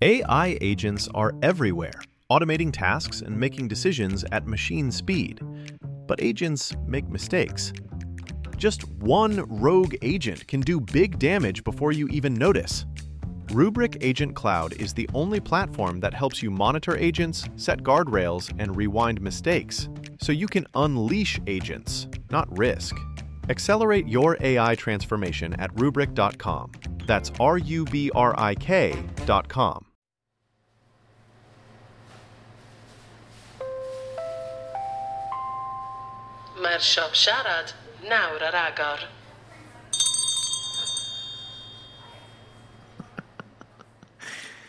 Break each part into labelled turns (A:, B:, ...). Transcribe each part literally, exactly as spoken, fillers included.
A: A I agents are everywhere, automating tasks and making decisions at machine speed. But agents make mistakes. Just one rogue agent can do big damage before you even notice. Rubrik Agent Cloud is the only platform that helps you monitor agents, set guardrails, and rewind mistakes, so you can unleash agents, not risk. Accelerate your A I transformation at Rubrik dot com. That's R U B R I K dot com.
B: Mae'r siop siarad nawr ar agor.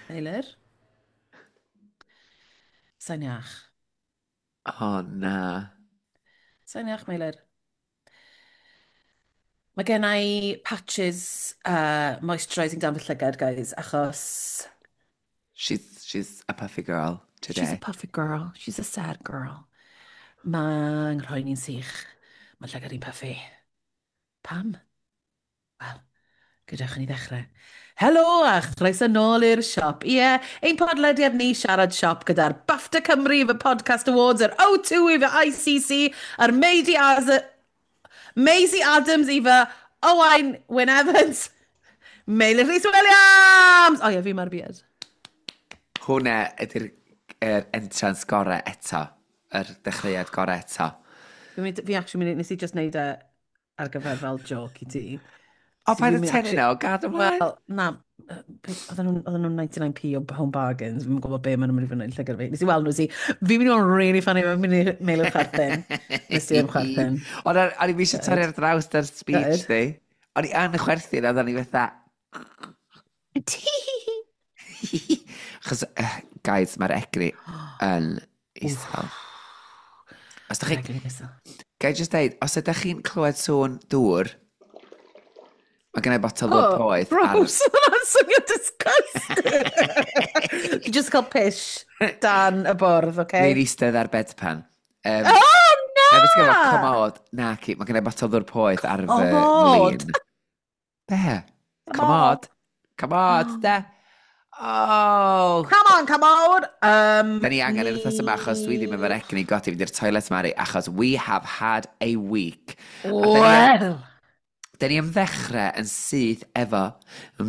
C: Eilir? Sa'n iach.
D: O, na.
C: Sa'n iach, Meilir. Mae gen i patches uh, moisturising dan fy llygad, guys, achos...
D: She's, she's a puffy girl today.
C: She's a puffy girl. She's a sad girl. Mae'n rhoi ni'n sych. Mae llygad i'n puffy. Pam? Wel, gadewch i ni ddechrau. Helo a chroeso nôl i'r siop. Ie, yeah, ein podlediad ni siarad siop gyda'r BAFTA Cymru fy Podcast Awards, yr O two i fy I C C, a'r Maisie As- Maisie Adams i fy Owain Wyn Evans, Meilir Rhys Williams! O ie, fi mae'r beard.
D: Hwna ydy'r er entrance gorau eto. Yr dechreuad gorau eto.
C: Fi, fi actually mynd, nes i just neud e ar gyfer fel joke i ti.
D: O, paid y tynnu nhw, gad ymlaen.
C: Wel, na, oedden nhw'n ninety-nine p o Home Bargains, fi'n gwybod be maen nhw'n mynd i fynd yn llygad fi. Nes i weld nhw, si, fi'n mynd i fod yn really funny, fi'n mynd i mail o'r chwerthin. Nes i am chwerthin.
D: Ond o'n i eisiau torri ar draws da'r speech, di. O'n i yn chwerthin, a o'n i fatha... Chos, guys, mae'r egni yn isel. Os dach chi... Gai just deud, os ydych chi'n clywed sŵn dŵr, mae gen i botel ddŵr poeth.
C: Gross! Hwnna'n swnio disgusting! Dwi just cael pish dan y bwrdd, oce?
D: Ni'n eistedd ar bedpan. Um,
C: oh, na!
D: Na, beth gyda comod. Na, ci, mae gen i botel ddŵr poeth ar fy mlin. Be? Comod. Comod, de. Oh!
C: Come on, come on! Um,
D: da ni angen yr wythnos yma achos dwi ddim efo'r egni godi fynd i'r toilet, Mari, achos we have had a week.
C: Well!
D: Da ni am ddechrau yn syth efo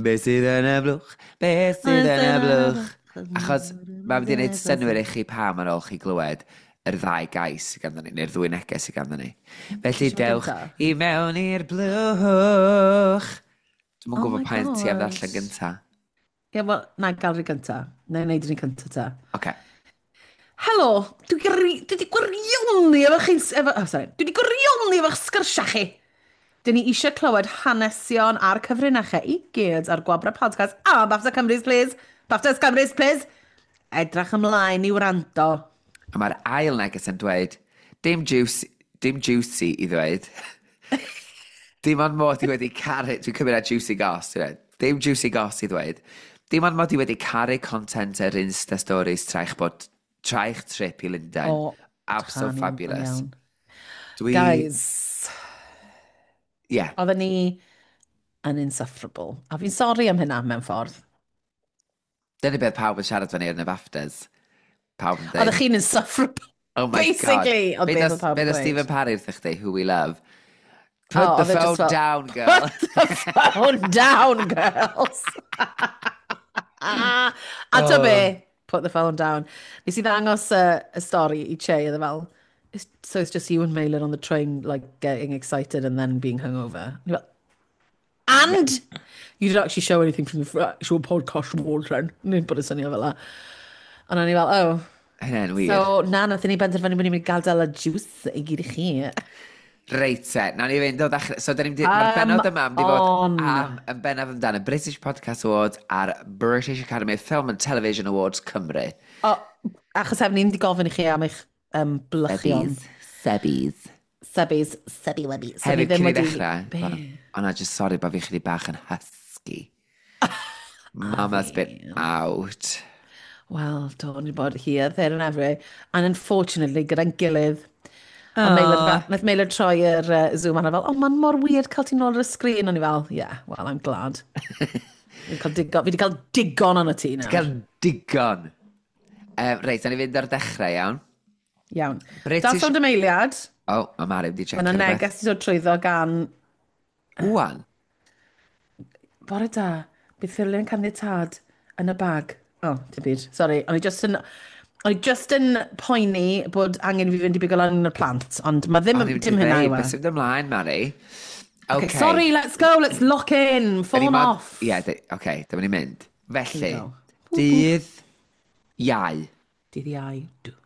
D: be sydd yn y blwch, be sydd yn y blwch. Achos mae'n mynd i wneud synnwyr i chi pam ar ôl chi glywed yr ddau gais sydd ganddo ni, neu'r ddwy neges sydd ganddo ni. Felly dewch i mewn i'r blwch. Dwi'm yn gwybod pa un ti am ddarllen gynta.
C: Ie, yeah, wel, na, gael rhi gynta. Na, wneud rhi gynta ta.
D: Oce.
C: Helo, dwi wedi gwirioni efo chi'n... Oh, sorry. Dwi wedi gwirioni efo'ch sgyrsiau chi. Dyn ni eisiau clywed hanesion a'r cyfrinachau i gyd ar Gwobrau Podcast a BAFTA Cymru's, please. BAFTA Cymru's, please. Edrych ymlaen i wrando.
D: A mae'r ail neges yn dweud, dim juicy, dim juicy i ddweud. Dim ond mod i wedi caru... Dwi'n cymryd ar juicy goss, dwi'n dweud. Dim juicy goss i ddweud. Dim ond mod i wedi caru content yr Insta Stories traich bod traich trip i Lundain.
C: Oh,
D: Absolute fabulous. Dwi...
C: Guys.
D: Yeah.
C: Oedden ni yn insufferable. A fi'n sori am hynna mewn ffordd.
D: Dyna beth pawb yn siarad fyny yn y BAFTAs. Pawb yn dweud.
C: Oeddech chi'n insufferable.
D: Oh my
C: basically,
D: God.
C: Basically, oedd beth oedd pawb yn
D: dweud. Be Stephen Parry wrthych chdi, who we love. Put
C: oh,
D: the phone
C: fel,
D: down, girl.
C: Put the phone down, girls. A oh. To be, put the phone down. Nes i ddangos uh, y stori i Che, oedd e fel, it's, so it's just you and Meilir on the train, like, getting excited and then being hungover. Fel, and you didn't actually show anything from the actual podcast award then. Ni'n bod y syniad fel la. Ond o'n i fel, oh.
D: Hynna'n wir.
C: So, na, nath ni benderfynu bod ni'n mynd i gadael y juice i gyd i chi.
D: Reit te, nawn ni fynd o ddechrau. So, da ni'n mae'r bennod yma am di fod am, yn bennaf amdano British Podcast Awards a'r British Academy of Film and Television Awards Cymru.
C: O, achos hefyd ni'n di gofyn i chi am eich um, blychion.
D: Sebbies.
C: Sebbies. Sebbi webbies.
D: So hefyd, cyn i ddechrau, ond na, just sorry bod fi chydig bach yn husky. Mama's been out.
C: Wel, do, ni bod here, there and everywhere. And unfortunately, gyda'n gilydd, A Meilir, nath Meilir troi yr uh, Zoom arno fel, oh, mae'n mor weird cael ti nôl ar y sgrin. O'n i fel, yeah, well, I'm glad. Fi wedi cael digon, fi wedi cael digon o'n y ti nawr.
D: Cael digon. Um, reit, awn ni fynd ar dechrau, iawn.
C: Iawn.
D: British-
C: Dal sownd ymheiliad.
D: O, oh, mae Mari wedi checio.
C: Mae yna neges i dod trwyddo gan
D: Wan.
C: Bore da, bydd ffurflen caniatâd yn y bag. O, oh, dim byd. Sorry, o'n i just yn... O'n i just yn poeni bod angen i fi fynd i bigo lan y plant, ond mae ddim,
D: O'n i'n
C: dim hynna yw e.
D: Beth sy'n mynd ymlaen, Mari?
C: Okay, sorry, let's go, let's lock in,
D: Da ni
C: phone
D: mod-
C: off.
D: Ie, yeah, oce, dyma ni'n mynd. Felly,
C: Here we go.
D: dydd Iau,
C: Dydd Iau. Dw.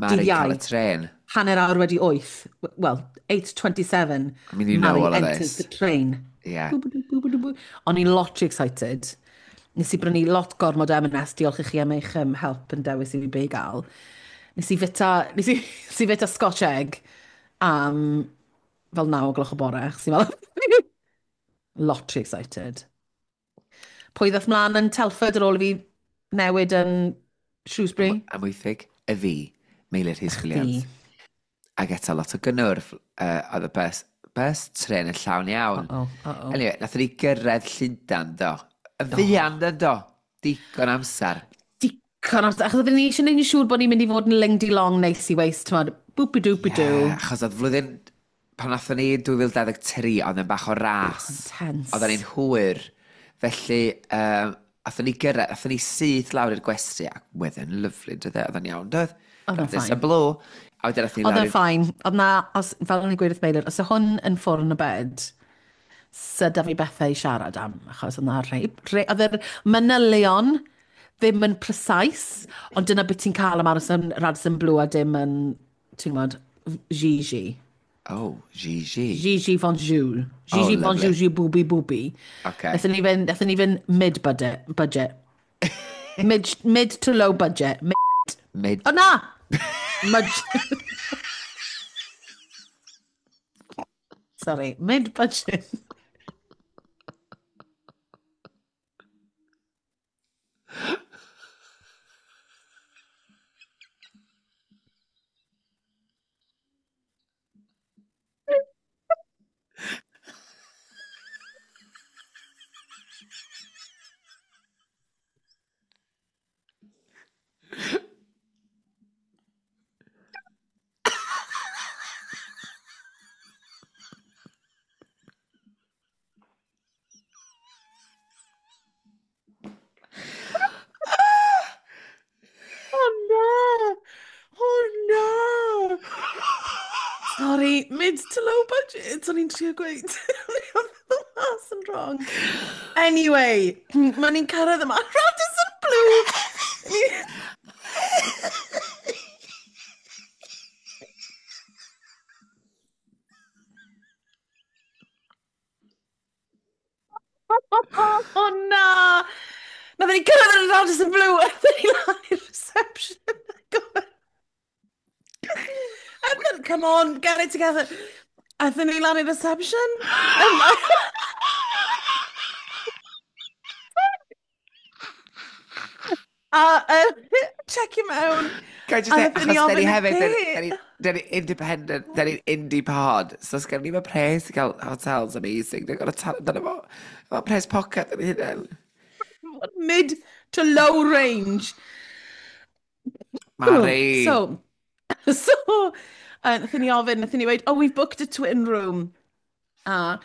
D: Mari'n
C: Dydd Iau.
D: cael y tren.
C: Hanner awr wedi wyth. Well, eight twenty-seven.
D: I mean, you know
C: Mari
D: all of
C: enters
D: this.
C: the train.
D: Ie.
C: Bw-bw-dw, bw-bw-dw, bw. O'n i'n lot rhy excited. Nes i brynu lot gormod o M and S, diolch i chi am eich um, help yn dewis i fi be i gael. Nes i fita, nes i, nes i fita Scotch egg am fel naw o gloch o bore, achos i'n meddwl, lot rhy excited. Pwy ddath mlaen yn Telford ar ôl i fi newid yn Shrewsbury?
D: Amwythig, y fi, Meilir Rhys
C: Chdi.
D: Williams. Ac eto lot o gynnwrf, uh, oedd y bus, bus tren yn llawn iawn.
C: Uh-oh, uh-oh.
D: Anyway, nathon ni gyrraedd Llundain, do. Yn fuan, do, do. Digon amser.
C: Digon amser, achos oedden ni eisiau gwneud yn siŵr bod ni'n mynd i fod yn ling-di-long neis i waste, t'mod, boopy-doopy-doo.
D: Ie, achos oedd flwyddyn, pan nathon ni dwy fil dau ddeg tri, oedd yn bach o ras.
C: Intense.
D: Oedden ni'n hwyr. Felly, um, athon ni gyrraedd, athon ni syth lawr i'r gwesty, ac wedd yn lyfli, doedd e? Oedd yn iawn, doedd?
C: Oedd o'n
D: This
C: fine.
D: a blow. A wedyn athon ni
C: Oedd
D: lawr
C: o'n
D: i'r...
C: fine. Oedd na, os, fel o'n i'n gweud wrth Meilir, os yw hwn yn ffwrn y bed, sy da fi bethau i siarad am, achos oedd na rhai, rhai, oedd yr manylion ddim yn precise, ond dyna beth ti'n cael am aros yn Radisson Blu a dim yn, ti'n gwybod, Gigi.
D: Oh, Gigi.
C: Gigi Bonjour. Gigi
D: Oh, lovely.
C: Bonjour, Gigi Booby Booby.
D: Okay.
C: Nethon ni fynd, nethon ni fynd mid-budget. Budget. Mid, mid to low budget. Mid.
D: Mid.
C: O na! Mud. Sorry, mid-budget. Oh no! Oh no! Sorry, mid to low budget, o'n i'n trio gweud. O'n i'n meddwl mas yn wrong. Anyway, mae ni'n cyrraedd yma. Radisson Blu! Oh na! Nathon ni cyrraedd yn Radisson Blu, a ni lan i'r reception. And then, come on, get it together. Aethon ni lan i'r reception. Um, a uh, check him out.
D: Can I just
C: A
D: say,
C: nathon ni
D: achos da ni
C: ofyn y
D: hefyd, da ni-
C: be?
D: da ni- da ni independent, da ni'n indie pod, so os gen ni'n pres i gael hotels amazing, ni'n gorfod talu amdano fo, efo pres pocket yn hynny.
C: Mid to low range.
D: Mari!
C: So, so, uh, nathon ni ofyn, nathon ni weud, oh, we've booked a twin room. A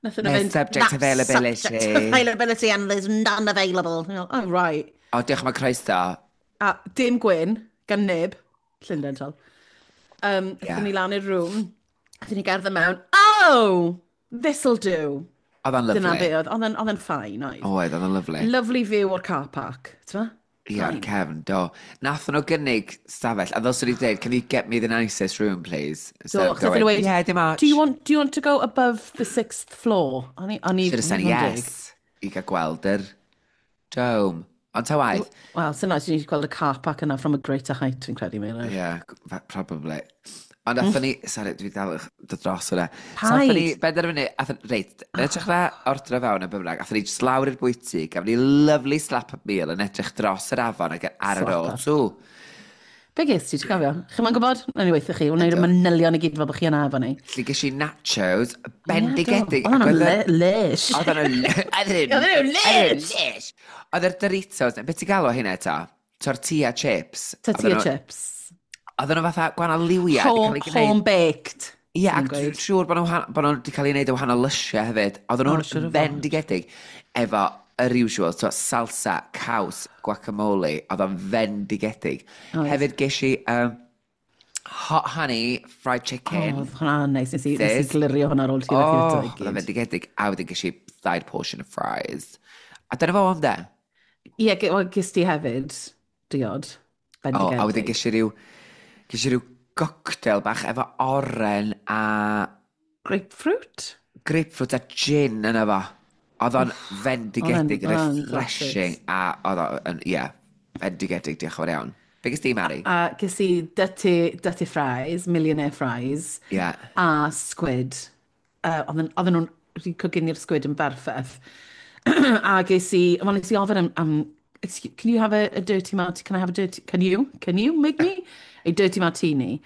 C: nathon nhw
D: There's
C: fynd,
D: subject
C: "That's
D: availability."
C: Subject availability and there's none available. Ni'n meddwl, oh, right.
D: O, diolch am y croeso.
C: A dim gwyn, gan neb, Llundain tol. Um,
D: Yeah.
C: Aethon ni lan i'r room, aethon ni gerdded mewn, oh, this'll do.
D: Oedd o'n
C: Dyna
D: lyfli.
C: be oedd, oedd e'n- oedd e'n fine, oedd.
D: Oedd, oedd o'n lyfli.
C: Lovely view o'r car park, ti'n ma?
D: Ie, o'r cefn, do. Nathon nhw gynnig stafell, a ddylswn i dweud, can you get me the nicest room, please? Instead
C: Do,
D: of
C: achos nathon nhw
D: going,
C: weud,
D: yeah, dim ots.
C: Do you want, do you want to go above the sixth floor? O'n i, o'n i...
D: Should have said
C: o'n i'n
D: yes. I gael gweld yr dome. Ond ta waith.
C: Wel, sy'n nice, ni'n gweld y car park yna from a greater height, fi'n credu, Meilir.
D: Yeah, probably. Ond athon ni, sorry, dwi dal yn dod dros hwnna. So athon ni,
C: Paid.
D: benderfynu, athon, reit, yn edrych na ordro fewn y bynnag, athon ni just lawr i'r bwyty, gafon ni lovely slap up meal yn edrych dros yr afon ac ar yr
C: Slap up.
D: O two.
C: Be ges ti, ti'n cofio? Chi'n ma'n gwybod? Nawn ni weithio chi. Wnawn ni'r manylion i gyd fel bod chi yna efo ni.
D: Felly ges i nachos, bendigedig.
C: Oedd
D: ac
C: hwnna'n
D: oedd y-
C: lysh.
D: Oedd nhw'n
C: Oedd nhw'n lysh!
D: lysh! Oedd yr Doritos, beth ti'n galw hynna eto? Tortilla chips.
C: Tortilla
D: Oedden nhw-
C: chips.
D: Oedden nhw fatha gwahanol liwiau. 'di
C: Home,
D: cael eu gwneud.
C: home baked.
D: Ie, ac
C: Dwi'n
D: dwi'n
C: gweud.
D: siŵr bod nhw bod nhw wedi cael eu gwneud o wahanol lysiau hefyd. Oedden
C: O,
D: nhw'n
C: siŵr o fod.
D: fendigedig efo yr usual, so salsa, caws, guacamole, oedd o'n fendigedig.
C: Oedd.
D: Hefyd ges i um, hot honey fried chicken.
C: O, oedd hwnna'n neis. Nes i, nes i
D: Sis.
C: glirio hwnna ar ôl ti
D: Oh,
C: oh,
D: oedd o'n fendigedig. A wedyn ges i ddau portion of fries. A dyna fo am de.
C: Ie, ge- wel, ges ti hefyd diod.
D: O, a wedyn
C: Bendigedig.
D: ges i ryw, ges i ryw cocktail bach efo oren a
C: Grapefruit?
D: Grapefruit a gin yna fo. Oedd o'n fendigedig,
C: Oedd o'n- oedd o'n
D: refreshing, a oedd o'n, ie, fendigedig, diolch yn fawr iawn. Be ges di, Mari?
C: A ges i dirty, dirty fries, millionaire fries,
D: Ie.
C: a squid. Uh, oedden oedden nhw'n wedi coginio'r squid yn berffaith. A ges i, wel, nes i ofyn am, am "Excuse- can you have a, a dirty martini? Can I have a dirty, can you, can you make me a dirty martini?"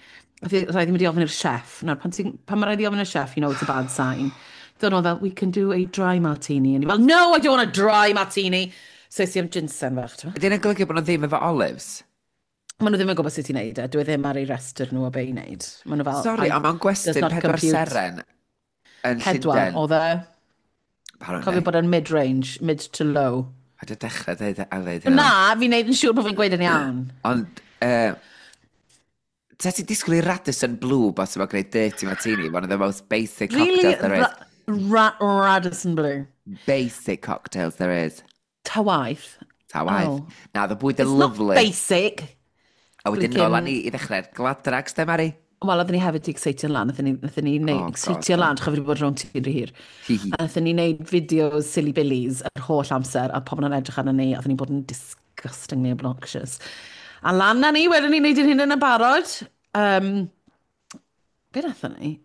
C: Rhaid i mynd i ofyn i'r chef. Nawr, pan, ti'n- pan mae rhaid i ofyn i'r chef, you know it's a bad sign. Dod nhw fel, "We can do a dry martini." And i fel, "No, I don't want a dry martini." So es i am ginsen fach, ti'n
D: Ydy hynny'n golygu bod nhw ddim efo olives?
C: Maen nhw ddim yn gwybod sut i wneud e. Dwi ddim ar ei restr nhw o be i wneud. Maen nhw fel,
D: Sorry,
C: "I-
D: ond mae'n
C: does
D: gwestyn
C: not
D: pedwar
C: compute."
D: seren yn
C: Pedwar,
D: Llundain.
C: oedd e.
D: Apparently.
C: Cofio bod e'n mid-range, mid to low.
D: A dy dechrau dweud a dweud hynna.
C: Na, fi'n neud yn siŵr bod fi'n gweud yn iawn.
D: Ond, uh, ta ti disgwyl i Radisson Blu bos yma gwneud dirty martini, one of the most basic
C: Really,
D: cocktails there is.
C: ra ra Radisson Blu.
D: Basic cocktails there is.
C: Ta waith.
D: Ta waith.
C: Oh.
D: Na, the bwyd yn
C: It's not
D: lovely.
C: basic.
D: A wedyn
C: Blinking-
D: nôl â ni i ddechrau'r gladrags, de, Mari?
C: Wel, oedden ni hefyd di excitio lan. Oedden ni, oedden ni neud,
D: Oh,
C: excitio
D: God.
C: lan, chofio wedi bod rownd ti'n rhy hir.
D: Hi hi.
C: A oedden ni neud fideos silly billies yr holl amser, a pobl yn edrych arno ni, a oedden ni'n bod yn disgustingly obnoxious. A lan na ni, wedyn ni'n neud ein hunain yn barod. Um, be nathon ni?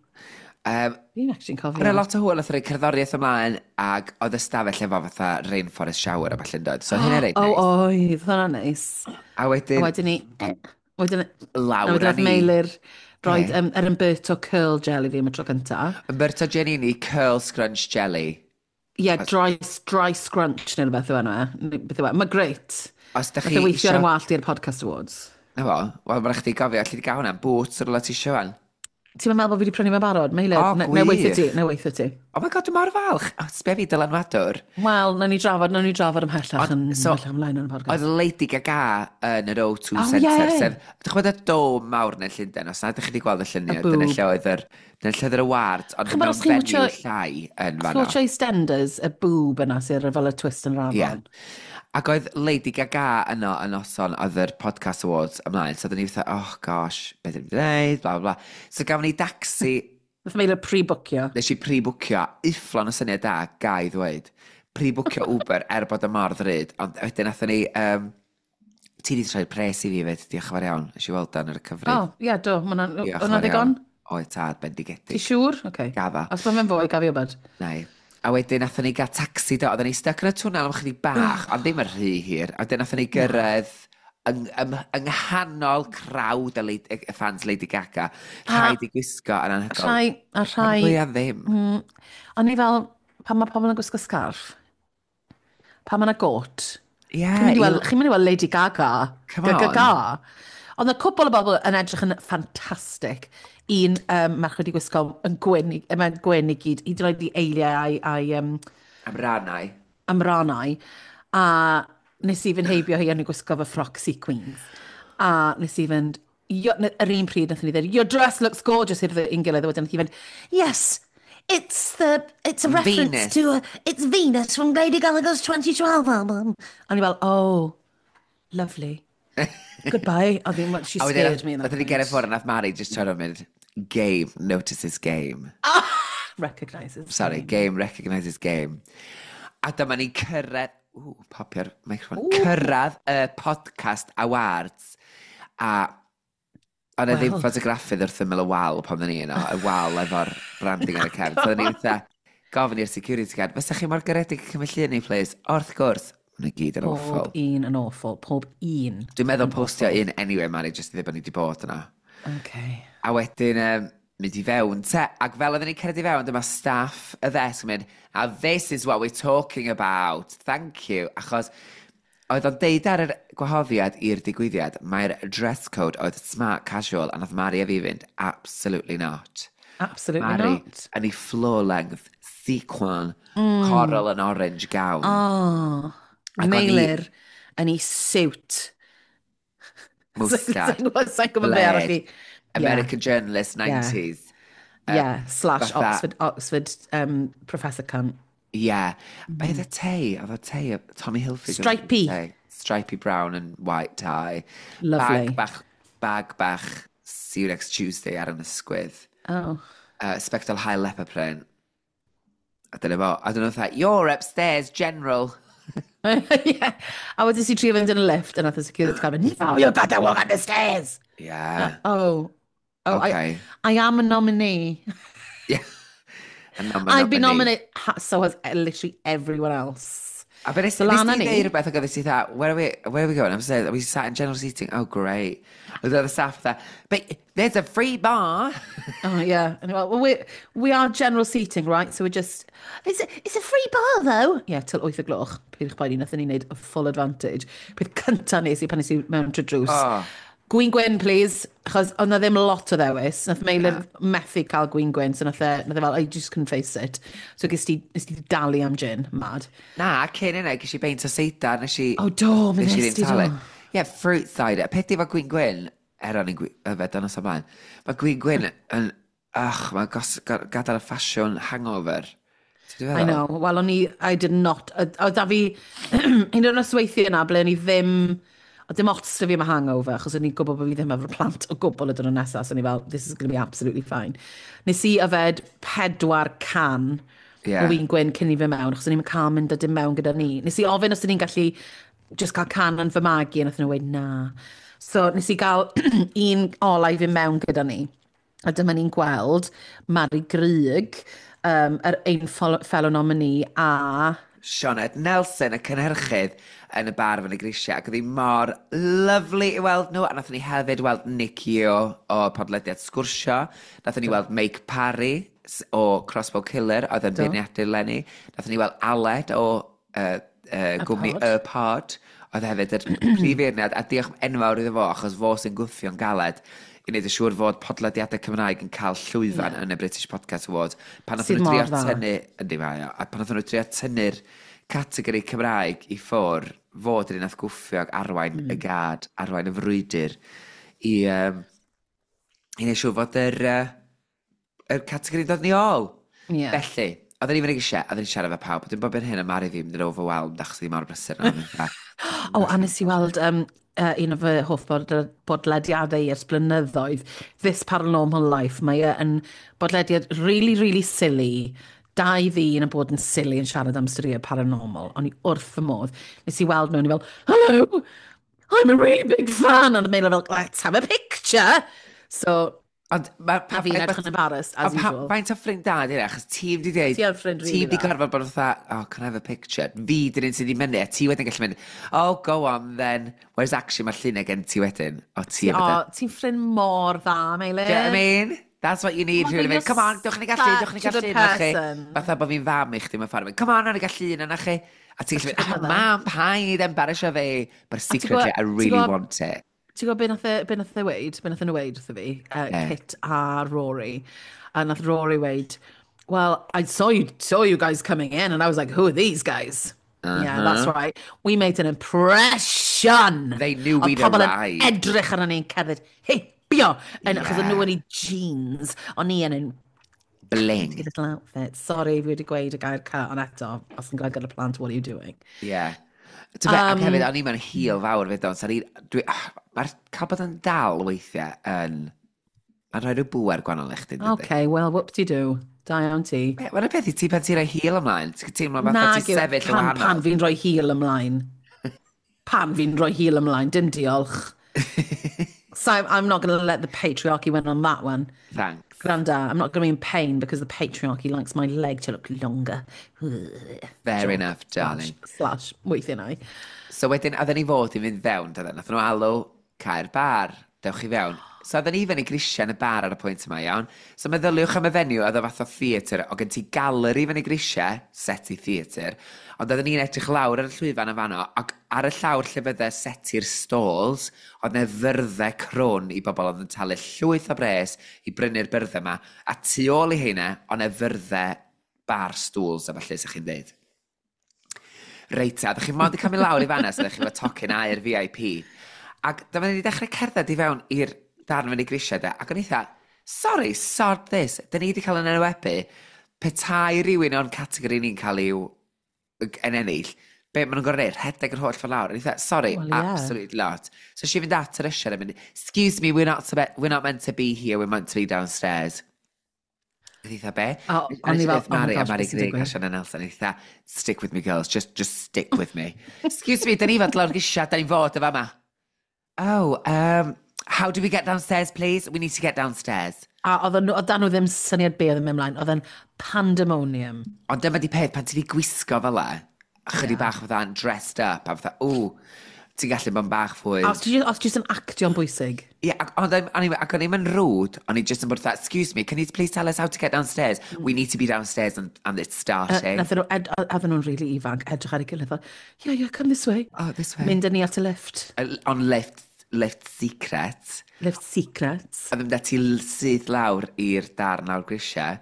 D: Um,
C: Fi'n actually'n cofio.
D: Oedd 'na lot o hwyl, oedd rhoi cerddoriaeth ymlaen, ac oedd y stafell efo fatha rainforest shower a ballu'n dod. So hynny'n reit
C: O,
D: neis.
C: oedd, hwnna'n neis.
D: A wedyn,
C: A wedyn ni... Wedyn,
D: lawr
C: a
D: â
C: wedyn nath
D: ni.
C: Meilir roed
D: Be?
C: um, yr Umberto Curl Gel i fi am y tro cynta.
D: Umberto Giannini Curl Scrunch Jelly.
C: Ie, yeah, dry, dry scrunch neu rhywbeth yw enw e. Neu beth yw e. Mae great.
D: Os da
C: Nath
D: chi
C: e weithio ar
D: isio
C: yng ngwallt i'r Podcast Awards.
D: Na fo, wel, mae'n rhaid chdi gofio, alli di gael hwnna'n Boots ar ôl ti isio fan.
C: Ti'n meddwl bod fi wedi prynu fe'n barod? Meilir,
D: O,
C: na, na weithio
D: gwych.
C: ti, na weithio ti.
D: Oh my God, dwi'n mor falch. O, sbia fi dylanwadwr.
C: Wel, nawn ni drafod, nawn ni drafod ymhellach yn
D: Ond, so,
C: ymhellach ymlaen yn y podcast.
D: Oedd Lady Gaga yn yr O two
C: Oh,
D: Centre,
C: ie.
D: sef, dych chi'n gwybod y dome mawr yn Llundain, os na ydych chi wedi gweld y lluniau,
C: Y
D: dyna
C: boob.
D: lle oedd yr, dyna lle oedd yr award, ond
C: Ch'mod
D: mewn
C: os chi'n
D: venue
C: watcho-
D: llai yn
C: Chi'n
D: fanno.
C: watcho EastEnders, y boob yna sy'n fel y twist yn
D: Ie.
C: rafon.
D: Ac oedd Lady Gaga yno yn noson, oedd yr Podcast Awards ymlaen, so oedden ni fatha, "Oh gosh, beth ydyn ni'n gwneud," bla bla bla. So gafon ni dacsi.
C: Nath Meilir pre-bwcio.
D: Nes i pre-bwcio, ufflon o syniad da, ga i ddweud. Pre-bwcio Uber er bod y mor ddrud, ond wedyn nathon ni, um, ti di rhoi pres i fi fyd, diolch yn fawr iawn, nes i weld dan ar y cyfrif.
C: O, ie, do, ma' hwnna'n
D: Diolch yn
C: hwnna
D: fawr
C: ddigon?
D: iawn. Oedd tad, bendigedig.
C: Ti siŵr? Oce.
D: Gadda.
C: Os mae fe'n fwy, gaf i wybod.
D: Nai. A wedyn nathon ni gael taxi do, oedden ni stuck yn y twnnel am chydig bach, ond ddim yn rhy hir. A wedyn nathon ni gyrraedd yng, yng, yng nghanol crowd y, Lady, y fans Lady Gaga. Rhaid i gwisgo yn anhygoel.
C: Rhai, a rhai.
D: Fwyaf ddim.
C: Mm, o'n i fel, pan mae pobl yn gwisgo scarf, pan mae yna got,
D: Ie.
C: chi'n mynd i
D: i-
C: weld, chi'n mynd i weld Lady Gaga.
D: Come
C: Gaga
D: on.
C: Ga. Ond y cwbl o bobl yn edrych yn ffantastig. Un um, merch wedi gwisgo yn gwyn, i- mae'n gwyn i gyd, hyd yn oed i eiliau a'i, a'i um,
D: Am rannau.
C: Am rannau. A nes i fynd heibio hi yn ei gwisgo fy ffroc sequins. A nes i fynd, "Yo-" ne- yr un pryd nath ni ddweud, "Your dress looks gorgeous," i'r un gilydd, a wedyn nath hi fynd, "Yes, it's the, it's a reference
D: Venus.
C: to, a, it's Venus from Lady Gaga's twenty twelve album." A ni fel, "Oh, lovely. Goodbye." A ddim, she
D: A
C: scared me in that
D: wedyn ni gerdded
C: point.
D: ffwrdd a nath Mari just troi rownd mynd, "Game notices game."
C: Recognises.
D: Sorry, game recognises game. A dyma ni'n cyrraedd, ww, popio'r microphone, cyrraedd y Podcast Awards. A oedd e ddim
C: Wel.
D: ffotograffydd wrth ymyl y wal pan oedden ni yno, y wal efo'r branding ar y cefn. So oedden ni fatha, gofyn i'r security guard, "Fysa chi mor garedig yn cymryd llun ni, please?" "Wrth gwrs." Mae'n gyd yn awful.
C: Pob un yn awful. Pob un.
D: Dwi'n meddwl postio un anyway, Mari, jyst i ddweud bod ni wedi bod yna.
C: Okay.
D: A wedyn, um, mynd i fewn te, ac fel oedden ni'n cerdded i fewn, dyma staff y ddesg yn mynd, "And this is what we're talking about, thank you," achos oedd o'n deud ar yr gwahoddiad i'r digwyddiad, mae'r dress code oedd smart casual, a nath Mari a fi fynd, "Absolutely not."
C: Absolutely
D: Mari,
C: not.
D: Yn ei floor length, sequin, mm. coral and orange gown.
C: Oh,
D: Ac o'n i-
C: Meilir yn ei suit.
D: Mwstad.
C: Sa'n gwybod be arall i.
D: American journalist, nineties.
C: Yeah, yeah. Slash
D: fatha-
C: Oxford, Oxford um, Professor cunt.
D: Yeah. Mm. Be oedd y tei? Oedd y tei, Tommy Hilfiger.
C: Stripey.
D: Tei. Stripey brown and white tie.
C: Lovely.
D: Bag bach, bag bach, see you next Tuesday ar yn ysgwydd.
C: Oh.
D: Uh, Sbectol haul leopard print. A dyna fo. A dyna fatha, "You're upstairs, general."
C: Yeah. A wedyn si trio fynd yn y lift, a nath y security guard mynd, "No, you've got to walk up the stairs."
D: Yeah.
C: Oh. Oh,
D: Okay.
C: I, I am a nominee.
D: Yeah. And I'm a
C: I've been
D: nominee.
C: nominated, ha- so has literally everyone else.
D: A be nes
C: So
D: nes
C: lan â
D: ti
C: ni.
D: ddeud rhywbeth ac oedd ti dda, where are we, where are we going?" I'm saying, "We sat in general seating." "Oh, great." Oedd the staff there, "But there's a free bar."
C: Oh, yeah. And well, we, we are general seating, right? So we're just, It's a, it's a free bar, though." Yeah, till wyth o gloch. Peidiwch poeni, nathon ni wneud a full advantage. Peth cynta nes i pan nes i mewn trwy drws.
D: Oh.
C: "Gwin gwyn, please." Achos oedd na ddim lot o ddewis. Nath Meilir methu cael gwin gwyn, so nath e, nath e fel, "I just couldn't face it." So ges ti, nes ti dalu am gin, mad.
D: Na, cyn yna, ges i beint o seidar, nes i
C: Oh, do, mi
D: nes i
C: nes
D: ddim
C: ti
D: talu.
C: do.
D: Yeah, fruit cider. Peth efo gwin gwyn, er o'n i'n yfed yn os ymlaen, mae gwin gwyn yn, ach, mae'n gos, gadael y ffasiwn hangover. Ti'n
C: I
D: feddwl?
C: know. Wel, o'n i, I did not, oedd da fi, un o'r nosweithiau yna ble o'n i ddim, oedd dim ots 'da fi am y hangover, achos o'n i'n gwybod bod fi ddim efo'r plant o gwbl y diwrnod nesaf, so o'n i fel, "This is going to be absolutely fine." Nes i yfed pedwar can
D: Yeah.
C: o win gwyn cyn i fi mewn, achos o'n i'n cael mynd â dim mewn gyda ni. Nes i ofyn os o'n i'n gallu just cael can yn fy magu, a nath nhw weud na. So nes i gael un ola i fi mewn gyda ni. A dyma ni'n gweld Mari Grug, um, yr ein fellow nominee, a
D: Sioned Nelson, y cynhyrchydd yn y bar fyny grisiau, ac oedd hi mor lovely i weld nhw, a nathon ni hefyd weld Nicky o, o podlediad Sgwrsio, nathon ni weld Meic Parry s- o Crossbow Killer, oedd yn
C: Do.
D: beirniadu leni, nathon ni weld Aled o uh, uh, gwmni
C: Pod.
D: Y Pod, oedd hefyd yr prif feirniad, a diolch enfawr iddo fo, achos fo sy'n gwthio'n galed i wneud yn siŵr fod podlediadau Cymraeg yn cael llwyfan yeah. yn y British Podcast Awards. Pan nathon
C: Sydd
D: nhw drio
C: mor dda.
D: tynnu, yndi mae o, a pan nathon nhw trio tynnu'r categori Cymraeg i ffwr, fod yr un nath gwffio ac arwain mm. y gad, arwain y frwydr i, um, i wneud siŵr fod yr, uh, yr categori'n dod ni ôl.
C: Ie.
D: Felly, oedden ni'n mynd eisiau, oedden ni'n siarad efo pawb, dwi'n bod ben hyn a Mari fi mynd yn overwhelmed achos ddim mor brysur na.
C: O, a nes i weld um, uh, un o fy hoff bod bodlediadau i ers blynyddoedd, This Paranormal Life. Mae e yn bodlediad really, really silly. Dau ddyn yn bod yn silly yn siarad am storïau paranormal. O'n i wrth fy modd. Nes i weld nhw, o'n i fel, "Hello, I'm a really big fan." Ond Meilir fel, "Let's have a picture." So,
D: Ond mae...
C: a fi'n edrych yn embarrassed, as
D: Ond pa-
C: usual.
D: Faint o ffrind da di hynna, achos ti'n di dweud
C: Ti yn ffrind really
D: Ti'n di
C: dda.
D: gorfod bod fatha, "Oh, can I have a picture?" Fi dyn un sydd wedi mynd, a ti wedyn gallu mynd, "Oh, go on then." Whereas actually mae'r lluniau gen ti wedyn, o ti
C: O,
D: efo dy
C: ti'n ffrind mor dda, Meilir.
D: Do you know what I mean? That's what you need.
C: Oh my
D: Rhywun yn
C: God,
D: mynd, "Come on, dewch ni gael llun, dewch ni
C: such
D: gael
C: a good
D: llun na chi."
C: person.
D: Fatha bod fi'n fam i chdi mewn ffordd. Mynd, "Come on, nawn ni gael llun yna chi." A ti'n gallu mynd, "Oh, mam, paid embarrassio fi." But secretly,
C: gwbo-
D: I
C: ti'n
D: really
C: gwbo-
D: want it.
C: Ti'n gwybod be nath e, be nath e weud? Be nath nhw weud wrtho fi? Uh,
D: Be?
C: Kit a Rory. A nath Rory weud, "Well, I saw you, saw you guys coming in and I was like, who are these guys?" Uh -huh. Yeah, that's right. We made an impression.
D: They knew
C: Oedd
D: we'd
C: pobl yn
D: arrived.
C: edrych arno ni'n cerdded, heibio. Yn, yeah. Achos
D: Yeah.
C: o'n nhw yn ei jeans, o'n i yn ein
D: Bling.
C: little outfit. Sorry, fi wedi gweud y gair ca, ond eto, os yn gweld gyda plant, what are you doing?
D: Yeah. Ti'n be, ac hefyd, o'n i mewn heel fawr fyd o'n, so dwi, ah, mae'r cael bod yn dal weithiau yn, mae'n rhoi rhyw bŵer gwahanol i chdi, dydy?
C: Okay, well, whoop-de-doo. Da iawn ti.
D: Be, mae'n y peth i ti pan ti'n rhoi heel ymlaen, ti'n teimlo fatha
C: Nag
D: ti'n
C: yw-
D: sefyll yn
C: pan,
D: wahanol.
C: pan fi'n rhoi heel ymlaen. Pan fi'n rhoi heel ymlaen, dim diolch. So I'm not going to let the patriarchy win on that one.
D: Thanks.
C: Granda, I'm not going to be in pain because the patriarchy likes my leg to look longer.
D: Fair
C: Joke.
D: enough, darling.
C: Slash, slash weithiau na i.
D: So wedyn, oedden ni fod i fynd fewn, doedden. Nath nhw alw cau'r bar, dewch i fewn. So oedden ni fyny grisiau yn y bar ar y pwynt yma, iawn. So meddyliwch am y venue, oedd o fath o theatr, o gen ti galeri fyny grisiau, set i theatr, ond oedden ni'n edrych lawr ar y llwyfan yn fanno, ac ar y llawr lle fydde seti'r stalls, oedd 'na fyrddau crwn i bobl oedd yn talu llwyth o bres i brynu'r byrddau yma, a tu ôl i heina, oedd 'na fyrddau bar stools a falle, sa'ch chi'n deud. Reit, a ddech chi mond yn cael mynd lawr i fanna, so ddech chi efo tocyn aur V I P. Ac dyma ni wedi dechrau cerdded i fewn i'r darn fyny grisiau de, ac o'n i eitha, "Sorry, sod this, dyn ni wedi cael yn enwebu, petai rhywun o'n categori ni'n cael i'w yn ennill, be maen nhw'n gorfod neud, rhedeg yr holl ffordd lawr?" O'n i eitha, "Sorry,
C: Well, yeah.
D: absolutely not." So si fynd at yr usher a mynd, "Excuse me, we're not, to be, we're not meant to be here, we're meant to be downstairs." Oedd eitha be?
C: A
D: A
C: o'n i
D: nes i
C: fel,
D: ddeud
C: "Oh my
D: Mari, a
C: gosh,
D: Mari
C: beth sy'n
D: Grug a
C: digwydd?"
D: Sian Nelson, eitha, "Stick with me, girls, just, just stick with me." "Excuse me, dyn ni fod lawr grisiau, dyn ni fod y fama." "Oh, um, how do we get downstairs, please? We need to get downstairs."
C: A oedden nhw, oedd dan nhw ddim syniad be oedd yn mynd ymlaen. Oedd yn pandemonium.
D: Ond dyma di peth, pan ti di gwisgo fel e, chydig
C: Yeah.
D: bach fatha'n dressed up, a fatha, ww, ti'n gallu bod yn bach fwy.
C: A os ti os ti jyst yn actio'n bwysig.
D: Ie, ac, ond I'm- anyway, ac o'n i'm yn rude, o'n i just yn bod fatha, "Excuse me, can you please tell us how to get downstairs? We need to be downstairs and, and it's starting."
C: Uh, Nathon nhw, ed, oedden nhw'n really ifanc, edrych ar ei gilydd fel, yeah, yeah, come this way."
D: Oh, this way.
C: Mynd â ni at y lift.
D: Uh, On lift, lift secret.
C: Lift secrets.
D: A ddim ti syth lawr i'r darn lawr grisiau.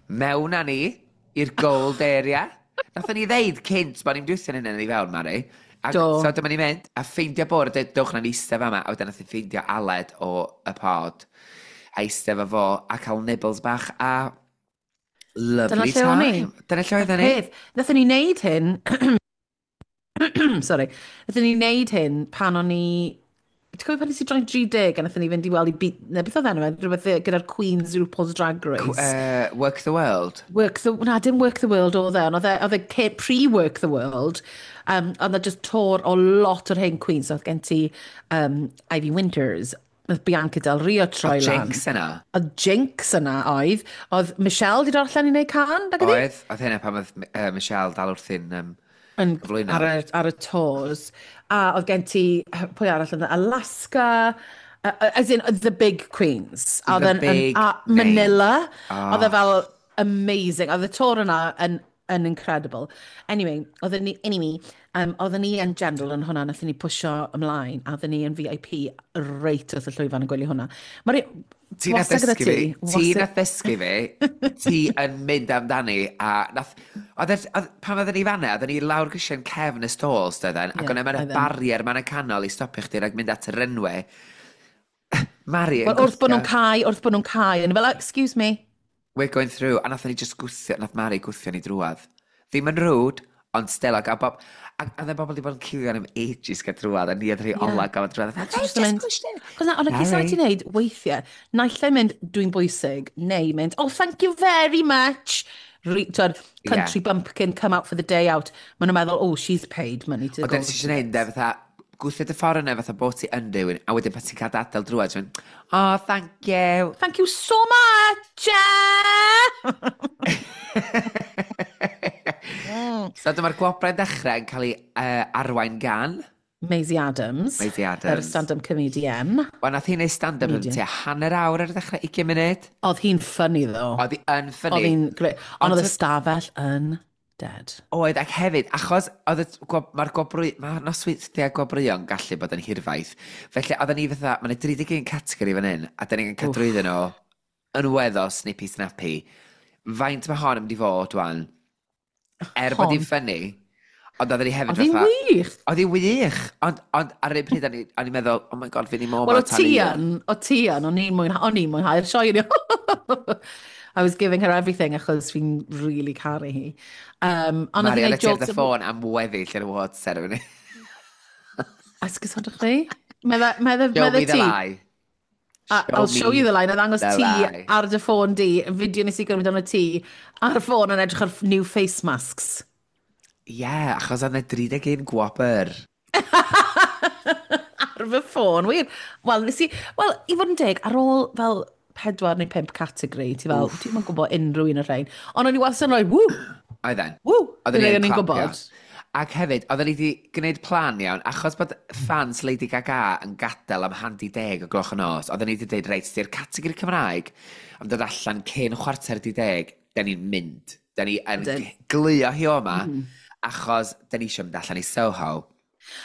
D: Mewn â ni i'r gold area. Nathon ni ddeud cynt bod ni'n diwthio hynny i fewn, Mari. Ac,
C: Do.
D: so dyma ni'n mynd, a ffeindio bwrdd, dweud, "Dewch na'n eistedd fama," a wedyn nath ni ffeindio Aled o y pod, a eistedd efo fo, a cael nibbles bach, a lovely
C: Dyna lle o'n i.
D: time. Dyna lle oedden ni.
C: Peth, nathon ni wneud hyn, sorry, nathon ni wneud hyn pan o'n i, ti'n cofio pan nes i droi'n tri deg a nathon ni fynd i weld i beat, ne, beth oedd enw e, rhywbeth gyda'r Queens RuPaul's Drag Race?
D: Uh, Work the World.
C: Work the, na, dim Work the World oedd e, ond oedd e, oedd e ce- pre-Work the World. Um, oedd e just tour o lot o'r hen Queens. Oedd gen ti um, Ivy Winters, oedd Bianca Del Rio troi
D: Oedd
C: lan.
D: Jinx yna.
C: Oedd Jinx yna oedd. Oedd Michelle di dod allan i wneud can, nag ydi?
D: Oedd, oedd hynna pan oedd uh, Michelle dal wrthi'n um,
C: Yn,
D: gyflwyno.
C: ar, y, ar y tours. A oedd gen ti, pwy arall oedd yna? Alaska, uh, as in the big queens. A
D: The
C: oedd yn- yn-
D: big
C: a Manila.
D: Oh.
C: Oedd e fel amazing. Oedd y tour yna yn, yn incredible. Anyway, oedden ni, anyway, um, oedden ni yn general yn hwnna, nathon ni pwysio ymlaen, a oedden ni yn V I P reit wrth y llwyfan yn gwylio hwnna. Mari,
D: Ti na
C: wastad gyda
D: ddysgu fi, ti
C: wastad-
D: na ddysgu fi, ti yn mynd amdani, a nath, oedd e- oedd, pan oedden ni fanna, oedden ni lawr grisiau'n cefn y stalls, doedden, ac
C: Ie,
D: o'n yma'n
C: oedden.
D: barrier ma'n y canol i stopio chdi rhag mynd at y runway. Mari yn
C: Wel, wrth bod nhw'n
D: gwthio,
C: cau, wrth bod nhw'n cau, yn fel, "Excuse me."
D: "We're going through," a nathon ni just gwthio, nath Mari gwthio ni drwadd. Ddim yn rude, ond still, ac a bob, ac oedd y bobl wedi bod yn cilio am ages gael drwadd, a ni oedd rhai
C: Ie.
D: ola gael drwadd.
C: Ti jyst yn mynd, cos na, ond y cys
D: Sorry.
C: ti'n neud weithiau, naill ai mynd, "Dwi'n bwysig," neu mynd, "Oh, thank you very much." Re, twyd, country
D: Ie.
C: bumpkin come out for the day out. Maen nhw'n meddwl, "Oh, she's paid money to
D: Ond
C: go."
D: dyna ti eisiau gwneud, de, fatha, gwthio dy ffordd yna fatha bod ti yn rhywun, a wedyn pan ti'n cael adael drwad, ti'n mynd, "Oh, thank you."
C: "Thank you so much!"
D: So dyma'r gwobrau'n dechrau yn cael ei uh, arwain gan
C: Maisie Adams.
D: Maisie
C: Yr
D: Adams.
C: stand-up comedian.
D: Wel, nath hi'n neud stand-up yn
C: Comedian.
D: tua hanner awr ar y dechrau, ugain munud.
C: Oedd hi'n funny, though.
D: Oedd hi yn funny.
C: Oedd hi'n great. Ond
D: Ond
C: oedd y
D: ty-
C: stafell yn dead.
D: Oedd, ac hefyd, achos oedd y gwob, mae'r gwobrwy, mae'r nosweithiau gwobrwyon gallu bod yn hirfaith. Felly, oedden ni fatha, mae'n tri deg un categori fan hyn, a dyn ni'n cael drwyddyn nhw yn weddol snippy snappy. Faint mae hon yn mynd i fod, wan? Er bod hi'n
C: Hon.
D: funny, ond oedden ni hefyd
C: Oedd hi'n
D: fatha
C: wych.
D: Oedd hi'n wych, ond, ond ar yr un pryd o'n i- o'n i'n meddwl, "Oh my God, fi ni mor
C: Wel, o ti yn, o ti yn, o'n i'n mwynhau, o'n i'n mwynhau'r sioe. I was giving her everything achos fi'n really caru hi. Um, ond
D: Mari,
C: oedd hi'n
D: oedd
C: neud
D: ti ar
C: jokes
D: dy ffôn am weddill yr award ceremony.
C: Esgusodwch chi? Medda, medda,
D: Show
C: medda
D: me the
C: ti.
D: lie.
C: A- I'll show you the line. A ddangos
D: the
C: ti
D: lie.
C: ar dy ffôn di, fideo nes i gymryd ono ti, ar y ffôn yn edrych ar new face masks.
D: Ie, yeah, achos oedd yna tri deg un gwobr.
C: Ar Ar fy ffôn, wir. Wel, nes i... Wel, i fod yn deg, ar ôl fel pedwar neu pump categori, ti fel, ti'n yn gwybod unrhyw un o'r rhain. Ond o'n i wastad yn rhoi, woo,
D: Oedden.
C: Woo,
D: Oedden ni
C: o'n
D: yn
C: i'n
D: clapio.
C: gwybod.
D: Ac hefyd, oedden ni wedi gwneud plan iawn, achos bod fans Lady Gaga yn gadael am hanner di deg o gloch y nos, oedden ni wedi dweud, reit, di'r categori Cymraeg am dod allan cyn chwarter di deg, da ni'n mynd. Da ni yn
C: Ydyn.
D: glio hi o yma, achos da ni eisiau mynd allan i Soho.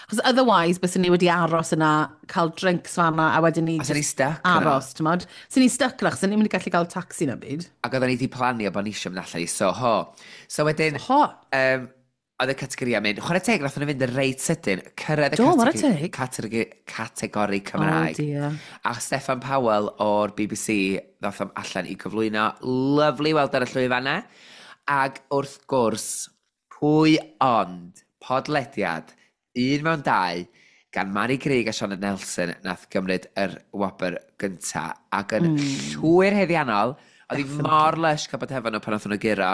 C: Achos otherwise, byswn ni wedi aros yna, cael drinks fanna, a wedyn ni
D: A sen ni
C: just
D: stuck yna.
C: aros, ti'n modd? Sen ni stuck yna, achos sen ni'n mynd i gallu cael taxi na byd.
D: Ac oedden ni wedi planio bod ni eisiau mynd allan i Soho. So wedyn,
C: Ho,
D: um, oedd y categori yn mynd, chwarae teg, nath nhw fynd yn reit sydyn, cyrraedd y
C: Do, chwarae
D: categori,
C: teg.
D: categori, categori
C: oh
D: Cymraeg.
C: dear.
D: A Steffan Powell o'r B B C ddoth am allan i gyflwyno. Lovely weld ar y llwyfannau. Ac wrth gwrs, pwy ond podlediad, Un Mewn Dau, gan Mari Grug a Sioned Nelson, nath gymryd yr wobr gynta. Ac yn mm. llwyr haeddiannol, oedd hi mor lush cael bod hefo nhw pan oedd nhw guro.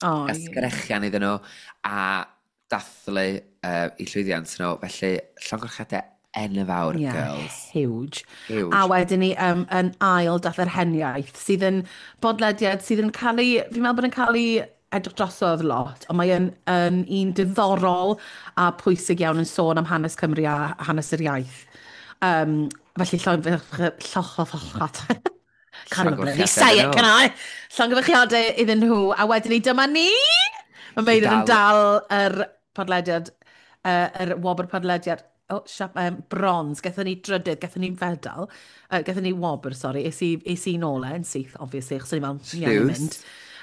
C: Oh,
D: A
C: ie.
D: sgrechian iddyn nhw, a dathlu uh, i llwyddiant nhw. Felly, llongyfarchiadau enfawr,
C: Yeah,
D: girls.
C: Huge.
D: Huge.
C: A wedyn ni um, yn ail dath Yr Heniaith, sydd yn bodlediad sydd yn cael ei, fi'n meddwl bod yn cael ei edrych drosodd lot, ond mae yn, yn un diddorol a pwysig iawn yn sôn am hanes Cymru a hanes yr iaith. Um, felly llongyfarchiadau. Can't even bloody say it, can I? Llongyfarchiadau iddyn nhw. A wedyn ni, dyma ni! Mae Meilir yn dal yr podlediad, uh, yr wobr podlediad, oh, siap, um, bronze. Gathon ni drydydd, gathon ni fedal, uh, gathon ni wobr, sorry. Es i, es i nôl e yn syth, obviously, achos o'n i fel, ni angen mynd.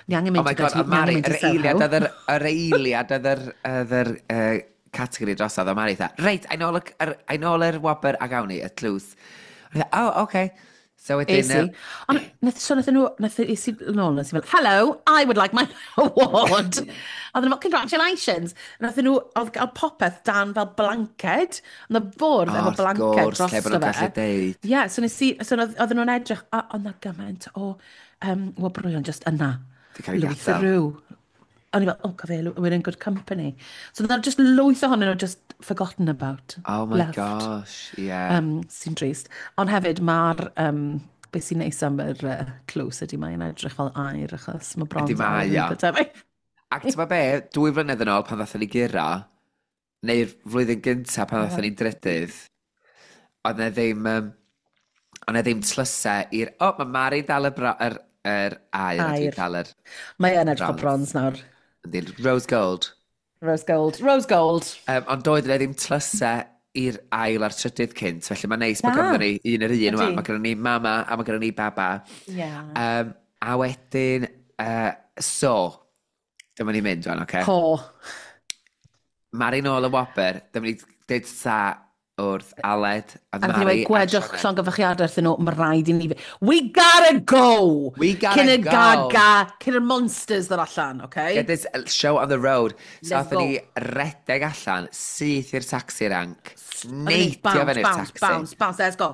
C: Ni angen mynd
D: Oh my
C: i
D: God,
C: ni
D: oedd Mari,
C: angen mynd
D: yr
C: i Soho.
D: eiliad oedd yr, yr eiliad oedd yr, oedd yr uh, categori drosodd, oedd Mari dda, reit, ein ôl, y- yr, ein ôl yr wobr a gawn ni, y tlws. O'n i dda, "Oh, okay." So wedyn,
C: Es i.
D: yy,
C: Ond nath, so nath nhw, nath es i nôl, nes i fel, "Hello, I would like my award." Oedd nhw fel, "Congratulations." Nath nhw, oedd gael popeth dan fel blanced. Oedd y bwrdd
D: O,
C: efo
D: wrth
C: blanced
D: gwrs,
C: drosto
D: lle bod nhw'n
C: fe.
D: gallu deud.
C: Ie, yeah, so nes i, so oedd oedden nhw'n edrych, a oedd na gymaint o um, wobrwyon just yna.
D: 'Di cael ei
C: Lwyth
D: gadael.
C: y rhyw. O'n i fel, "Oh, cafe, we're in good company." So oedd just lwyth ohonyn nhw just forgotten about.
D: Oh my
C: Left.
D: Gosh, yeah.
C: Um, sy'n drist. Ond hefyd mae'r, um, beth sy'n neis am yr uh, tlws ydy mae'n edrych fel aur achos mae bronze
D: Ydy mae,
C: aur yn
D: ia.
C: eitha tebyg.
D: Ac ti'n gwbod be, dwy flynedd yn ôl pan ddathon ni guro, neu'r flwyddyn gyntaf pan ddathon ni drydydd, oedd 'na ddim, um, oedd 'na ddim tlysau i'r... O, oh, mae Mari dal y, bro, yr, yr aur, a dwi'n
C: Aur.
D: dal yr
C: Mae yn edrych fel
D: bronze.
C: bronze nawr.
D: Yndi, rose gold.
C: Rose gold. Rose gold.
D: Um, ond doedd yna ddim tlysau i'r ail a'r trydydd cynt, felly mae'n neis bod
C: Na.
D: ganddo ni un yr un
C: Ydi.
D: wan. Mae gynnon ni mama a mae gynnon ni baba.
C: Yeah.
D: Um, a wedyn, uh, so, dyma ni'n mynd wan, oce?
C: Ho.
D: Mari nôl y wobr, dyma ni dweud sa wrth Aled a
C: A nath ni
D: Mari
C: weud, "Gwedwch
D: a Sioned.
C: llongyfarchiadau wrthyn nhw, mae rhaid i ni. We gotta go!"
D: We gotta
C: Cyn y
D: go.
C: Gaga, cyn y monsters ddod allan, okay?
D: Get this show on the road. So
C: Let's
D: athon ni redeg allan, syth i'r taxi rank,
C: Oedden ni
D: neidio
C: bounce,
D: fyny'r
C: bounce,
D: taxi.
C: bounce, bounce, let's go.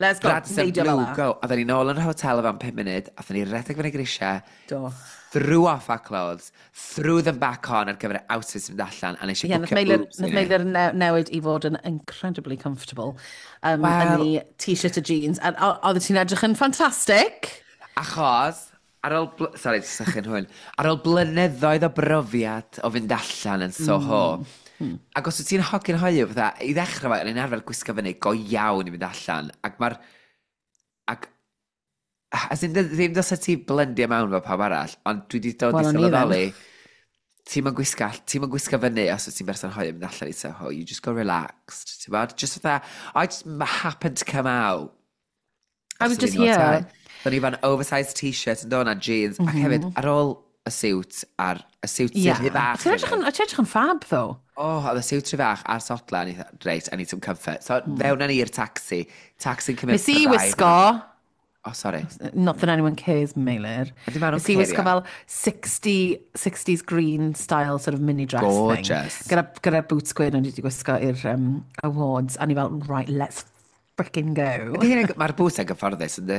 C: Let's go.
D: Radisson
C: Neidio fel
D: Blue,
C: 'na.
D: go. Oedden ni nôl yn yr hotel o fan pum munud, athon ni redeg fyny grisiau,
C: Do.
D: threw off our clothes, threw them back on ar gyfer y outfits mynd allan, a nes i
C: Ie, nath
D: bwcio
C: Meilir,
D: Ubers i
C: nath
D: ni.
C: Meilir ne newid i fod yn incredibly comfortable. Um,
D: Wel-
C: yn ei t-shirt a jeans. A o- oedd ti'n edrych yn ffantastig.
D: Achos, ar ôl... bl- Sorry, sychu'n hwn. Ar ôl blynyddoedd o brofiad o fynd allan yn Soho, mm. Ac os wyt ti'n hogyn hoyw, fatha, i ddechrau fo, o'n i'n arfer gwisgo fyny go iawn i fynd allan, ac mae'r... Ac... As in, ddim dylse ti blendio mewn fel pawb arall, ond dwi wedi dod
C: Wel,
D: i
C: o'n i
D: sylweddoli, ti'n ma'n gwisgo, ti'n ma'n gwisgo fyny os wyt ti'n berson hoyw yn mynd allan i Soho, you just go relaxed, ti'n bod? Just fatha, "I just happened to come out."
C: I was
D: Achos o'n
C: just
D: i'n
C: here.
D: outside. O'n i fan oversized t-shirt yn dod na jeans, mm -hmm. ac hefyd ar ôl y siwt, a'r y siwt sy'n
C: Yeah.
D: rhy fach.
C: Ti'n edrych yn, ti'n edrych yn fab, though.
D: Oh, oedd y siwt rhy fach a'r sodla, a ni dda, "Reit, I need some comfort." So, mm. fewn â ni i'r taxi. Taxi'n cymryd
C: Nes i
D: braidd.
C: wisgo,
D: Oh, sorry.
C: Not that anyone cares, Meilir.
D: Ydy, ma' nhw'n
C: Nes i wisgo
D: cario.
C: fel sixty, sixties green style sort of mini dress
D: Gorgeous.
C: thing. Gyda, gyda boots gwyn o'n i wedi gwisgo i'r um, awards. A ni fel, "Right, let's frickin' go."
D: Ydy hynny'n- Mae'r boots yn gyfforddus, yndi?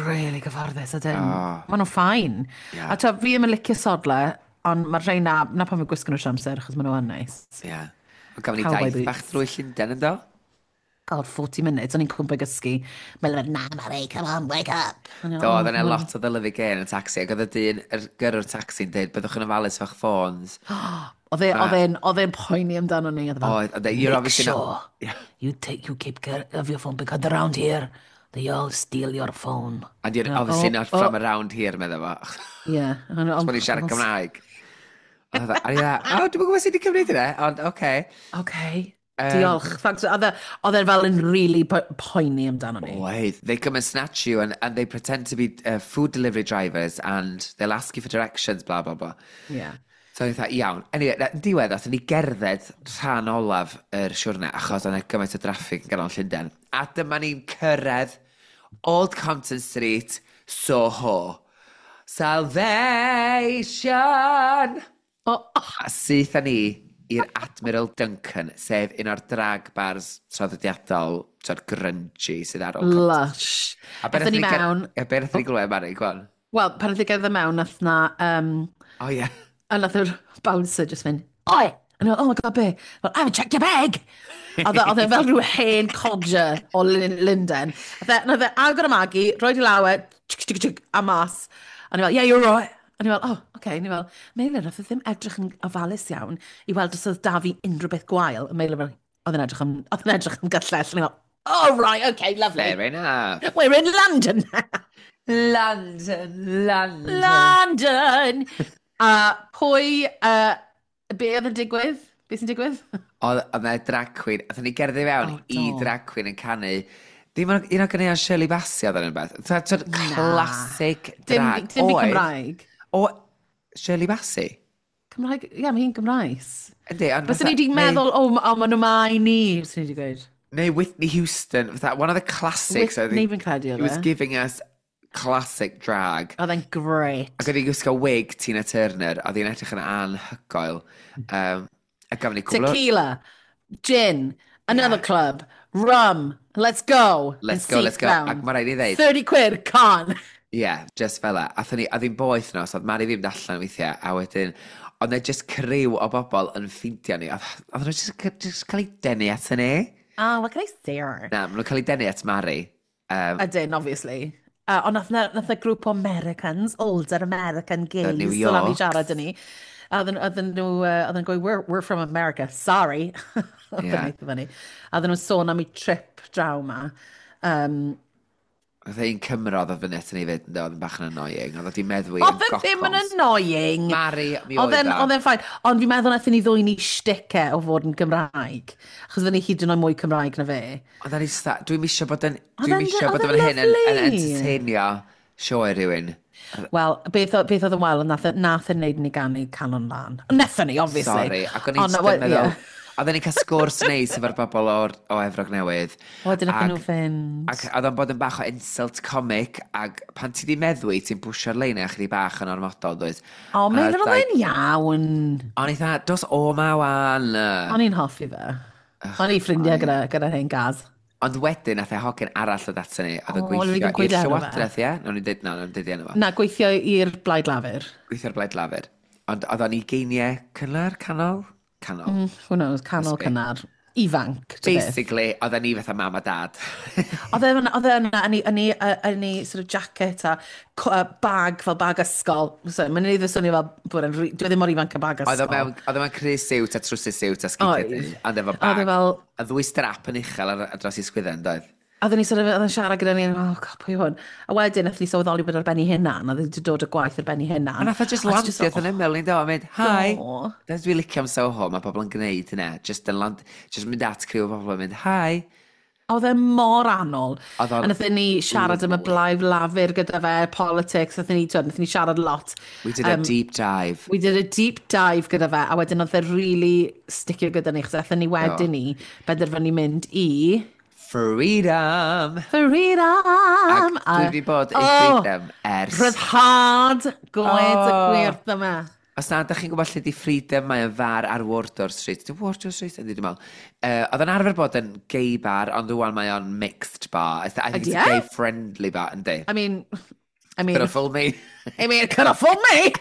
C: Really gyfforddus, ydyn.
D: Oh.
C: Maen nhw'n fine.
D: Yeah.
C: A ta, fi ddim yn licio sodle, ond mae'r rhai na, na pan fi'n gwisgo nhw trwy amser, achos maen nhw yn nice.
D: Ie. Yeah. Ond gafon ni
C: Cowboy
D: daith
C: boots.
D: bach drwy Llundain, yndo?
C: God, forty minutes, o'n i'n cwmpa gysgu. Mae'n like, "Na, Mari, come on, wake up." O'n i
D: Do,
C: fel,
D: oedd yna
C: "Oh,
D: lot o ddylyfu gen y taxi, ac oedd y dyn, yr gyrrwr taxi'n dweud, "Byddwch yn ofalus efo'ch ffôns."
C: Oedd e- oedd e'n oedd e'n poeni amdano ni. Oedd e fel,
D: Oedd, oedd e, you're
C: "Make
D: obviously not
C: sure
D: Yeah.
C: you take, you keep care of your phone because around here, they all steal your phone."
D: "And you're
C: Yeah,
D: obviously
C: oh,
D: not
C: oh.
D: from around here," medda fo.
C: Yeah.
D: Os bod ni'n siarad Cymraeg. Oedd e, a ni dda, "O, dwi'n gwybod sut i cymryd hynna, ond oce."
C: Okay.
D: Um,
C: Diolch. Thanks. Oedd e- oedd e fel yn really po poeni amdano ni.
D: Wait, they come and snatch you and, and they pretend to be uh, food delivery drivers and they'll ask you for directions, blah, blah, blah.
C: Yeah.
D: So o'n i fatha, "Iawn." Anyway, na- yn diwedd, athyn ni gerdded rhan olaf yr siwrne, achos oedd yna gymaint o draffig yn ganol Llundain. A dyma ni'n cyrraedd Old Compton Street, Soho. Salvation!
C: Oh, oh,
D: A syth â ni i'r Admiral Duncan, sef un o'r drag bars traddodiadol, tra'r grungy sydd ar Old Compton.
C: Lush.
D: A be
C: Aethon ni
D: nathon ni ger-
C: mewn.
D: A be nathon ni glywed, Mari, go on.
C: Wel, pan nath i gerdded mewn, nath na... Um,
D: Oh, yeah.
C: A nath yr bouncer just mynd, "Oi!" A nhw, "Oh my God, be?" "Well, I haven't checked your bag!" Oedd e oedd e fel rhyw hen codger o Lin- Lundain. Nath e, nath e agor y Maggie, rhoi di law e, tsk, tsk, tsk, a mas. A ni fel, "Yeah, you're right." A ni fel, "Oh, okay." A ni fel, "Meilir, nath e ddim edrych yn ofalus iawn i weld os oedd da fi unrhyw beth gwael." A Meilir fel, oedd e'n edrych am, oedd e'n edrych am gyllell. A ni fel, "Oh, right, okay, lovely.
D: Fair enough.
C: We're in London now."
D: London, London.
C: London! A pwy, uh, be oedd yn digwydd? Be sy'n digwydd?
D: Oedd oedd 'na drag queen, aethon ni gerdded i fewn
C: Oh,
D: i
C: do.
D: drag queen yn canu. Dim ond un o ganeuon Shirley Bassey oedd yn beth. Twyd, classic
C: Dim,
D: drag.
C: dim fi
D: Oedd-
C: Cymraeg.
D: O, Shirley Bassey?
C: Cymraeg, ie, yeah, mae hi'n Gymraes.
D: Yndi, ond
C: Byswn
D: fatha
C: ni wedi
D: neu
C: meddwl, o, oh, maen nhw mai ni, byswn ni wedi gweud.
D: Neu Whitney Houston, fatha, one of the classics. I
C: Whitney
D: think.
C: fi'n credu
D: He
C: oedd
D: was
C: e.
D: giving us classic drag.
C: Oedd e'n great.
D: Ac oedd hi'n gwisgo wig Tina Turner, oedd hi'n edrych yn anhygoel. Um, a gafon ni cwbl o
C: Tequila, gin, another
D: Yeah.
C: club, rum, let's go.
D: Let's
C: And
D: go, let's
C: seat
D: go.
C: down.
D: Ac mae rhaid i ddeud,
C: thirty quid, con.
D: Ie, yeah, just fel 'a. Athon ni, oedd hi'n boeth nos, oedd Mari ddim allan weithiau, a wedyn, oedd 'na just criw o bobl yn ffeindio ni. Oedd oedd nhw just, just cael eu denu at ni.
C: Oh, what can I say?
D: Na, maen nhw'n cael eu denu at Mari. Um,
C: Ydyn, obviously. Uh, ond nath na, nath na grŵp o Americans, older American gays,
D: New
C: dod lan i
D: York.
C: siarad â ni. A oedden oedden nhw, uh, oedden nhw'n gweud, we're, we're from America, sorry." Oedd
D: Ie.
C: yn eitha funny. A oedden nhw'n sôn am eu trip draw ma. Um,
D: Oedd un Cymro oedd fyny at ni fyd, oedd yn bach yn annoying. Oedd wedi meddwi yn
C: Oedd e ddim yn
D: gothons.
C: annoying.
D: Mari, mi
C: Oedd
D: oedd
C: e'n
D: o.
C: oedd e'n fine. Ond fi'n meddwl nathon ni ddwyn i shtick e o fod yn Gymraeg. Achos oedden ni hyd yn oed mwy Cymraeg na fe.
D: Oedd e'n eitha, dwi'n misio bod yn,
C: Oedd
D: dwi'n
C: e'n-
D: misio bod
C: oedd
D: yn
C: e'n
D: hyn yn, yn
C: lovely.
D: entertainio sioe rhywun.
C: Wel, beth, o- beth oedd yn wael, nath, e- nath e wneud ni ganu Calon Lân. Nethon ni, obviously.
D: Sorry, ac o'n i'n
C: Ond,
D: just
C: wel,
D: yn meddwl,
C: ie.
D: oedden ni'n cael sgwrs neis efo'r bobl o'r, o Efrog Newydd.
C: Wedyn nathon
D: Ac-
C: nhw fynd.
D: Ac oedd o'n bod yn bach o insult comic, ac pan ti di meddwi, ti'n pwsio'r lein chydig bach yn ormodol, dwyt?
C: O,
D: A
C: Meilir, oedd
D: like
C: e'n iawn.
D: O'n i dda, "Dos o ma wan."
C: O'n i'n hoffi fe. O'n i ffrindiau gyda, gyda hen Gaz.
D: Ond wedyn, nath e hogyn arall o ato ni, oedd yn
C: O, o'n i
D: gweithio
C: ddim
D: i'r
C: gwybod enw fe.
D: Llywodraeth, ie? Nawn ni'n dweud, na, nawn ni'n dweud enw fo.
C: Na, gweithio i'r Blaid Lafur.
D: Gweithio'r Blaid Lafur. Ond oedd o'n ugeiniau cynnar, canol? Canol.
C: Mm, who knows, canol
D: Must be.
C: cynnar. Ifanc, ta beth.
D: Basically, oedden ni fatha mam a dad.
C: Oedd e oedd e yna, yn ei, yn ei, yn ei sort of jacket a co- uh, bag fel bag ysgol. So, mae'n ei swnio fel bod e'n, dwi ddim mor ifanc a bag
D: Oedd o
C: ysgol.
D: mewn, oedd o mewn crys siwt a trwsus siwt a sgidiau
C: Oedd.
D: du, ond efo
C: Oedd e
D: bag.
C: fel
D: A ddwy strap yn uchel ar, ar dros i sgwydden, doedd?
C: A oedden ni sort of, oedd e'n siarad gyda ni, "Oh God, pwy yw hwn?" A wedyn, nath ni sylweddoli bod ar ben ei hunan, oedd e wedi dod o gwaith ar ben ei hunan.
D: A nath o just
C: A ti
D: landio
C: just
D: wrth yn ymyl ni'n do, a mynd, "Hi."
C: "O."
D: Dyna dwi'n licio am Soho, mae pobl yn gwneud hynna. Just yn land, just mynd at criw o bobl yn mynd, "Hi."
C: Oedd e mor annwyl.
D: Oedd o'n
C: A nathon ni siarad am y Blaid Lafur gyda fe, politics, nathon ni, twyd, nathon ni siarad lot.
D: We did a deep dive.
C: We did a deep dive gyda fe, a wedyn oedd e really sticio gyda ni, chos aethon ni wedyn ni benderfynu mynd i
D: Freedom!
C: Freedom!
D: Ac dwi wedi bod i
C: Oh,
D: Freedom ers
C: Rhyddhad gwaed y
D: Oh.
C: gwyrdd yma.
D: Os na, ydych chi'n gwybod lle di Freedom, mae o'n far ar Wardour Street. Di Wardour Street? Yndi, dwi'n meddwl. Uh, oedd o'n arfer bod yn gay bar, ond rwan mae o'n mixed bar. I think it's
C: Ydi
D: a
C: e?
D: gay-friendly bar, yndi.
C: I mean, I mean,
D: Could have fooled me.
C: I mean, could have fooled me!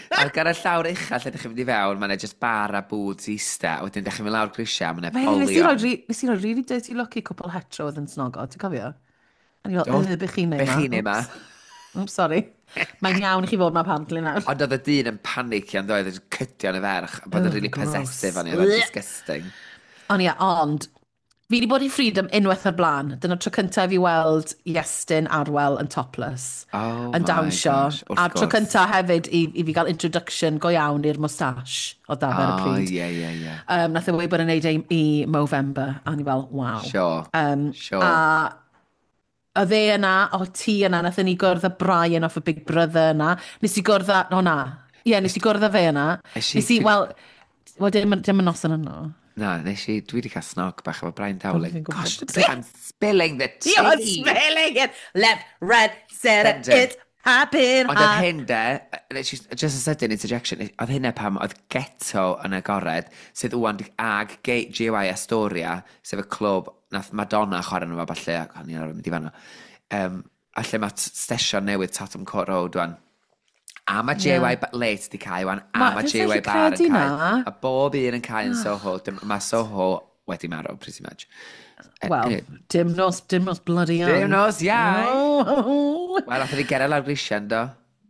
D: Ac ar y llawr ucha lle ydych chi'n mynd i fewn, mae'n just bar a booths ista, a wedyn ydych chi'n mynd lawr grisiau, mae'n
C: polion. Nes i roi, nes i roi really dirty look i cwpl hetero oedd yn snogo, ti'n cofio? A ni fel, yy, be chi'n neud ma?
D: Be chi'n neud ma?
C: Oops, sorry. Mae'n iawn i chi fod ma apparently nawr.
D: Ond oedd y dyn yn panicio yn doedd, yn cydio yn y ferch, a bod yn really possessive o'n i, oedd yn disgusting.
C: Ond ie, ond fi wedi bod i Freedom unwaith o'r blaen. Dyna'r tro cyntaf i fi weld Iestyn Arwel yn topless.
D: Oh
C: yn dawnsio.
D: Gosh,
C: A'r tro cyntaf hefyd i, i fi gael introduction go iawn i'r moustache o da fe ar y pryd.
D: Oh, ie, ie, ie.
C: Um, nath e weud bod yn neud ei i Movember. A ni fel, waw.
D: Sure,
C: um,
D: sure.
C: A oedd e yna, o ti yna, nath ni gwrdd â Brian off y Big Brother yna. Nes i gwrdd â, o na. Ie, yeah, nes i gwrdd â fe yna. Nes i, wel, wel, dim, dim yn noson yno.
D: Na, nes i, dwi wedi cael snog bach efo Brian Dowling. Gosh, I'm spilling the tea.
C: You're spilling it left, right, centre, it's happening.
D: Ond oedd hyn de, just a sudden interjection, oedd hynna pam oedd Ghetto yn agored, sydd wwan ag G Y Astoria, sef y clwb nath Madonna chwarae nhw fo falle, ac o'n i'n arfer mynd i fanno. Um, a lle mae stesion newydd Tottenham Court Road wan. A mae J Y yeah. Late di cael wan, a mae J Y Bar yn cael. A bob un yn cael yn Soho. Mae Soho wedi marw, pretty much.
C: Wel, anyway. Dim nos, dim nos bloody iau.
D: Dim nos iau! Wel, nath ni gerdded lawr grisiau, do?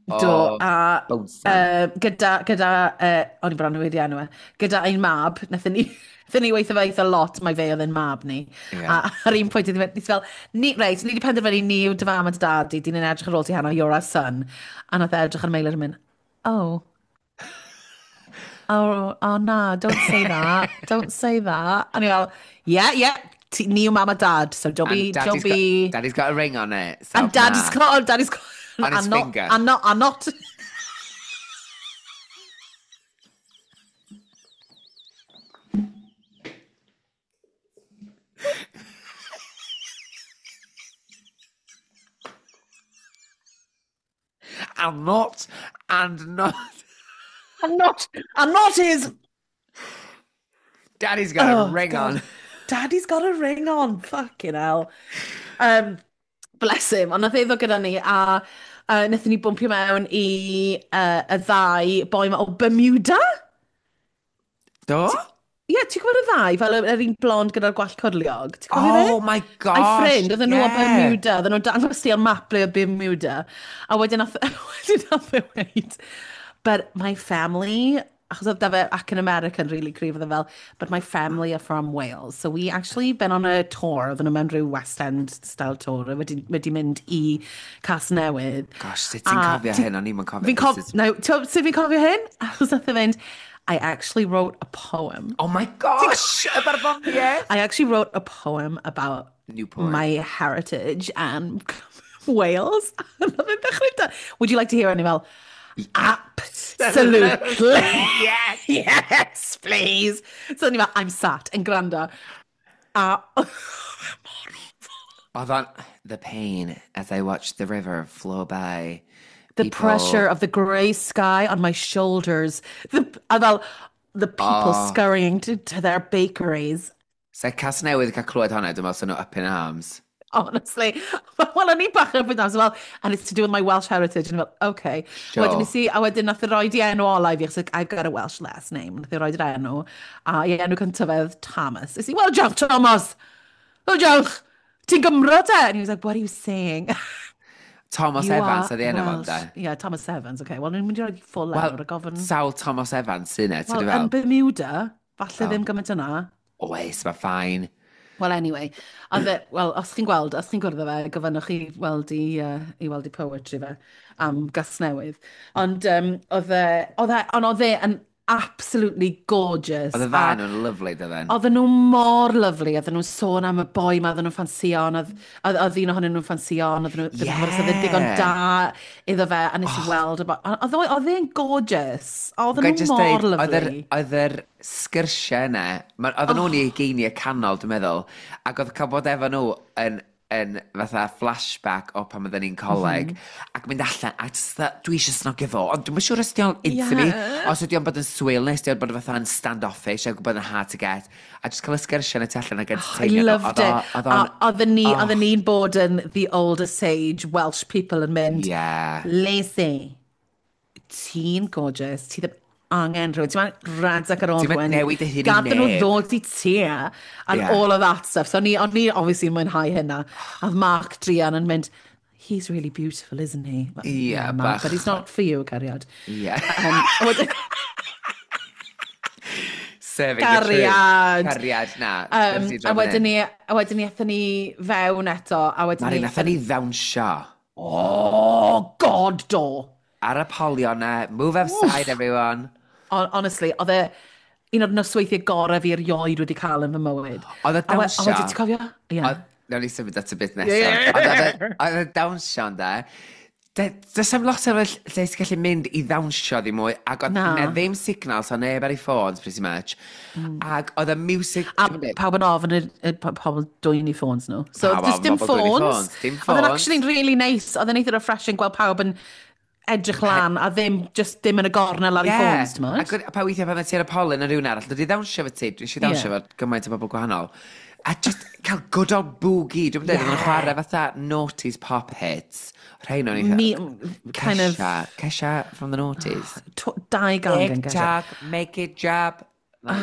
C: Do, a uh, gyda, gyda uh, o'n i bron yn wedi enw e, gyda ein mab, nathon ni, nathon ni weithio fe eitha lot, mae fe oedd ein mab ni.
D: Yeah.
C: A ar un pwynt, nes fel, ni, reit, ni wedi penderfynu ni yw dy fam a dy dad di, dyn ni'n edrych ar ôl ti heno, you're our son. A nath e edrych ar Meilir yn mynd, oh. Oh, oh na, don't say that, don't say that. A ni fel, yeah, yeah, ti, ni yw mam a dad, so don't be, don't be...
D: Got, daddy's got a ring on it. So
C: and daddy's
D: na.
C: got, daddy's got...
D: On his
C: and not,
D: finger.
C: And not, and not...
D: And not, and not...
C: And not, and not his...
D: Daddy's got
C: oh,
D: a ring
C: God.
D: on.
C: Daddy's got a ring on. Fucking hell. Um, bless him. Ond nath e ddod gyda ni, a uh, nathon ni bwmpio mewn i uh, y ddau boi ma o Bermuda.
D: Do?
C: Ie, yeah, ti'n gwybod y ddau? Fel yr un blond gyda'r gwallt cyrliog. Ti'n cofio fe?
D: Oh my gosh,
C: A'i ffrind, oedden nhw
D: yeah.
C: o Bermuda. Oedden nhw'n dangos ti ar map ble o Bermuda. A wedyn nath, wedyn nath e weud, but my family, achos oedd da fe ac yn American really cryf, oedd e fel, but my family are from Wales. So we actually been on a tour, oedden nhw mewn rhyw West End style tour, wedi, wedi mynd i Casnewydd.
D: Gosh, sut ti'n cofio hyn? O'n i'm yn cofio.
C: Fi'n cof... No, sut fi'n cofio hyn? Achos nath e fynd, I actually wrote a poem.
D: Oh my gosh, y barddoniaeth!
C: I actually wrote a poem about
D: Newport.
C: my heritage and Wales. Would you like to hear it? And fel, absolutely.
D: Yes.
C: Yes, please. So ni fel, I'm sat yn gwrando. A
D: Oedd o'n, the pain as I watched the river flow by.
C: The
D: people...
C: pressure of the grey sky on my shoulders. The, a fel, the people
D: oh.
C: scurrying to, to their bakeries.
D: Se Casnewydd cael clywed hwnna, dwi'n meddwl sy'n nhw up in arms.
C: Honestly. Wel, o'n i bach yn up in arms, well, and it's to do with my Welsh heritage. And fel, okay.
D: Sure.
C: Wedyn nes i, a wedyn nath e roed i enw ola i fi, achos I've got a Welsh last name. Nath e roed yr enw, a i enw cyntaf oedd Thomas. Nes i, well, diolch, Thomas! Well, diolch! Ti'n Gymro de? And he was like, what are you saying?
D: Thomas
C: You
D: Evans
C: are
D: oedd ei enw fo,
C: Welsh.
D: de?
C: Yeah, Thomas Evans, okay. Wel, ni'n mynd i roi full
D: Wel,
C: enw, rhaid gofyn.
D: Sawl Thomas Evans sy'n e, ti'n
C: Wel,
D: fel?
C: yn Bermuda, falle
D: Oh.
C: ddim gymaint yna.
D: Oes, mae fine.
C: Well, anyway, oedd e, well, os chi'n gweld, os chi'n gwrdd â fe, gofynnwch chi weld i, uh, i weld i poetry fe am Gasnewydd. Ond um, oedd e, oedd e, ond oedd e yn absolutely gorgeous.
D: Oedd y
C: A
D: fan nhw'n lyfli, dydden.
C: Oedden nhw mor lyfli, oedden nhw'n sôn am y boi ma, oedden nhw'n ffansio, ond oedd, oedd, oedd un ohonyn nhw'n ffansio, ond oedden nhw ddim yn gwybod os oedd e'n digon
D: Yeah.
C: da iddo fe, a nes i weld y boi. Oedd oedd e'n gorgeous, oedden
D: Ga i
C: nhw
D: jyst
C: mor
D: deud, oedd yr,
C: lyfli.
D: oedd yr sgyrsiau yna, ma- oedden nhw'n i ugeiniau canol, dwi'n meddwl, ac oedd cael bod efo nhw yn, yn fatha flashback o pan oedden ni'n coleg, mm -hmm. ac mynd allan, a jyst fatha, dwi eisiau snogio fo, ond dwi'm yn siŵr os ydi o'n into me,
C: Yeah.
D: os ydi o'n bod yn swil, neu os ydi o'n bod fatha yn standoffish, ac bod yn hard to get, a jyst cael y sgyrsiau yn y tu allan ac
C: I
D: entertainio nhw.
C: loved
D: Oedd o-
C: it.
D: Oedd o'n...
C: A oedden ni, oedden ni'n bod yn the older sage Welsh people yn mynd,
D: Yeah.
C: Lacey, Ti'n gorgeous, ti ddim angen rhywun, ti'n mynd rhedeg ar ôl
D: Ti'n mynd
C: rhywun.
D: newid dy hun i
C: Gad nhw
D: neb.
C: ddod i ti, and
D: Yeah.
C: all of that stuff. So o'n i, o'n i obviously mwynhau hynna. A oedd Mark druan yn mynd, "He's really beautiful, isn't he?" Well,
D: Yeah,
C: Mark,
D: bach.
C: but he's not for you, cariad.
D: Yeah.
C: Um, a wedyn-
D: Serving the truth.
C: Cariad.
D: Cariad, na.
C: Um, a wedyn ni, a wedyn ni aethon ni fewn eto, a wedyn
D: Mari,
C: ni...
D: nathon ni ddawnsio.
C: Oh, God, do!
D: Ar y polion na, move outside, everyone.
C: Hon- Honestly, oedd e un o'r nosweithiau gorau fi erioed wedi cael yn fy mywyd.
D: Oedd y
C: A we-
D: dawnsio...
C: A wedyn, ti'n cofio? Ie.
D: Oedd- Nawn ni symud at y bit nesaf.
C: Ie.
D: Ond oedd y- oedd y dawnsio ynde, de- does 'am lot o lle lle ti'n gallu mynd i ddawnsio ddim mwy, ac oedd
C: Na.
D: na ddim signal, so neb ar ei ffôns, pretty much. Ac oedd y music.
C: A pawb yn ofn y, y po- pobl dwyn i ffôns nhw. So,
D: Pawb
C: just
D: ofn
C: dim
D: bobl dwyn i
C: ffôns.
D: ffôns, dim
C: Oedd yn
D: ffôns.
C: actually really nice. Oedd yn eitha refreshing gweld pawb yn edrych lan a ddim, just ddim yn y gornel ar ei ffôns, ti'n
D: Ac oedd- pa weithiau pan ti ar y polyn yn rhywun arall, dod i ddawnsio fo ti, dwi eisiau ddawnsio
C: Ie.
D: fo gymaint o bobl gwahanol. A just cael good old boogie, dwi'n dweud, yeah.
C: Yeah.
D: Chwarae fatha noughties pop hits. Rhain o'n eitha.
C: Me, kind of,
D: Kesha, Kesha from the noughties.
C: tw- dau gan gan
D: Tick
C: Kesha.
D: tock, make it drop. Like,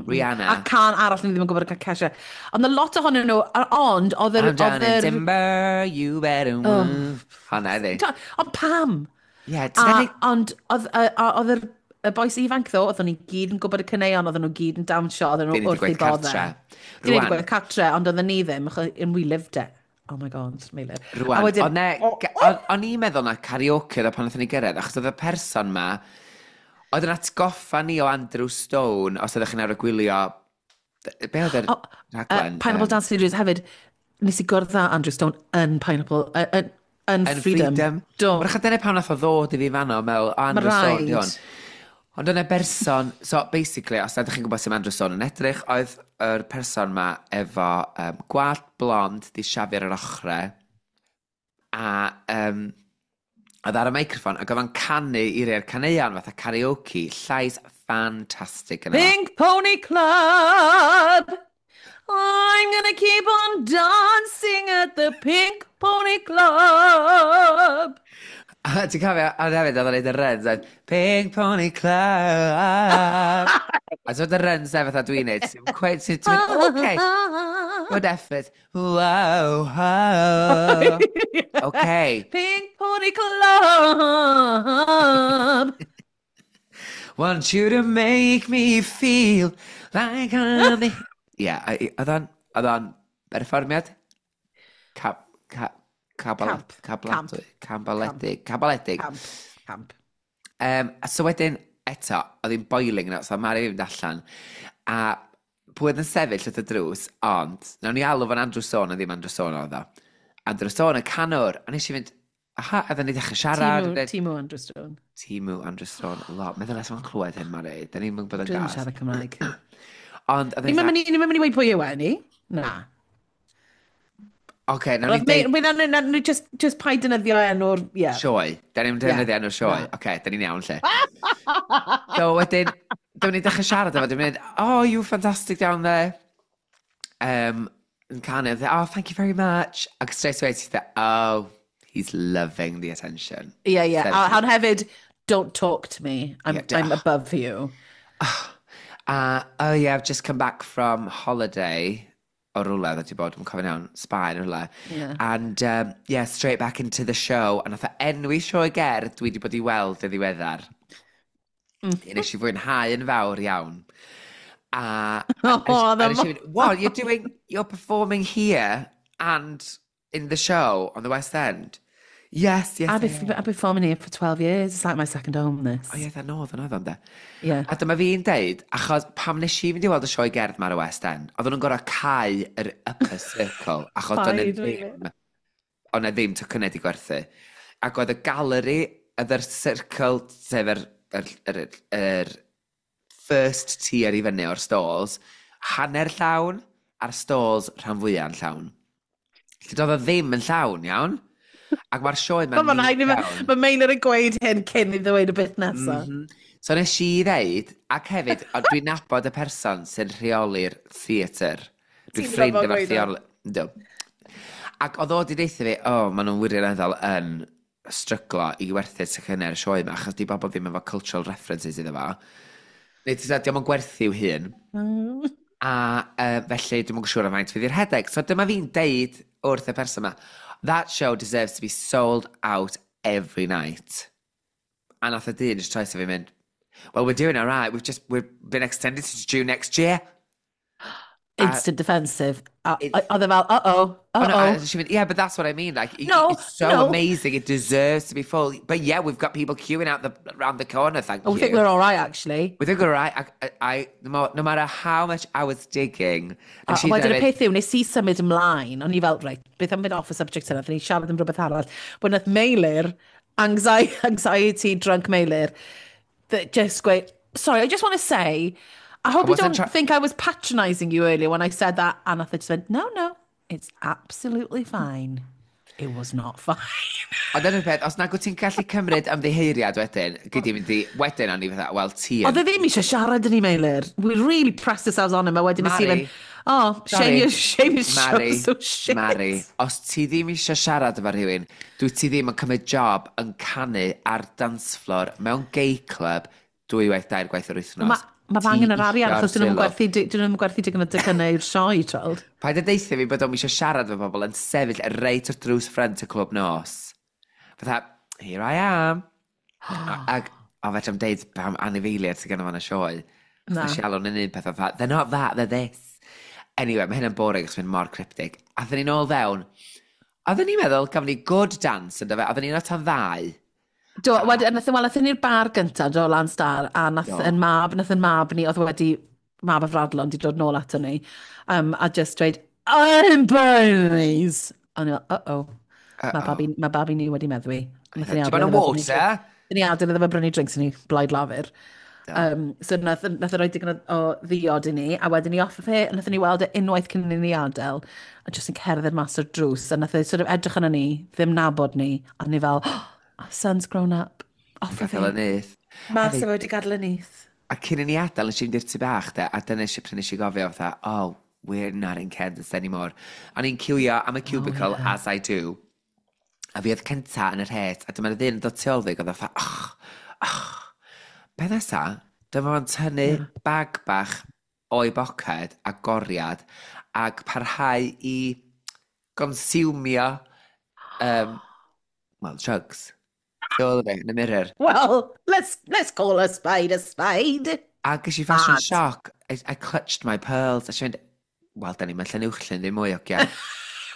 D: Rihanna.
C: A can arall ni ddim yn gwybod y Kesha. Ond a lot ohonyn nhw, a- ond oedd yr
D: I'm down
C: oedd
D: in
C: yr-
D: timber, you better move. Honna iddi.
C: Ta- Ond pam?
D: Yeah,
C: A,
D: ti'n
C: ond oedd y- a- oedd yr y bois ifanc ddo, oedden ni gyd yn gwybod y caneuon, oedden nhw gyd yn dawnsio, oedden nhw
D: Dyn ni
C: wrth
D: wedi
C: eu
D: gwaith
C: boddau.
D: cartre.
C: Dyn ni wedi
D: Rwan.
C: gwaith cartre, ond oedden ni ddim, achos and we lived it. Oh my God, Meilir.
D: Rwan,
C: A wedyn-
D: ond ne, ga- o'n o'n i'n meddwl na karaoke oedd o pan wnaethon ni gyrraedd, achos oedd y person ma, oedd yn atgoffa ni o Andrew Stone, os ydych chi'n arfer gwylio, be oedd yr
C: O,
D: rhaglen?
C: Uh, Pineapple
D: Yym,
C: Dance Studios hefyd, nes i gwrdd â Andrew Stone yn Pineapple, uh, yn, yn
D: Yn
C: Freedom.
D: Freedom.
C: Do.
D: Wrach dyna pan nath o ddod i fi fanno, meddwl, o, Andrew
C: Ma'
D: Stone, di
C: raid.
D: hwn. Ond yna berson, so basically, os ydych chi'n gwybod sut mae Andrew Stone yn edrych, oedd yr person ma efo um, gwallt blond, di siafio ar yr ochrau, a um, oedd ar y microffon, ac oedd o'n canu i rei'r caneuon fatha karaoke, llais ffantastig yna.
C: Pink Pony Club. I'm gonna keep on dancing at the Pink Pony Club.
D: A ti'n cofio, a hefyd oedd o'n neud y runs, oedd Pink Pony Club. A ti'n y runs e fatha dwi'n neud, ti'n quite, ti'n ti'n mynd, okay, good effort. Wow, wow. Okay.
C: Pink Pony Club.
D: Want you to make me feel like I'm the. Yeah, oedd o'n, oedd o'n berfformiad? Cap, cap, cabal,
C: Camp.
D: cabaladwy, cabaledig, cabaledig.
C: Camp. Camp.
D: Um, a so wedyn, eto, oedd hi'n boiling na, so Mari fynd allan. A pwy oedd yn sefyll wrth y drws, ond, nawn ni alw fo'n Andrew Stone, a ddim Andrew Stone oedd o. Andrew Stone, y canwr, a nes i fynd, aha, a dda ni ddechrau siarad.
C: Timu,
D: a dweud,
C: Timu Andrew Stone.
D: Timu Andrew Stone, lot. Meddwl nes o'n clywed hyn, Mari. Da ni'n mynd bod yn
C: Dwi'n
D: gas.
C: siarad Cymraeg.
D: Ond, oedd
C: Ni'n
D: e'n
C: mynd i ni'n mynd i weud pwy yw e, ni? Na.
D: Oce, nawn ni
C: Roedd
D: deud
C: me- na, na, na, just, just paid defnyddio enw'r. Yeah.
D: Sioe. Da ni'n defnyddio enw'r sioe.
C: Na.
D: Oce, da ni'n iawn lle. So wedyn, dyma ni'n dechrau siarad efo, dwi'n mynd, "Oh, you fantastic down there." Um, yn canu, oedd e, "Oh, thank you very much." Ac straight away, ti'n dweud, "Oh, he's loving the attention."
C: Yeah, yeah.
D: Sefyll.
C: A, ond hefyd, "Don't talk to me. I'm,
D: Yeah,
C: I'm above you."
D: Uh, "Oh yeah, I've just come back from holiday." O rwle, oedd wedi bod, dwi'n cofio'n iawn, Sbaen rwle.
C: Yeah.
D: And, um, yeah, straight back into the show. A nath o enwi sioe gerdd dwi wedi bod i weld yn ddiweddar. Mm. Nes i fwynhau yn fawr iawn. A,
C: Oh,
D: a,
C: the
D: a nes i fynd, "What, you're doing, you're performing here and in the show on the West End?" Yes, yes.
C: I've
D: I
C: been,
D: am."
C: I've been performing here for twelve years. It's like my second home, this.
D: O ie, dda nodd yn oedd o'n de.
C: Yeah.
D: A dyma fi'n deud, achos pam nes i fynd i weld y sioe gerdd ma ar y West End, oedden nhw'n gorfod cau yr upper circle, achos doedd 'na
C: Paid, really?
D: ddim, oedd 'na ddim tocynnau di gwerthu. Ac oedd y galeri, oedd yr circle, sef yr, yr, yr, yr first tier i fyny o'r stalls, hanner llawn, a'r stalls rhan fwyaf yn llawn. Lle doedd o ddim yn llawn, iawn? Ac mae'r sioe
C: Mae
D: ma'n
C: rhaid i
D: iawn.
C: Mae Meilir yn gweud hyn cyn i ddweud y bit nesaf.
D: Mm -hmm. So nes i ddeud, ac hefyd, ond dwi'n nabod y person sy'n rheoli'r theatr. Dwi'n
C: Ti'n
D: ffrind
C: nabod
D: efo'r
C: gweud o?
D: theol. Yndw. Ac oedd o wedi deutha fi, o, oh, maen nhw'n wirioneddol yn stryglo i werthu'r tocynnau ar y sioe yma, achos di bobl ddim efo cultural references iddo fo. Neu ti'n dweud, dio'm yn gwerthu i'w hun.
C: Mm.
D: A uh, felly dwi'm yn siŵr am faint fydd i'r rhedeg. So dyma fi'n deud wrth y person yma, "That show deserves to be sold out every night." A nath y dyn just troi fi mynd, "Well, we're doing all right. We've just, we've been extended to June next year."
C: Instant defensive. A
D: It-
C: oedd e fel, "Uh-oh,
D: Oh, no,
C: uh-oh."
D: a she went, "Yeah, but that's what I mean. Like, it,
C: No,
D: it's so
C: no.
D: amazing. It deserves to be full. But yeah, we've got people queuing out the round the corner, thank
C: Oh, we
D: you."
C: think we're all right, actually.
D: We think we're all right. I, I, I, no, mo- no matter how much I was digging.
C: A
D: And she's
C: wedyn y peth yw, nes i symud ymlaen, o'n i fel, reit, beth am mynd off y subject yna, ni siarad am rhywbeth arall. But nath Meilir, anxiety, anxiety drunk Meilir, that just gweud, "Sorry, I just want to say, I hope
D: I
C: you
D: wasn't
C: don't
D: try-
C: think I was patronising you earlier when I said that." And nath e just went, no, no, it's absolutely fine." It was not fine.
D: Ond dyna'r peth, os nag wyt ti'n gallu cymryd ymddiheuriad wedyn, gyd i mynd i, wedyn o'n i fatha, wel, ti yn
C: Oedd e ddim eisiau siarad yn ei Meilir. We really pressed ourselves on him, a wedyn nes i
D: Mari.
C: fynd, "Oh, shame
D: Sorry.
C: your, shame your
D: Mari,
C: show's so shit."
D: Mari, os ti ddim eisiau siarad efo rhywun, dwi ti ddim yn cymryd job yn canu ar dance floor mewn gay club dwywaith dair gwaith yr wythnos.
C: Mae ma
D: Ti
C: angen yr arian,
D: isio'r
C: achos dyn nhw'n
D: sylw.
C: gwerthu, dyn nhw'n gwerthu digon o docynnau i'r sioe, tweld.
D: Paid â deutha fi bod o'm eisiau siarad efo bobl yn sefyll reit wrth drws ffrynt y clwb nos. Fatha, "Here I am." Ac, o, fedra i'm deud pam anifeiliaid sydd gynno fo yn y sioe.
C: Na.
D: Nes i alw yn un peth fatha, "They're not that, they're this." Anyway, mae hynny'n boring achos mae'n mor cryptic. A ddyn ni'n ôl fewn. Oedden ni'n meddwl, gafon ni good dance, yn fe, oedden ni'n o tan ddau.
C: Do, wedyn, nath, wel, nathon ni'r bar gyntaf, do, Lan Star, a nath
D: Do.
C: yn mab, nath yn mab ni, oedd wedi, mab y Fradlon, di dod nôl ato ni, um, a just dweud, "I'm Bernie's." A ni fel, "Uh-oh, mae babi, ma babi ni wedi meddwi." Nathon ni
D: Do you want a
C: adael iddo fe brynu
D: water?
C: Nathon ni adael iddo fe brynu drinks i ni, Blaid Lafur. Um, so nath, nath e roi digon o, o ddiod i ni, a wedyn ni off fe, a nathon ni weld e unwaith cyn i ni adael, a just yn cerdded mas o'r drws, a nath e sort of edrych arno ni, ddim nabod ni, a ni fel, "Oh, our son's grown up." Off o
D: Gadael y
C: fe.
D: nyth.
C: Mas o fe wedi gadael y nyth.
D: A cyn i ni adael, nes i fynd i'r tŷ bach, de, a dyna eisiau pryd nes i gofio, fatha, "Oh, we're not in Kansas anymore." O'n i'n ciwio am y cubicle, oh, yeah. as I do. A fi oedd cynta yn yr het, a dyma'r ddyn yn dod tu ôl fi, oedd o fatha, "Oh, oh." Be nesa, dyma fo'n tynnu yeah. bag bach o'i boced a goriad ac parhau i gonsumio, um, well, drugs. Tu ôl i fi, yn y mirror.
C: Well, let's, let's call a spade a spade.
D: A ges i fashion
C: Mad.
D: shock. I, I clutched my pearls. A si'n mynd, "Wel, da ni'n mynd Llanuwchllyn ddim mwy, ogia."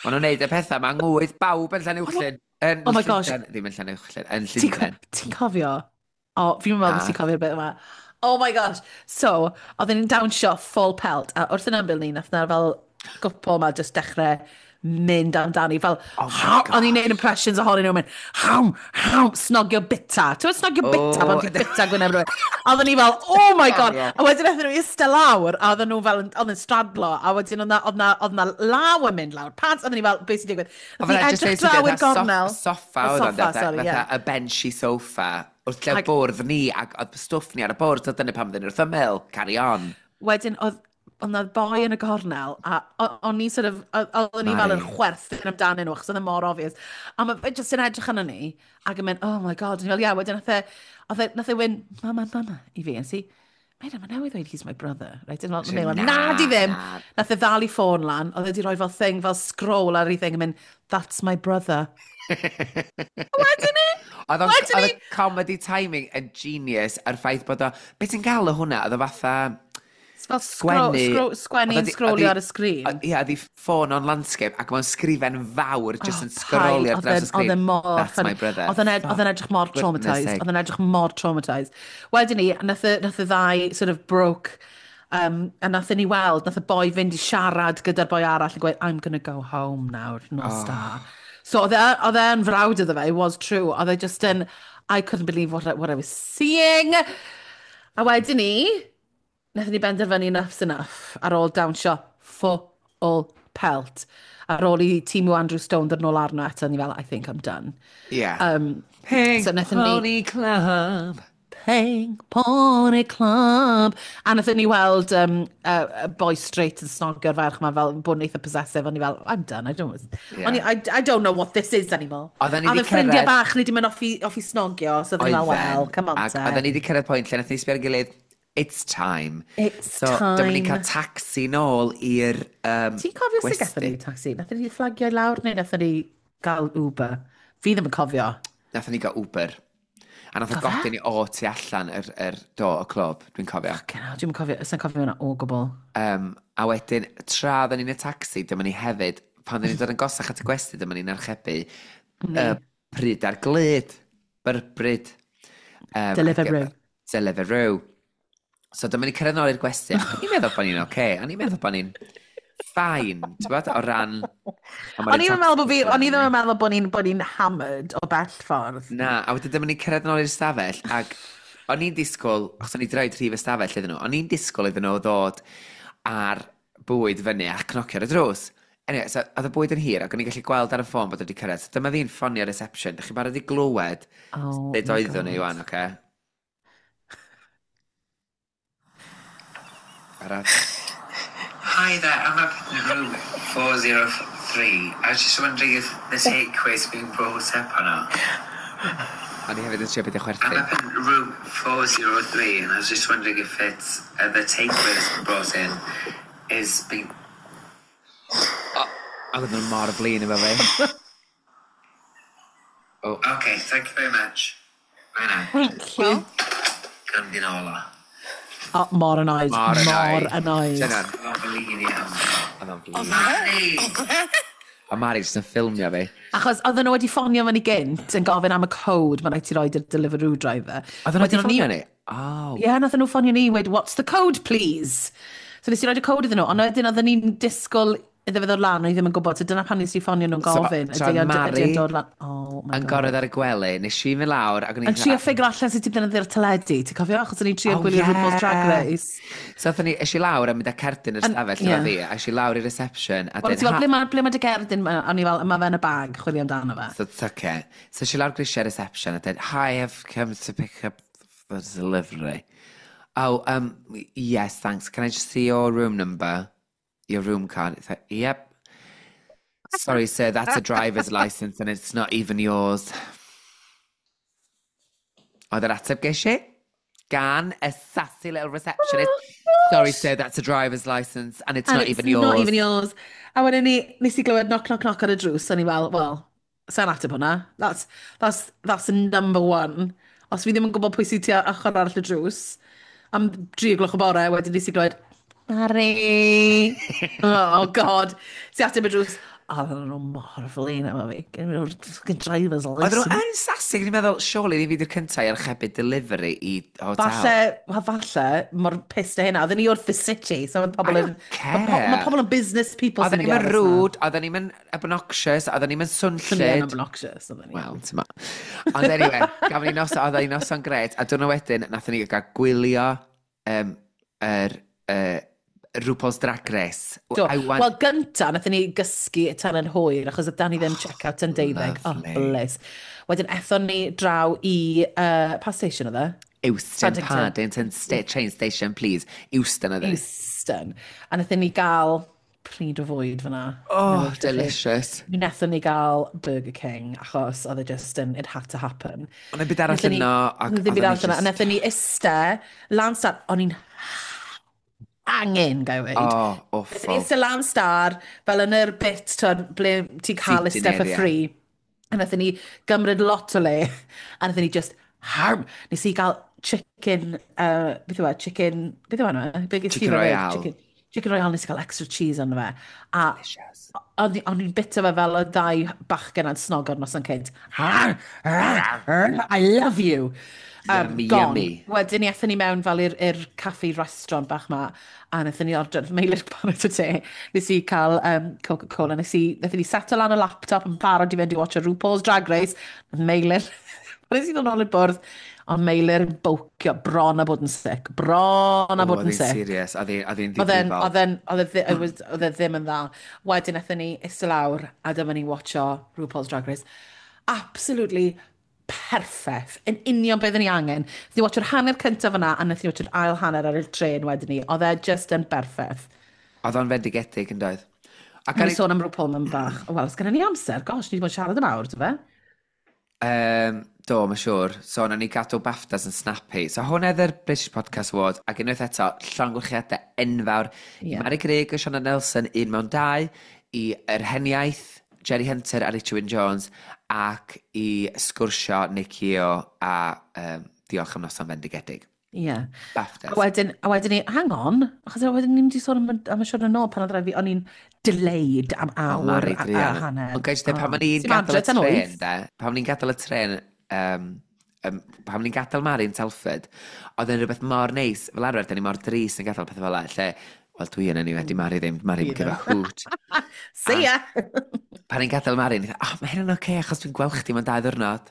D: Maen nhw'n neud y pethau, mae'n ngwydd bawb yn Llanuwchllyn. Yn
C: Oh my gosh.
D: Llundain, ddim yn Llanuwchllyn, yn
C: Ti'n co-
D: Llundain.
C: ti'n cofio? O, fi'n meddwl bod
D: Na.
C: ti'n cofio'r bit yma. Oh my gosh. So, oedden ni'n dawnsio full pelt, a wrth yn ymyl ni, nath na fel gwpl ma just dechrau mynd amdani. Fel,
D: Oh my
C: "Haw," o'n i'n
D: gosh.
C: neud impressions ohonyn nhw, mynd, "Haw, haw," snogio bita. Ti'n gwybod snogio bita,
D: Oh.
C: pan ti'n bita gwyneb rhywun? A oedden ni fel, "Oh my God."
D: Ie.
C: A wedyn nathon nhw eistedd lawr, a oedden nhw fel, oedd yn stradlo, a wedyn oedd na, oedd na, oedd na law yn mynd lawr. Pants, oedden ni fel, "Beth sy'n digwydd?"
D: O,
C: Nath ni
D: fel just
C: edrych
D: deud
C: draw i'r
D: fatha
C: gornel.
D: Soffa
C: Y
D: oedd o'n
C: soffa, sorry,
D: fatha
C: ie.
D: y benchy sofa. Wrth lle
C: Ag-
D: bwrdd ni, ac oedd stwff ni ar y bwrdd, so dyna pam ddyn wrth ymyl. Carry on.
C: Wedyn, oedd oedd 'na boi yn y gornel, a o- o'n ni sort of, o- oedden ni fel yn
D: Mari.
C: chwerthin amdanyn nhw, achos oedd e mor obvious. A mae fe jyst yn edrych arno ni, ac yn mynd, "Oh my God," o'n i fel, "Yeah," wedyn nath e, oedd e, nath e wyn, "Mama, mama," i fi, and si, "Mate, mae newydd ddweud he's my brother," right? And fel,
D: Na,
C: na, na, di ddim.
D: na.
C: Nath e ddal i ffôn lan, oedd e di roi fel thing, fel scroll ar ei thing, yn mynd, "That's my brother." Wedyn ni,
D: Oedd o'n-
C: Wedyn
D: oedd y
C: ni-
D: comedy timing yn genius a'r ffaith bod o... Be ti'n gael o hwnna? Oedd o fatha
C: fel scroll,
D: sgwennu
C: scroll, sgwennu
D: Oedd
C: yn
D: o di-
C: scrollio
D: oedd
C: ar y sgrin.
D: o- Ie, oedd hi ffôn on landscape ac mae'n sgrifen fawr just
C: Oh,
D: yn sgrolio ar
C: paid.
D: draws y
C: Oedd e'n-
D: sgrin.
C: Oedd e mor
D: "That's
C: funny.
D: my brother."
C: Oedd e'n ed- oedd e'n edrych mor
D: Goodness
C: traumatised.
D: sake.
C: Oedd e'n edrych mor traumatised. Wedyn ni, nath y, nath y ddau sort of broke, um, a nath ni weld, nath y boi fynd i siarad gyda'r boi arall yn gweud, "I'm gonna go home nawr, nos
D: Oh.
C: da." So oedd e- oedd e'n frawd iddo fe, it was true. Oedd e just yn, I couldn't believe what I, what I was seeing. A wedyn ni, nathon ni benderfynu enough's enough ar ôl dawnsio full pelt. Ar ôl i tîm Andrew Stone ddod nôl arno eto, ni fel, "I think I'm done."
D: Yeah.
C: Um,
D: Pink
C: so nathon ni-
D: Pony Club.
C: Pink Pony Club. A nathon ni weld um, uh, y boi straight yn snogio'r ferch ma fel bod yn eitha possessive. O'n i fel, I'm done, I don't, yeah. O'n i, I, I don't know what this is anymore.
D: Oedden ni
C: A
D: 'di
C: oedd y ffrindiau
D: cyrraedd-
C: bach ni di mynd off i, off i snogio, so oedden ni fel, well, come on
D: Ac
C: te.
D: oedden ni wedi cyrraedd pwynt lle nath ni sbio ar gilydd, it's time.
C: It's
D: so, dyma ni'n cael
C: time.
D: taxi nôl i'r um,
C: Ti'n cofio sut gathon ni taxi? Nathon ni fflagio i lawr neu nathon ni gael Uber? Fi ddim yn cofio.
D: Nathon ni gael Uber. A nath o
C: Do fe?
D: godi ni o tu allan yr, yr do, y clwb, dwi'n cofio.
C: Fucking hell, dwi'n cofio, ys'n cofio hwnna o gwbl.
D: Um, a wedyn, tra oedden ni'n y taxi, dyma ni hefyd, pan oedden ni'n dod yn gosach at y gwesty, dyma ni'n archebu uh, pryd ar glud, byrbryd. Um,
C: Deliveroo.
D: Deliveroo. So dyma ni cyrraedd nôl i'r gwesty, ac o'n i'n meddwl bod ni'n oce, okay. O'n i'n meddwl bod ni'n fine, ti'n bod, o ran...
C: O'n i'n meddwl bod fi, o'n i ddim yn meddwl bod ni'n bod ni'n hammered o bell ffordd.
D: Na, a wedyn dyma ni'n cyrraedd nôl i'r stafell, ac o'n i'n disgwyl, achos o'n i 'di roid rhif y stafell iddyn nhw, o'n i'n disgwyl iddyn nhw ddod ar bwyd fyny a cnocio ar y drws. Anyway, so oedd y bwyd yn hir ac o'n i'n gallu gweld ar y ffôn bod wedi cyrraedd. So dyma fi'n ffonio reception. Dych chi'n barod i glywed
C: Oh
D: sut
C: my
D: oeddwn i
C: God.
D: wan, oce? Barod?
E: Hi there, I'm up in room four zero three. I was just wondering if the takeaway's been brought up or not.
D: O'n i hefyd yn trio beidio
E: I'm
D: chwerthin.
E: up in room four zero three and I was just wondering if it's uh, the takeaway that's been brought in is being...
D: Ac oedden nhw mor flin efo fi. Oh,
E: Okay, thank you very much. Bye now.
C: Thank you.
E: Gandinola.
C: Oh, mor annoyed.
D: Mor
C: Mor
D: annoyed.
C: annoyed.
D: Dyna,
E: Mae'n flin iawn.
D: oedd o'n flin.
E: Mari!
D: A Mari jyst yn ffilmio fi.
C: Achos oedden nhw wedi ffonio fyny gynt yn gofyn am y code mae'n rhaid ti roid i'r Deliveroo driver.
D: Oedden nhw wedi
C: Wedyn o'n i-
D: ffonio ni? Oh.
C: Ie, yeah, nathon nhw ffonio ni i weud, what's the code, please? So nes i roid y code iddyn nhw, ond wedyn oedden ni'n disgwyl iddo fe ddod lan, o'n i ddim yn gwybod, so dyna pan nes i ffonio nhw'n
D: So,
C: gofyn,
D: so
C: ydy o'n
D: Mari
C: ydy o'n dod lan? Oh my
D: Yn
C: God.
D: goredd ar y gwely, nes i fynd lawr ac o'n i'n
C: Yn trio ffigur allan sut i ddefnyddio'r teledu, ti'n cofio? Achos o'n i'n trio
D: Oh,
C: gwylio
D: yeah.
C: RuPaul's Drag Race.
D: So aethon ni, es i lawr a mynd â cerdyn yr
C: Yn-
D: stafell
C: ie.
D: efo fi, a es i lawr i reception, a
C: Wel,
D: dweud,
C: ti fel,
D: "Ha-"
C: ble mae ble ma dy gerdyn? Ma- O'n i fel, mae fe yn y bag, chwilio amdano fe.
D: So it's okay. So es i lawr grisiau reception a dweud, hi, I've come to pick up the delivery. Oh, um, yes, thanks. Can I just see your room number? Your room card? It's like, yep. Sorry, sir, that's a driver's license and it's not even yours. Oedd yr ateb ges i? Gan a sassy little receptionist. Sorry, sir, that's a driver's license and it's
C: And
D: not
C: it's
D: even yours.
C: not even yours. A wedyn ni, nes i glywed knock, knock, knock ar y drws, o'n i fel, well, sa'n ateb hwnna. That's, that's, that's the number one. Os fi ddim yn gwybod pwy sy'n tua ochr arall y drws, am dri o gloch y bore, wedyn nes i glywed, Mari! Oh, God. Si ateb y drws, a oedden nhw mor flin efo fi. Gen nhw'r fucking driver's
D: Oedden nhw
C: license.
D: yn sassy, o'n i'n meddwl, surely ni fi di'r cyntaf i archebu delivery i hotel.
C: Falle, wel, falle, mor pissed o hynna. Oedden ni wrth the city, so mae pobl
D: I
C: yn...
D: don't care.
C: Mae po- ma pobl yn business people
D: Oedden
C: sy'n
D: ni'n
C: mynd i
D: mynd
C: aros 'na.
D: rude, oedden ni'n mynd obnoxious, oedden ni'n mynd
C: Swn i yn
D: swnllyd.
C: obnoxious, oedden ni.
D: Wel, ti'n ma. Ond anyway, gafon ni noson, oedden ni noson gret, a diwrnod wedyn, nathon ni gael gwylio um, yr uh, RuPaul's Drag Race.
C: Do.
D: I want...
C: Wel, gynta, nathon ni gysgu tan yn hwyr, achos oedd ni ddim check-out tan deuddeg. Oh,
D: Lovely.
C: bliss. Wedyn, ethon ni draw i... Uh, pa station oedd e?
D: Euston,
C: Paddington.
D: Paddington sta train station, please. Euston oedd e.
C: Euston. A nathon ni gael pryd o fwyd fyna.
D: Oh, delicious.
C: Mi wnaethon ni gael Burger King, achos oedd e just yn, it had to happen.
D: Ond y byd arall
C: Wnaethon ni-
D: yno. ac
C: Ddim byd
D: oedden ni
C: arall yno. A
D: just-
C: wnaethon ni iste, lan star, o'n i'n angen, ga i weud.
D: Oh,
C: Wnaethon ni
D: awful.
C: iste lan star, fel yn yr bit, twyd, ble ti'n cael
D: Seating
C: iste for
D: area.
C: free. A wnaethon ni gymryd lot o le, a wnaethon ni just harm. Nes i gael chicken, uh, beth yw e, chicken, beth yw e? Be ges ti
D: Chicken
C: fe fyd?
D: Royale.
C: Chicken, chicken Royale, nes i gael extra cheese arno fe. A
D: Delicious.
C: o'n i- o'n i'n bita fe fel y ddau bachgen a'n snogo'r noson cynt. I love you. Um,
D: Yummy,
C: gone.
D: yummy.
C: Wedyn ni aethon ni mewn fel i'r i'r caffi restaurant bach ma, a wnaethon ni ordro, Meilir paned o te, nes i cael um, Coca-Cola, nes i, wnaethon ni seto lan y laptop yn barod i fynd i watch a RuPaul's Drag Race, nath Meilir, pan nes i ddod nôl i'r bwrdd, ond Meilir yn bowcio, bron a bod yn sick, bron a
D: Oh,
C: bod
D: oedd
C: yn
D: hi'n
C: sick.
D: serious, oedd hi- oedd hi'n
C: Oedd e'n,
D: ddifrifol.
C: oedd e'n, oedd e ddi- it was- oedd e ddim yn dda. Wedyn aethon ni iste lawr a dyma ni'n watcho RuPaul's Drag Race. Absolutely perffaith, yn union beth ni angen. Nath ni watcho'r hanner cyntaf yna, a nath ni watcho'r ail hanner ar y tren wedyn ni. Oedd e just yn berffaith.
D: Oedd o'n fendigedig yn doedd.
C: A gan i sôn am RuPaul mewn bach. O, wel, os gennym ni amser, gosh, ni wedi bod yn siarad am awr, dy fe?
D: Um, do, mae'n siŵr. So, nawn ni gadw BAFTAs yn snappy. So, hwn oedd yr British Podcast Award, ac unwaith eto, llongyfarchiadau enfawr i
C: Ie.
D: Mari Grug a Sioned Nelson, un mewn dau, i yr heniaith, Jerry Hunter a Richard Wyn Jones, ac i sgwrsio Nicky O a um, diolch am noson fendigedig.
C: Ie. Yeah.
D: BAFTAs.
C: A wedyn, a wedyn ni, hang on, achos wedyn ni'n mynd i sôn am, am y siwrne nôl pan oedd rhaid fi, o'n i'n delayed am awr
D: Mari
C: a, a
D: druan.
C: hanner.
D: Ond gael dweud, pan o'n i'n
C: Ti'n
D: gadael y
C: adre tan
D: tren,
C: wyth?
D: de, pan o'n i'n gadael y tren, um, um, pan o'n i'n gadael Mari yn Telford, oedd e'n rhywbeth mor neis, fel arfer, da ni mor drist yn gadael pethau fel 'na, lle, wel dwi yn anyway, di Mari ddim, Mari'n
C: Fi
D: give a hoot.
C: See ya!
D: Pan i'n gadael Mari, ni'n oh, mae hynny'n oce, okay, achos dwi'n gweld chdi mewn dau ddwrnod.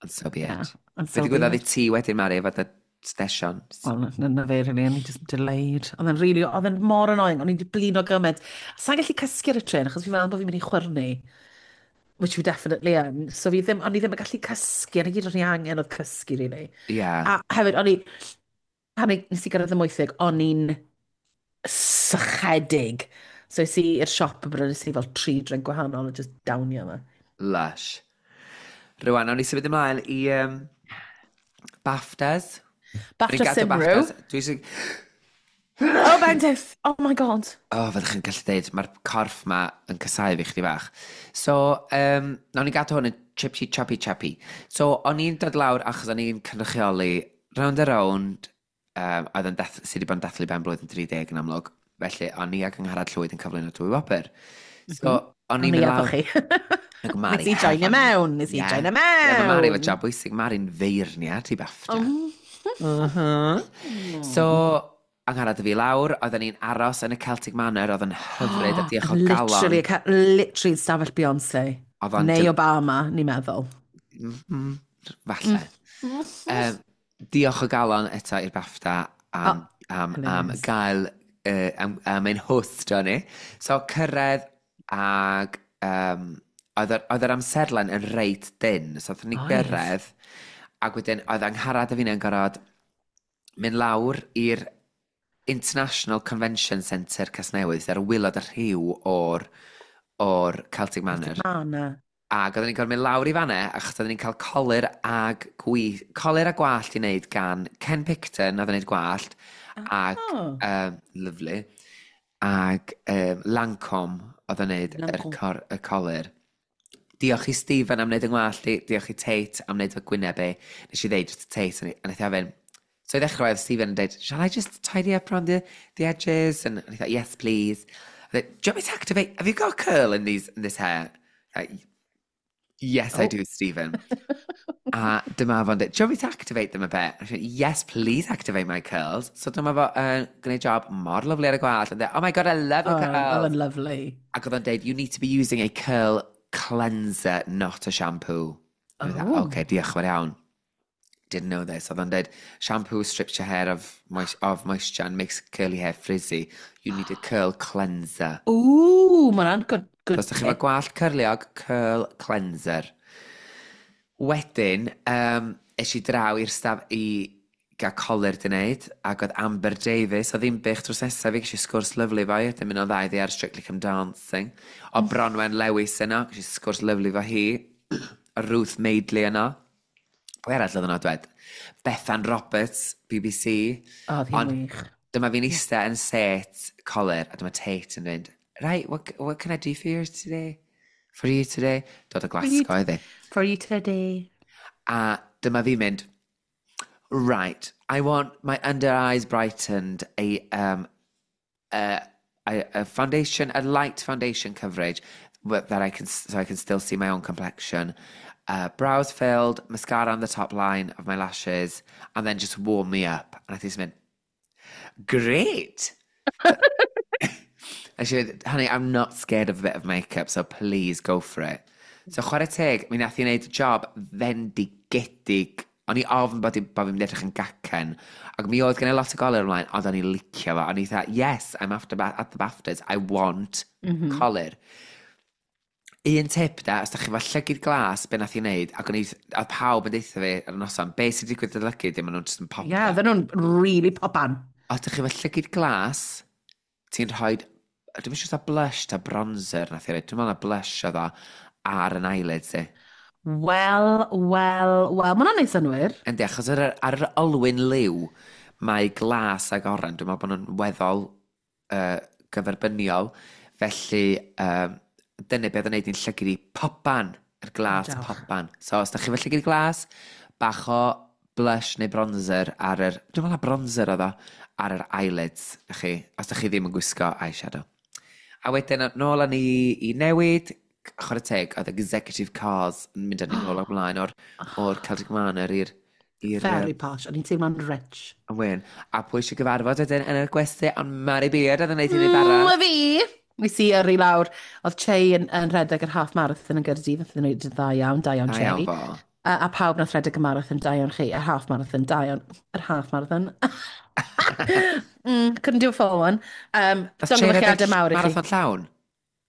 D: Ond so be it.
C: Yeah, and
D: Be
C: so be
D: ddigwyddodd i
C: it.
D: ti wedyn, Mari, efo dy station?
C: Wel, na, na fe, really, o'n i just delayed. Oedd e'n really, oedd e'n mor annoying, o'n i'n blino gymaint. Sa'n gallu cysgu ar y tren, achos fi'n meddwl bod fi'n mynd i chwyrnu. Which we definitely yn. So fi ddim, o'n i ddim yn gallu cysgu, a 'na gyd o'n i angen oedd cysgu, really.
D: Yeah.
C: A hefyd, o'n i, pan i- nes i gyrraedd y Amwythig, o'n i'n sychedig. So es i i'r siop a brynu i fel tri drink gwahanol a just downio yma.
D: Lush. Rwan, awn ni symud ymlaen i um, BAFTAs.
C: BAFTA
D: Ni'n gadw
C: Cymru.
D: BAFTAs. Dwi eisiau...
C: Oh, Bendith! Oh my God.
D: O, oh, fyddwch chi'n gallu dweud, mae'r corff ma yn casáu fi chdi bach. So, um, nawn ni gadw hwn yn chipsy choppy choppy. So, o'n i'n dod lawr achos o'n i'n cynrychioli Rownd a Rownd, um, oedd yn dath, sydd wedi bod yn dathlu ben blwyddyn tri deg yn amlwg. Felly, o'n i ac Angharad Llwyd yn cyflwyno dwy wobr. So, o'n
C: O'n
D: i'n
C: i
D: mynd
C: efo
D: lawr
C: chi.
D: Ac Mari
C: Nes i joinio
D: hefo ni.
C: mewn, nes i
D: Ie.
C: joinio
D: Ie, mae Mari efo
C: mewn.
D: job bwysig. Mari'n feirniad i BAFTA.
C: Mm.
D: Uh -huh. So, Angharad a fi lawr, oedden ni'n aros yn y Celtic Manor, oedd yn hyfryd a diolch o galon.
C: Literally, ca- literally stafell Beyoncé.
D: Oedd o'n
C: Neu
D: dil-
C: Obama, ni'n meddwl.
D: Mm, falle. Um, diolch o galon eto i'r BAFTA am,
C: Oh,
D: am, am
C: hilarious.
D: gael, uh, am, am ein hostio ni. So, cyrraedd ag um, oedd yr, oedd yr amserlen yn reit dynn. So, oedden ni
C: Oedd.
D: gyrraedd ac wedyn oedd Angharad a fi'n gorfod mynd lawr i'r International Convention Centre Casnewydd, sydd ar waelod y rhiw o'r, o'r Celtic Manor.
C: Manor.
D: Ac oedden ni'n gorfod mynd lawr i fanna, achos oedden ni'n cael colur ag gwi, colur a gwallt i wneud gan Ken Picton, oedd yn wneud gwallt, ag,
C: Oh.
D: um, lovely, ag um, Lancome oedd yn wneud yr
C: Lancome.
D: cor, y colur. Diolch i Stephen am wneud yng ngwallt i, diolch i Tate am wneud fy gwyneb i. Nes i ddeud wrth Tate, a wnaeth i ofyn, so i ddechrau oedd Stephen yn dweud, "Shall I just tidy up around the, the edges?" And I thought, "Yes, please." I said, "Do you want me to activate, have you got a curl in, these, in this hair?" Like, "Yes, I
C: Oh.
D: do, Stephen." A dyma fo'n dweud, "Do you want me to activate them a bit?" I said, "Yes, please activate my curls." So dyma fo yn uh, gwneud job mor lovely ar y gwallt. And dweud, "Oh my God, I love your
C: Oh,
D: curls."
C: oedd yn lovely.
D: Ac oedd o'n dweud, "You need to be using a curl cleanser, not a shampoo." I was like,
C: Oh.
D: "Okay, diolch yn fawr iawn. Didn't know this." Oedd o'n dweud, "Shampoo strips your hair of, moist, of moisture and makes curly hair frizzy. You need a curl cleanser."
C: Ooh, mae hwnna'n good, good
D: Os ydych chi efo
C: tip.
D: gwallt cyrliog, curl cleanser. Wedyn, um, es i draw i'r staf i gael colur di wneud, ac oedd Amber Davies, o Ddinbych drws nesaf fi, ges i sgwrs lyfli fo hi, wedyn mynd o'n dda iddi ar Strictly Come Dancing. O Bronwen Lewis yno, ges i sgwrs lyfli fo hi. O Ruth Madeley yno. Pwy arall oedd yno dwed? Bethan Roberts, B B C.
C: O, oedd hi'n
D: Ond
C: wych.
D: dyma fi'n eistedd yn set colur, a dyma Tate yn mynd, "Right, what, what can I do for you today? For you today?" Dod o Glasgow iddi.
C: For you today.
D: A dyma fi'n mynd, "Right, I want my under eyes brightened, a, um, a, a, a foundation, a light foundation coverage but that I can, so I can still see my own complexion. Uh, brows filled, mascara on the top line of my lashes, and then just warm me up." And I think she's "Great." And she went, "Honey, I'm not scared of a bit of makeup, so please go for it." So chwarae teg, mi nath i wneud job fendigedig. O'n i ofn bod, i, bod fi'n mynd edrych yn gacen. Ac mi oedd gen i lot o golur ymlaen, ond o'n i'n licio fo. O'n i dda, "Yes, I'm after ba at the BAFTAs. I want mm -hmm. colur." Un tip da, os da chi efo llygyd glas, be nath i wneud, ac o'n i, oedd pawb yn deutha fi ar y noson, be sy'n digwydd dy lygyd, dim ond nhw'n just yn pop.
C: Ie, yeah, oedden nhw'n really popan.
D: Os da chi efo llygyd glas, ti'n rhoi, dwi'n siŵr ta blush ta bronzer nath i roi, dwi'n meddwl na blush oedd o ar yn eyelids i.
C: Wel, wel, wel, mae hwnna'n neud synnwyr.
D: Yndi, achos ar, ar yr olwyn liw, mae glas ag oren, dwi'n meddwl bod nhw'n weddol uh, gyferbyniol, felly um, dyna beth yn neud i'n llygyd i popan, yr glas
C: Diolch.
D: popan. So, os da chi efo llygyd glas, bach o blush neu bronzer ar yr, dwi'n meddwl na bronzer oedd o, ar yr eyelids, na chi, os da chi ddim yn gwisgo eyeshadow. A wedyn, nôl â ni i newid, chwarae teg, oedd executive cars yn mynd â ni nôl ymlaen o'r, o'r Celtic Manor i'r... i'r
C: Very posh. O'n i'n teimlo'n rich.
D: Yn wyn. A pwy eisiau gyfarfod wedyn yn y gwesty, ond Mari Beard oedd yn neud i ni bara.
C: Mm, fi! Nes i yrru lawr. Oedd Che yn, yn rhedeg yr half marathon yn Gaerdydd. Nath nhw wneud yn dda iawn, da iawn
D: Da
C: Che.
D: iawn fo.
C: A, a pawb nath rhedeg y marathon, da iawn chi. Y half marathon, da iawn. Yr half marathon. mm, couldn't do a full one. Um,
D: Nath Che
C: Llongyfarchiadau
D: redeg
C: mawr i chi.
D: marathon llawn?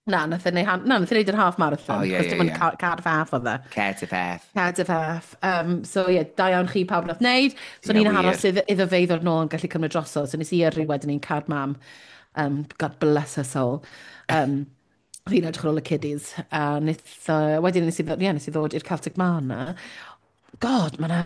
C: Na, nath e neud, na, nath e neud yr half marathon.
D: O, ie,
C: achos
D: ie,
C: dim ond
D: ie.
C: ca- Cardiff half oedd e.
D: Cardiff F.
C: Cardiff half. Um, so ie, yeah, da iawn chi pawb nath wneud. So
D: Ie,
C: ni'n aros
D: wir.
C: iddo, iddo fe i ddod nôl yn gallu cymryd drosodd. So nes i yrru wedyn i'n car mam. Um, God bless her soul. Um, fi'n edrych ar ôl y kiddies. A nith, uh, wedyn nes i ddod, ie, nes i ddod i'r Celtic Manor. God, mae na...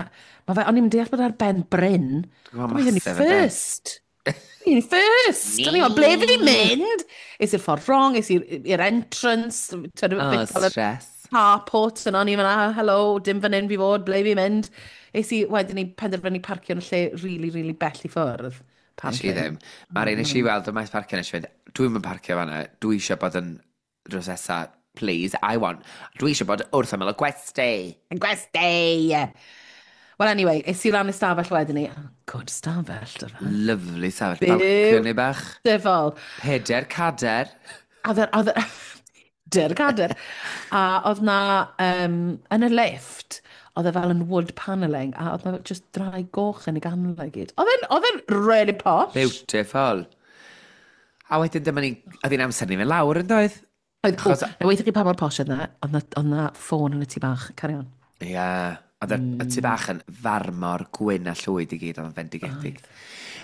C: Ma fe, o'n i'n deall bod ar ben bryn.
D: Dwi'n gwybod
C: O'n i'n
D: massive, yndi?
C: first. O'n i'n first. O'n i'n ble fi 'di mynd? Es i'r ffordd wrong, es i'r i'r entrance. T'wod,
D: Oh,
C: bit fel y
D: stress.
C: carport yna, o'n i'n mynd, "Ah, hello, dim fan hyn fi fod, ble fi'n mynd?" Es i wedyn i penderfynu parcio yn y lle really, really bell i ffwrdd.
D: Nes i ddim. Mari, nes i weld y maes parcio, nes i fynd, dwi'n mynd parcio fanna, dwi eisiau bod yn drws nesa, please, I want. Dwi eisiau bod wrth ymyl y gwesty.
C: Yn gwesty! Well, anyway, es i lan y stafell wedyn ni. Oh, good stafell, dy fe.
D: Lovely stafell.
C: Byw.
D: Balcony bach.
C: Dyfol.
D: Peder cader.
C: A oedd oedd Dyr cader. A oedd na, um, yn y lift, oedd e fel yn wood panelling, a oedd na just drai goch yn ei ganol i gyd. Oedd e'n, oedd e'n really posh.
D: Beautiful. A wedyn dyma ni, oedd hi'n amser ni fynd lawr yn doedd?
C: Oedd, o,
D: Achos-
C: na weithio chi pa mor posh oedd na, oedd na, oedd na ffôn yn y tŷ bach. Carry on.
D: Ie. Yeah. Oedd y mm. tŷ bach yn farmor gwyn a llwyd i gyd, oedd yn fendigedig.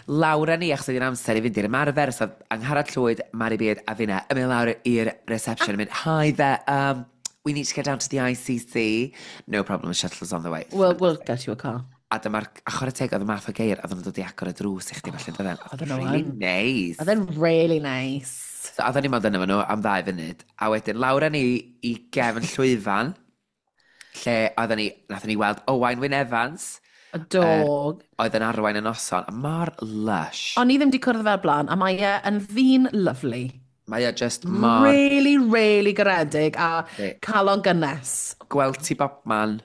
D: Lawr â ni, achos oedd hi'n amser i fynd i'r ymarfer, so oedd Angharad Llwyd, Mari Beard a finna yn mynd lawr i'r reception yn mynd, "Hi there, um, we need to get down to the I C C" "No problem, the shuttle's on the way."
C: We'll, we'll get you a car.
D: A dyma'r, a chwarae teg, oedd y math o geir, oedd nhw'n dod i agor y drws i chdi felly, doedden. Oedd
C: Oedden nhw
D: really
C: yn.
D: nice.
C: Oedd e'n really nice.
D: So, oedden ni mond yna nhw am ddau funud. A wedyn, lawr â ni i gefn llwyfan, lle oedden ni, nathon ni weld Owain Wyn Evans,
C: A dog.
D: oedd yn arwain y noson, a mor lush.
C: O'n i ddim wedi cwrdd fel blaen, a mae e yn ddyn lovely.
D: Mae o just mor
C: Really, really garedig a
D: Yndi.
C: calon gynnes.
D: Gweld ti bobman,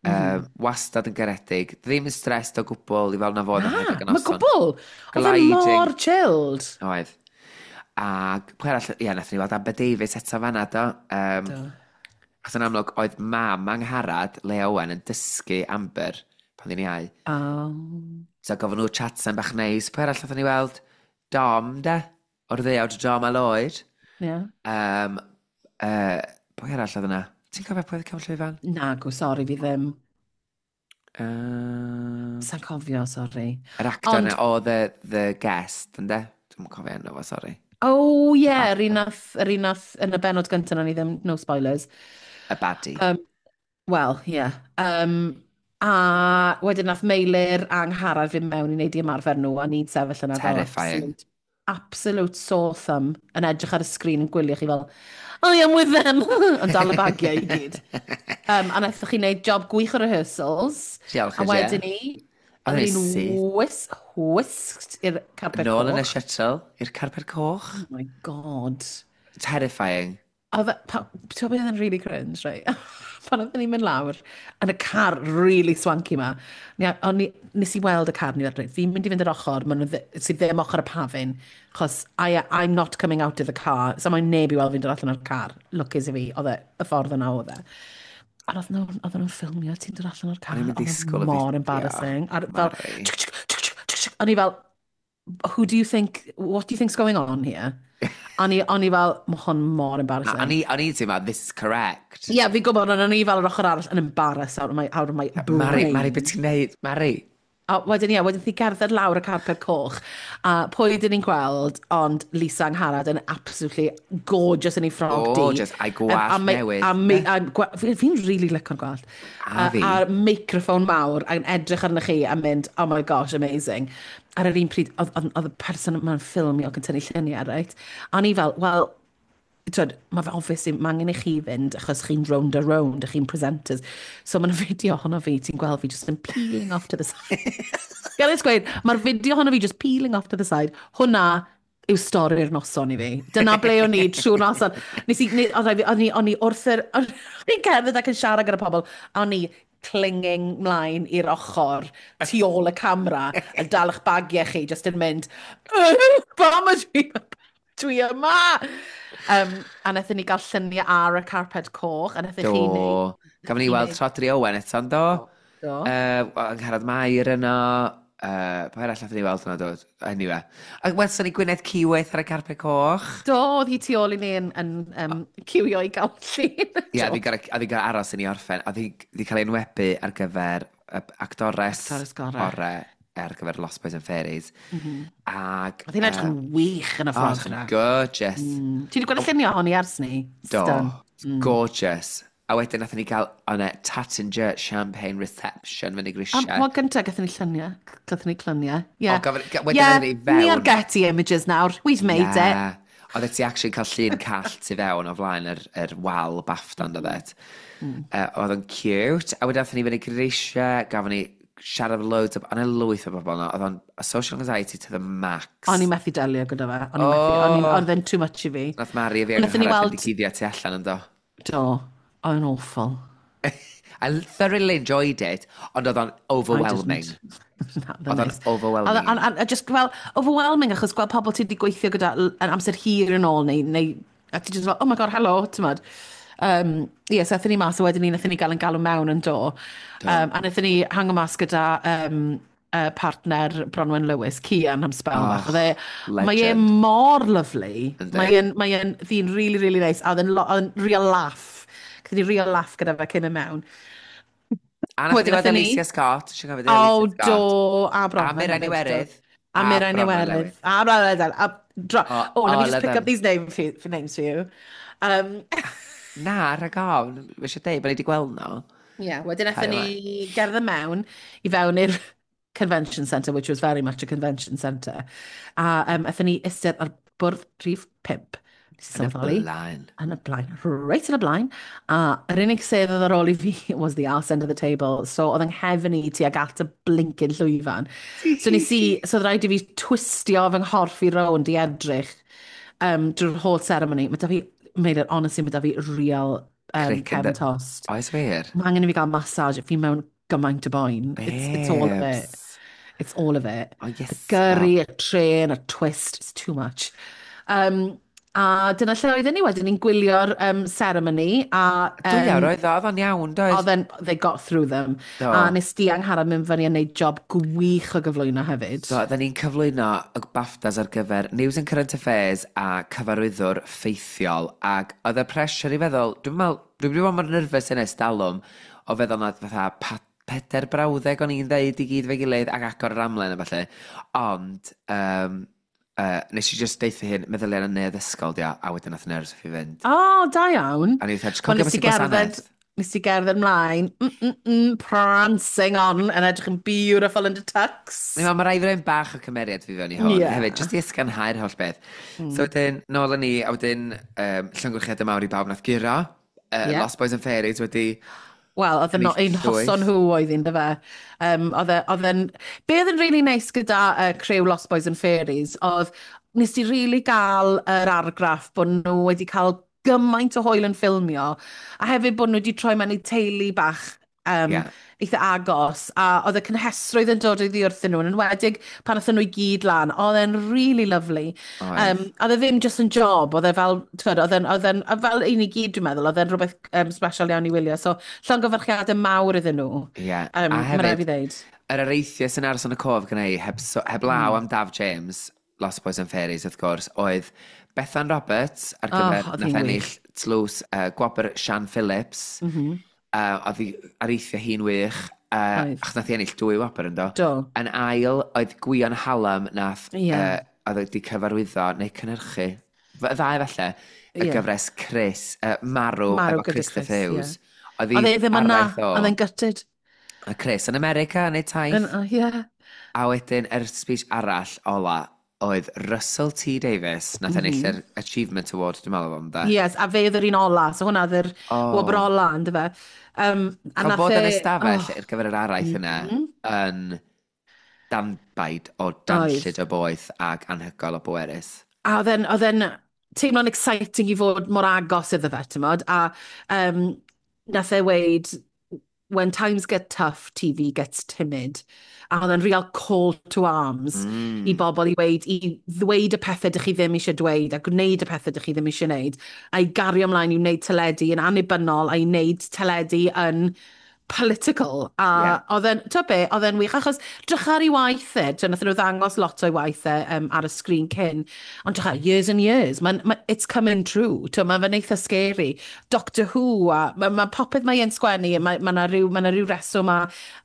D: mm. uh, wastad yn garedig, ddim yn stressed o gwbl i fel na fod yn
C: Na,
D: rhedeg y
C: mae
D: noson.
C: gwbl. Oedd e
D: Gliding.
C: mor chilled.
D: Oedd. A pwy arall, ie, nathon ni weld Amber Davies eto fanna, do. Um,
C: Do.
D: Achos yn amlwg, oedd mam Angharad, Lea Owen, yn dysgu Amber pan ddyn ni iau.
C: Oh.
D: So gofyn nhw chatsan bach neis. Pwy arall nathon ni weld? Dom, de? O'r ddeuawd Dom a Lloyd.
C: Yeah.
D: Um, uh, pwy arall oedd yna? Ti'n cofio pwy oedd cefn llwyfan?
C: Nagw, sori, fi ddim.
D: Um,
C: Sa'n cofio, sori.
D: Yr actor
C: Ond-
D: yna o The, the Guest, ynde? Dwi'n cofio enw fo, sori.
C: Oh, ie, yeah, yr un nath, yr un nath yn y benod gyntaf, o'n i ddim, no spoilers.
D: Y baddie.
C: Um, Wel, ie. Yeah. Um, a wedyn nath Meilir a Angharad fynd mewn i wneud i ymarfer nhw, a ni'n sefyll yna fel
D: Terrifying.
C: absolute, absolute sore thumb yn edrych ar y sgrin yn gwylio chi fel, "I am with them", yn dal y bagiau i gyd. Um, a naethoch chi wneud job gwych o rehearsals.
D: Diolch,
C: A
D: Ie.
C: wedyn ni,
D: Oedd
C: oedd
D: ni'n
C: ni'n
D: syth.
C: whisk, whisked i'r carpet
D: Nôl yn y
C: coch.
D: shuttle, i'r carpet coch.
C: Oh my God.
D: Terrifying.
C: Oedd e, pa- ti'n gwybod beth oedd yn really cringe, right? Pan oedden ni'n mynd lawr, yn y car really swanky ma, ni, o'n i, nes i weld y car, ni fel, "Reit, fi'n mynd i fynd yr ochr, ma' nhw ddi- sydd ddim ochr y pafin, chos I, I'm not coming out of the car, so mae'n neb i weld fi'n dod allan o'r car." Lwcus i fi, oedd e, y ffordd yna oedd e. Ond oedd nhw'n oedden nhw'n ffilmio ti'n dod allan o'r car.
D: O'n i'n mynd
C: Oedd e
D: disgwyl y
C: mor
D: fideo,
C: embarrassing. A fel,
D: Mari.
C: tsk, tsk, tsk, tsk, tsk, o'n i fel, "Who do you think, what do you think's going on here?" O'n i, o'n i fel, mae hwn mor embarrassing.
D: O'n i, o'n i'n teimlo, this is correct.
C: Ie, yeah, fi'n gwybod, ond o'n i fel yr ochr arall yn embarrassed out of my, out of my brain.
D: Mari, Mari, beth ti'n neud? Mari.
C: A wedyn, ie, wedyn thi gerdded lawr y carpet coch. A pwy dyn ni'n gweld, ond Lisa Angharad yn absolutely gorgeous yn ei ffrog di.
D: Gorgeous, a'i gwallt newydd.
C: A, a, a, fi'n fi really licio'r gwallt.
D: A fi.
C: A, a microphone mawr, a'n edrych arnych chi a mynd, oh my gosh, amazing. Ar yr un pryd, oedd, oedd, oedd y person yma'n ffilmio ac yn tynnu lluniau, right? A o'n i fel, wel, twyd, mae fe obviously, mae angen i chi fynd achos chi'n round a round, a chi'n presenters. So mae'n fideo ohono fi, ti'n gweld fi just yn peeling off to the side. Gael ei gweud, mae'r fideo ohono fi just peeling off to the side. Hwna yw stori'r noson i fi. Dyna ble o'n i trwy'r noson. Nes i, o'n i, o'n i wrth yr... O'n i'n cerdded ac yn siarad gyda pobl, a o'n i clinging mlaen i'r ochr, tu ôl y camera, yn dal eich bagiau chi, just yn mynd, pam ydw i dwi yma? Um, a wnaethon ni gael lluniau ar y carpet coch, a wnaethon chi
D: Do. Gafon ni weld Rhodri Owen eto, do?
C: Do.
D: Uh, Angharad Mair yno. Uh, pa arall nathon ni weld yno, do? Anyway. A welson ni Gwyneth Keyworth ar y carpet coch.
C: Do, oedd hi tu ôl i ni yn, yn um, ciwio i gael llun.
D: Ie, yeah, a fi gael aros i ni orffen. A fi di cael ei enwebu ar gyfer y actores
C: Actores gorau.
D: orau ar gyfer Lost Boys and Fairies. Mm -hmm. Ag...
C: Oedd hi'n edrych yn wych yn y
D: Oh,
C: ffordd yna.
D: gorgeous.
C: Mm. Ti wedi gweld y lluniau ohoni ers ni?
D: Do.
C: Stun.
D: Mm. Gorgeous. A wedyn nathon ni gael on a Tattinger champagne reception fyny
C: A
D: grisiau.
C: wel, gyntaf gathon ni lluniau. Gathon ni lluniau. Yeah.
D: O, gafon- ga- wedyn
C: yeah,
D: aethon ni fewn.
C: Ni ar Getty Images nawr. We've made it.
D: Yeah. Oedd ti actually cael llun call tu fewn o flaen yr, yr wal BAFTA mm. oedd mm. Uh, oedd o'n cute. A wedyn aethon ni fyny grisiau, gafon ni siarad efo loads o... O'n e lwyth o bobl yno. Oedd o'n social anxiety to the max.
C: O'n i methu delio gyda fe. O'n i methu. O'n i-
D: Oh.
C: Oedd e'n too much i fi.
D: Nath Mari a fi
C: Nathon ni
D: Angharad
C: weld-
D: mynd i guddio tu allan yn do.
C: Do. Oedd yn awful.
D: I thoroughly enjoyed it, ond oedd o'n overwhelming.
C: Na,
D: Oedd o'n overwhelming.
C: A, a, a just fel, overwhelming achos gweld pobl ti wedi gweithio gyda l- yn amser hir yn ôl neu, neu a ti just fel, oh my god, hello, ti'n modd. Um, ie, so aethon ni mas a wedyn ni, nathon ni gael yn galw mewn yn do. Um, a nathon ni hango mas gyda um, uh, partner Bronwen Lewis, Cian, am spel
D: Oh,
C: bach. Oedd e, mae e
D: legend.
C: mor lovely.
D: Yndi.
C: Mae e'n, mae e'n ddyn really, really nice. A oedd e'n lo- oedd e'n real laugh. Gathon ni real laugh gyda fe cyn y mewn.
D: A nath ni
C: Wedyn
D: weld
C: aethon ni-
D: Alicia Scott. Eisiau cofio
C: O,
D: Alicia Scott.
C: do, a Bronwen.
D: A Mirain
C: hefyd,
D: Iwerydd.
C: do. A Mirain
D: Bronwen
C: Iwerydd.
D: Lewis.
C: A Bronwen Lewis. A dro-
D: Oh,
C: Oh, let me
D: all
C: just
D: of
C: pick
D: them.
C: up these name for, for names for you. Um,
D: Na, rhag ofn. Fi eisiau deud bod ni wedi gweld nhw.
C: yeah, wedyn aethon
D: Cario
C: ni gerdded mewn i fewn i'r convention centre, which was very much a convention centre. A um, aethon ni eistedd ar bwrdd rhif pump. Nes i
D: Yn y
C: sylweddoli.
D: blaen.
C: Yn y blaen, reit yn y blaen. A yr unig sedd oedd ar ôl i fi was the arse end of the table. So oedd yng nghefn i tuag at y blinking llwyfan. So nes i, so oedd rhaid i fi twistio fy nghorff i rownd i edrych um, drwy'r whole ceremony. Mae da fi, made it, honestly, mae da fi real um,
D: Crick in
C: cefn
D: the-
C: tost.
D: Oes wir?
C: Mae angen i fi gael massage. Fi mewn gymaint o boen. It's, it's all of it.
D: Babes.
C: It's all of it.
D: Oh, yes.
C: Y gyrru, y trên, y twist, it's too much. Um, a dyna lle oedden ni wedyn, ni'n gwylio'r um, ceremony. A,
D: Dwy
C: um,
D: awr oedd o, oedd o'n iawn, doedd?
C: Oedd e'n, they got through them.
D: Do.
C: A nes di Angharad mynd fyny a neud job gwych o gyflwyno hefyd.
D: So, oedden ni'n cyflwyno y BAFTAs ar gyfer News and Current Affairs a cyfarwyddwr ffeithiol, ac oedd y pressure i feddwl, dwi'n meddwl, dwi'n wedi bod mor nervous yn ers talwm, o feddwl na fatha pa, pedair brawddeg o'n i'n ddeud i gyd fe gilydd ac agor yr amlen a falle. Ond, um, uh, nes i just deutha hyn, meddyliau yn y neuadd ysgol, dia, a wedyn nath nerves fi fynd.
C: O, da iawn.
D: A ni fatha, just
C: Wel,
D: cofio
C: nes
D: beth
C: i
D: sy'n
C: gerdded,
D: gwasanaeth.
C: nes i gerdded mlaen, mm, mm, mm, prancing on, yn edrych yn beautiful in the tux.
D: Ni'n meddwl, mae rhaid fi roi'n bach o cymeriad fi fewn i hwn.
C: Ie.
D: Hefyd, jyst i ysganhau'r holl beth. Mm. So wedyn, nôl â ni, a wedyn, um, llongyfarchiadau mawr i bawb nath guro. Uh,
C: Ie.
D: Lost Boys and Fairies wedi...
C: Wel, oedd yn
D: Ennill
C: un
D: llwyth.
C: hoson nhw oedd un, dyfe. Um, oedd e- oedd e'n... Be oedd yn really nice gyda uh, criw Lost Boys and Fairies, oedd nes i really gael yr argraff bod nhw wedi cael gymaint o hwyl yn ffilmio, a hefyd bod nhw wedi troi mewn i teulu bach um,
D: Ie.
C: eitha agos, a oedd y cynhesrwydd yn dod iddi wrthyn nhw, yn enwedig pan aethon nhw i gyd lan, oedd e'n really lovely.
D: Oedd.
C: Um, oedd e ddim just yn job, oedd e fel, t'mod, oedd e'n, oedd e'n, a fel un i gyd dwi'n meddwl, oedd e'n rhywbeth um, special iawn i wylio, so llongyfarchiadau mawr iddyn nhw.
D: Ie.
C: Um,
D: A
C: Mae rhaid
D: hefyd,
C: fi ddeud.
D: yr areithiau sy'n aros yn y cof gyda i, heb, so, heb law
C: Mm.
D: am Daf James, Lost Boys and Fairies, wrth gwrs, oedd Bethan Roberts ar
C: Oh,
D: gyfer
C: oedd
D: nath
C: hi'n
D: ennill
C: wych.
D: tlws uh, gwobr Sian Phillips.
C: Mm -hmm.
D: Uh, oedd hi areithio hi'n wych. Uh,
C: Oedd.
D: Achos nath hi ennill dwy wobr, yndo?
C: Do.
D: Yn ail, oedd Gwion Hallam nath
C: Ie.
D: uh, oedd wedi cyfarwyddo neu cynhyrchu. Y ddau falle, y
C: Ie.
D: gyfres Chris, uh, Marw,
C: Marw
D: efo
C: gyda
D: Christopher
C: Chris,
D: Hughes. Oedd hi
C: Oedd e ddim yna,
D: araith o.
C: oedd e'n gutted.
D: A Chris yn America yn ei taith.
C: Yn- oh, Ie.
D: A wedyn, yr speech arall ola, oedd Russell T Davies, nath mm -hmm. ennill yr Achievement Award, dwi'n meddwl o'n da.
C: Yes, a fe oedd yr un ola, so hwnna oedd yr
D: Oh.
C: wobr ola, ynddo fe. Um, a
D: Cael
C: nath
D: bod yn
C: e-
D: ystafell
C: oh,
D: ar gyfer yr araith yna yn danbaid o danllyd o boeth ac anhygoel o bwerus.
C: A oedd e'n, oedd e'n teimlo'n exciting i fod mor agos iddo fe, ti'n A um, nath e weud, "When times get tough, T V gets timid." A oedd e'n real call to arms
D: Mm.
C: i bobl i weud, i ddweud y pethau dych chi ddim eisiau dweud a gwneud y pethau dych chi ddim eisiau gwneud a i gario ymlaen i wneud teledu yn annibynnol a i wneud teledu yn political. A
D: Ie.
C: oedd e'n, ti'n be, oedd e'n wych, achos drych ar ei waith e, ti'n nath nhw ddangos lot o'i waith e um, ar y sgrin cyn, ond drych ar years and years, man, ma, it's coming true, ti'n ma fe'n eitha scary. Doctor Who, a mae ma popeth mae e'n sgwennu, mae ma 'na ryw, ma 'na ryw reswm a,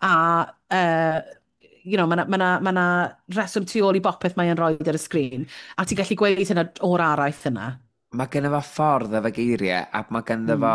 C: a uh, you know, mae 'na, ma 'na, ma 'na reswm tu ôl i bopeth mae e'n rhoi ar y sgrin, a ti'n gallu gweud hynna o'r araith yna.
D: Mae gynno fo ffordd efo geiriau, ac mae gynno fo...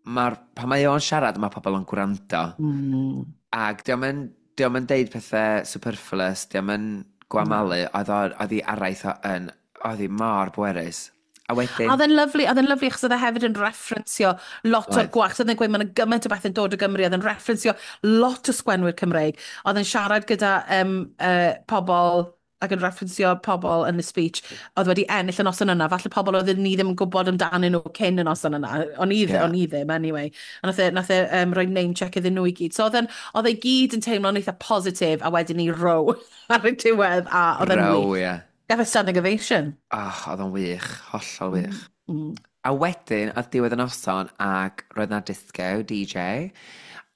D: Mae'r, pan mae o'n siarad, mae pobl yn gwrando.
C: Mm.
D: Ac dio'm yn, dio'm yn deud pethau superfluous, dio'm yn gwamalu, oedd o- oedd hi araith o yn, oedd hi mor bwerus. A wedyn,
C: A oedd e'n lyfli, oedd e'n lyfli achos oedd e hefyd yn referensio lot o'r
D: Oedd.
C: gwaith. Oedd e'n gweud mae'n gymaint o bethau'n dod o Gymru, oedd e'n referensio lot o sgwenwyr Cymreig. Oedd e'n siarad gyda um, uh, pobl ac yn referensio pobl yn y speech oedd wedi ennill y noson yna. Falle pobl oedd ni ddim yn gwybod amdanyn nhw cyn y noson yna. O'n i,
D: Ie.
C: yeah. O'n i ddim, anyway. A nath e, nath e um, rhoi name check iddyn nhw i gyd. So oedd e'n- oedd e gyd yn teimlo'n eitha positif a wedyn ni row ar y diwedd a oedd e'n
D: row,
C: wych.
D: ie.
C: Gath e standing ovation.
D: Oh, oedd o'n wych, hollol wych.
C: Mm.
D: A wedyn, oedd diwedd y noson, ac roedd na disco, D J,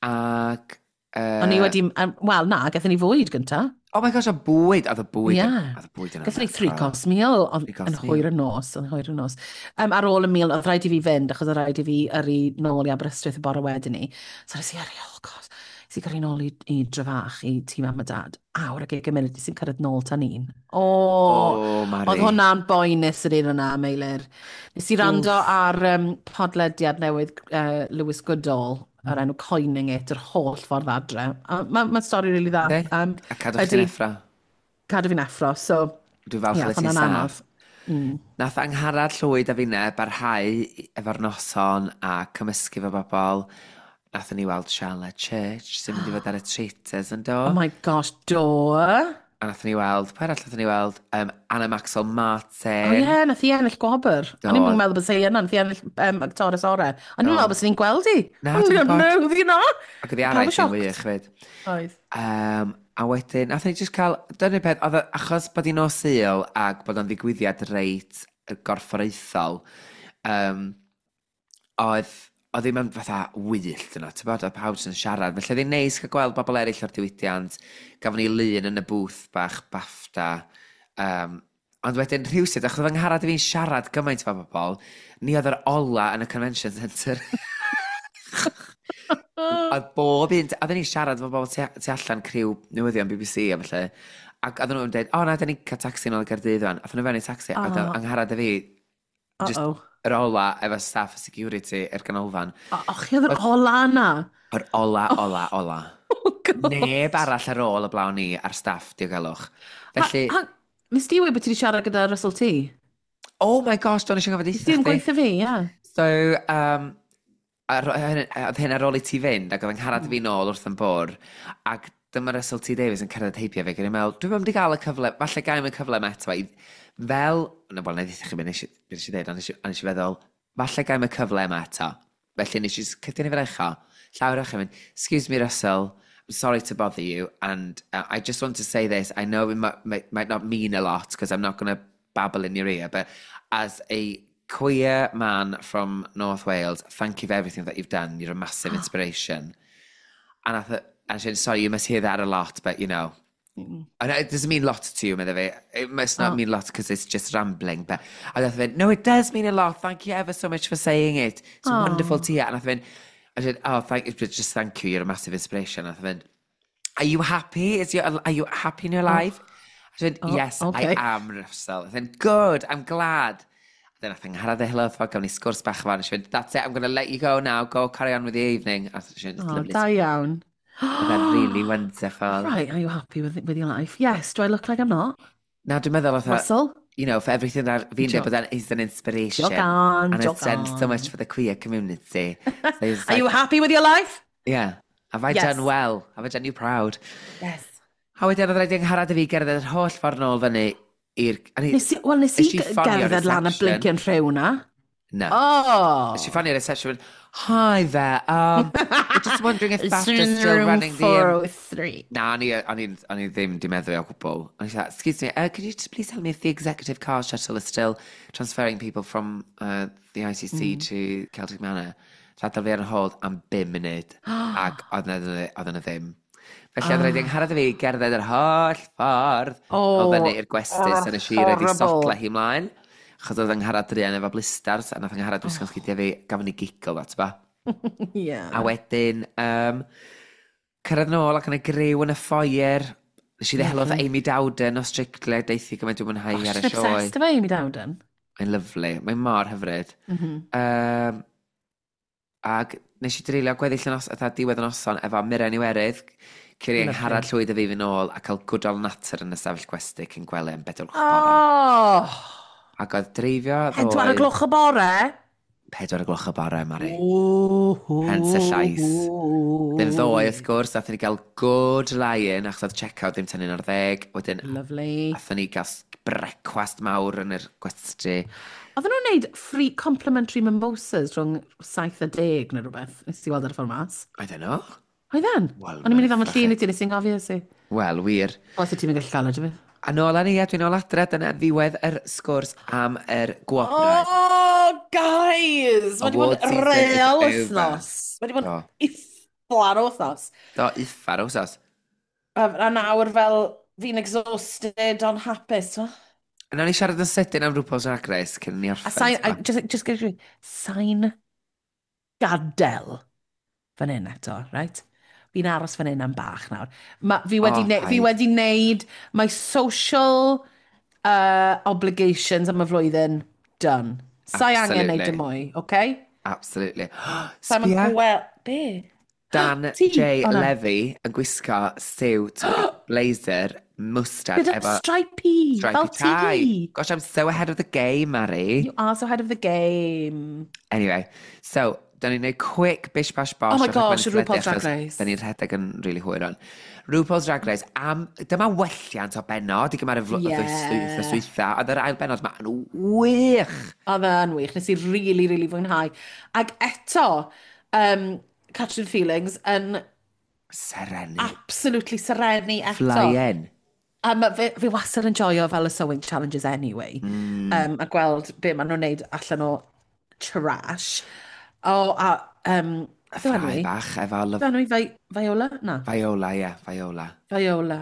D: ac... Uh,
C: O'n i wedi, um, wel na, gathon ni fwyd gynta.
D: Oh my gosh, o bwyd! Oedd y bwyd,
C: Ie.
D: oedd y bwyd yn
C: Gathon ni three
D: anhygoel.
C: course meal oedd
D: Three course
C: yn hwyr y nos, yn hwyr y nos. Um, ar ôl y meal, oedd rhaid i fi fynd, achos oedd rhaid i fi yrru nôl i Aberystwyth y bore wedyn ni. So nes i yrru, oh gosh, nes i gyrru nôl i, i Drefach, i tŷ mam a dad. Awr ag ugain munud, nes i'n cyrraedd nôl tan un. O, oh,
D: Oh, Mari.
C: oedd hwnna'n boenus yr un yna, Meilir. Nes i wrando ar um, podlediad newydd uh, Lewis Goodall, o'r enw Coining It, yr holl ffordd adre. A Mae'n ma stori rili dda.
D: Yndi?
C: Um,
D: A cadw chdi'n
C: ydi.
D: effro.
C: Cadw fi'n effro, so
D: Dwi'n falch
C: ie,
D: yeah, ti'n
C: hwnna'n
D: saff.
C: anodd. Mm.
D: Nath Angharad Llwyd a finne barhau efo'r noson a cymysgu fo bobl. Nathon ni weld Charlotte Church sy'n mynd i fod ar y Traitors, yn do.
C: Oh my gosh, do.
D: A nathon ni weld, pwy arall nathon ni weld? Um, Anna Maxwell Martin.
C: O ie, nath hi ennill gwobr. O'n i'n
D: Do.
C: meddwl bod hi yna, nath hi ennill um, actores ore. O'n i'n
D: Do.
C: meddwl bod ni'n gweld hi.
D: Na,
C: O'n
D: dwi'n
C: i'n
D: gwbod.
C: meddwl hi na.
D: Ac oedd hi
C: Pawb yn
D: araith yn
C: shocked.
D: wych fyd.
C: Oedd.
D: Um, a wedyn, nathon ni just cael, dyna'r peth, oedd o- achos bod hi'n nos Sul ac bod o'n ddigwyddiad reit gorfforaethol, um, oedd, oedd ddim yn fatha wyllt yno, ti'n bod, oedd pawb jyst yn siarad. Felly oedd hi'n neis cael gweld bobl eraill o'r diwydiant. Gafon ni lun yn y booth bach BAFTA. Um, ond wedyn rhywsut, achos oedd Angharad a fi'n siarad gymaint efo bobl, ni oedd yr ola yn y convention centre. Oedd bob un, oedden ni'n siarad efo bobl tu, tu allan, criw newyddion B B C a felly. Ac oedden nhw'n dweud, "O na, da ni'n cael taxi nôl i Gaerdydd wan." Athyn nhw fewn i taxi, a
C: Oh.
D: oedd Angharad a fi, just
C: Uh-oh.
D: yr ola efo staff security i'r ganolfan.
C: O, o, chi oedd yr ola yna.
D: Yr ola, ola, ola.
C: Oh, God.
D: Neb arall ar ôl y blawn ni a'r staff diogelwch. Felly,
C: Ha, ha, nes di weud bod ti wedi siarad gyda Russell T?
D: Oh my gosh, do'n eisiau gofyn
C: Nes di yn
D: chdi.
C: gweithio fi, ie.
D: So, um, ar, oedd hyn ar ôl i ti fynd, ac oedd Angharad mm. fi nôl wrth yn bwr, ac dyma Russell T Davies yn cerdded heibio fi, ac o'n i'n meddwl, dwi'n mynd i gael y cyfle, falle gael y cyfle yma eto, i, fel, no, wel, na i ddweud chi beth nes i nes i ddeud, ond nes i, ond nes i feddwl, falle gael y cyfle yma eto. Felly nes i cydio ni fel echo, llawer o'ch mynd, "Excuse me, Russell, I'm sorry to bother you, and uh, I just want to say this, I know it might, might, might not mean a lot, because I'm not going to babble in your ear, but as a queer man from North Wales, thank you for everything that you've done. You're a massive inspiration." And I thought, and she said, "Sorry, you must hear that a lot, but you know,
C: Mm.
D: And it doesn't mean lot to you, medda fi. It must not
C: Oh.
D: mean lot because it's just rambling. But a nath fynd, no, it does mean a lot. Thank you ever so much for saying it. It's
C: Oh.
D: wonderful to hear. And nath fynd, I said, oh, thank you, just thank you. You're a massive inspiration. Nath fynd, are you happy? Is your, are you happy in your life? I said,
C: Oh,
D: yes,
C: okay.
D: I am, Russell. I said, good, I'm glad. Then nath Angharad hello, gawn ni sgwrs bach fan. She went, that's it, I'm going to let you go now. Go carry on with the evening. A she went, it's
C: Oh,
D: lovely.
C: da iawn.
D: Oedd e'n really wonderful.
C: Right, are you happy with, with your life? Yes, do I look like I'm not?
D: Na, dwi'n meddwl, fatha,
C: Russell?
D: you know, for everything that fi'n dweud,
C: Joke.
D: bod e'n is an inspiration.
C: Joke on,
D: And
C: joke
D: it's done so
C: on.
D: much for the queer community. So he's
C: Are you
D: like,
C: happy with your life?
D: yeah, have I
C: Yes.
D: done well? Have I done you proud?
C: Yes.
D: A wedyn oedd rhaid i Angharad i fi gerdded yr holl ffordd nôl fyny i'r... a ni-
C: Nes i, wel, nes i
D: Nes i ffonio
C: gerdded lan y
D: reception.
C: blincyn rhyw na.
D: Na.
C: Oh!
D: Nes i ffonio'r reception, hi there, um, we're just wondering if BAFTA's still
C: Room
D: running the... Um,
C: four oh three.
D: Na, o'n i, o'n i, o'n i ddim di meddwl o gwbl. O'n i said, excuse me, uh, could you just please tell me if the executive car shuttle is still transferring people from uh, the I C C mm. to Celtic Manor? Rhadol fi ar y hold am bum munud, ac oedd yna oedd yna ddim. Felly oedd rhaid i Angharad i fi gerdded yr holl ffordd
C: Oh,
D: o fyny i'r gwesty
C: oh,
D: so nes i roed i
C: horrible.
D: sodla hi ymlaen. Achos oedd Angharad druan efo blisters, a nath Angharad wisgo'n sgidiau fi, gafon ni giggle that, ba.
C: Yeah.
D: A wedyn, um, cyrraedd nôl ac yn y griw yn y foyer. Nes i ddehelo mm Amy Dowden o Strictly, deithi gymaint dwi'n mwynhau
C: Oh,
D: hi ar y
C: she's
D: sioe.
C: obsessed efo Amy Dowden.
D: Mae'n lyfli, mae'n mor hyfryd.
C: Mm -hmm.
D: Um, ac nes i dreulio gweddill y nos, atha diwedd y noson efo Mirren Iwerydd, Curi
C: Lovely.
D: Angharad Llwyd a fi fynd nôl a cael good old natter yn y stafell gwesty cyn gwely am bedwar gloch bore.
C: Oh!
D: Ac oedd dreifio
C: Pedwar o
D: ddoe...
C: gloch y bore?
D: Pedwar o gloch y bore, Mari.
C: Ooh.
D: Hence y llais. Ddim ddoe, wrth gwrs, nathon ni gael good lie-in, achos oedd check-out ddim tan un ar ddeg. Wedyn,
C: Lovely.
D: nathon ni gael brecwast mawr yn yr gwesty.
C: Oedden nhw'n neud free complimentary mimosas rhwng saith a deg neu rhywbeth. Nes ti weld ar y ffordd mas?
D: I don't know.
C: Oedden?
D: Wel,
C: O'n i'n mynd i ddangos
D: ffach
C: llun i ti, nes i'n gofio si.
D: Wel, wir.
C: Os ti'n mynd gallu cael o, dwi'n
D: A nôl â ni, a dwi'n nôl adre, dyna ddiwedd yr sgwrs am yr gwobrau.
C: Oh, guys! Mae wedi bod
D: Award
C: yn
D: season is
C: real
D: over.
C: wythnos. Mae wedi bod
D: Do.
C: yn uffar o wythnos.
D: Do, uffar o wsos.
C: A, a nawr fel fi'n exhausted ond hapus. Twa?
D: A nawn ni siarad yn sydyn am RuPaul's Drag Race cyn ni
C: A
D: orffen.
C: sain, a
D: t'mo'?
C: just, just gyda sain gadael fan hyn eto, right? Fi'n aros fan hyn am bach nawr. Ma, fi, wedi
D: O,
C: ne fi
D: paid.
C: wedi neud my social uh, obligations am y flwyddyn done. Sai angen neud
D: Absolutely.
C: dim mwy, okay?
D: Absolutely.
C: Sa'n
D: Sbia,
C: gweld... Be?
D: Dan
C: Ti?
D: J.
C: O, na.
D: Levy yn gwisgo suit, blazer, mustard
C: Gyda
D: efo
C: stripey,
D: stripey
C: fel
D: tie.
C: ti.
D: Gosh, I'm so ahead of the game, Mari.
C: You are so ahead of the game.
D: Anyway, so, da ni'n neud quick bish bash bosh
C: Oh my
D: o'r rhaglen
C: gosh, RuPaul's
D: teledu,
C: Drag
D: achos
C: Race.
D: Da ni'n rhedeg yn really hwyr on. RuPaul's Drag Race, am, dyma welliant o benod i gymharu fl-
C: Yeah.
D: wythnos dwytha. Oedd yr ail benod yma yn wych.
C: Oedd e'n wych, nes i really, really fwynhau. Ac eto, um, Catrin Feelings yn
D: Serenu.
C: absolutely serenu eto.
D: Flying.
C: A ma, fi, fi wastad yn joio fel y sewing challenges anyway. Mm. Um, a gweld be maen nhw'n neud allan o trash. O, a... Um, beth yw enw
D: Ffrau
C: hi?
D: bach efo
C: Beth
D: lyf...
C: enw hi? Vi- Viola? Na,
D: Viola, ie, yeah, Viola.
C: Viola.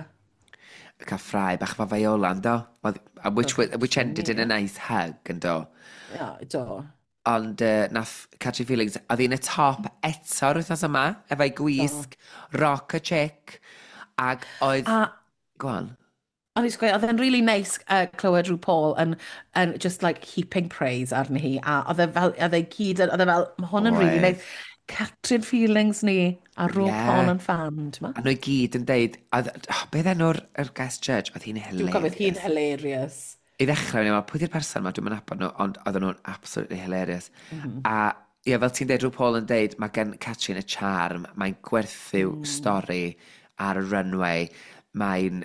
D: Cael ffrau bach efo Viola, yndo? Well, Which, which ended in a nice hug, yndo?
C: Ia, do.
D: Ond uh, nath Catrin Feelings, oedd hi'n y top eto'r wythnos yma, efo'i gwisg, rock a chick, ac oedd...
C: A
D: Go on.
C: o'n i'n gweud, oedd e'n really nice uh, clywed RuPaul yn, yn just like heaping praise arni hi. A oedd e fel, oedd e gyd, yn- oedd e fel, mae hwn yn really
D: Oedd.
C: nice. Catrin Feelings ni, a RuPaul
D: Yeah.
C: yn fan, ti'n ma?
D: A nhw i gyd yn deud, oedd, oh, beth enw'r yr guest judge? Oedd hi'n
C: Dwi'n cofio, hi'n
D: hilarious.
C: hilarious.
D: I ddechrau, o'n i'n meddwl, pwy di'r person yma? Dwi'n mynd nabod nhw, ond oedden nhw'n absolutely hilarious. Mm -hmm. A ie, fel ti'n deud, RuPaul yn deud, mae gen Catrin y charm, mae'n gwerthu mm. stori ar y runway, mae'n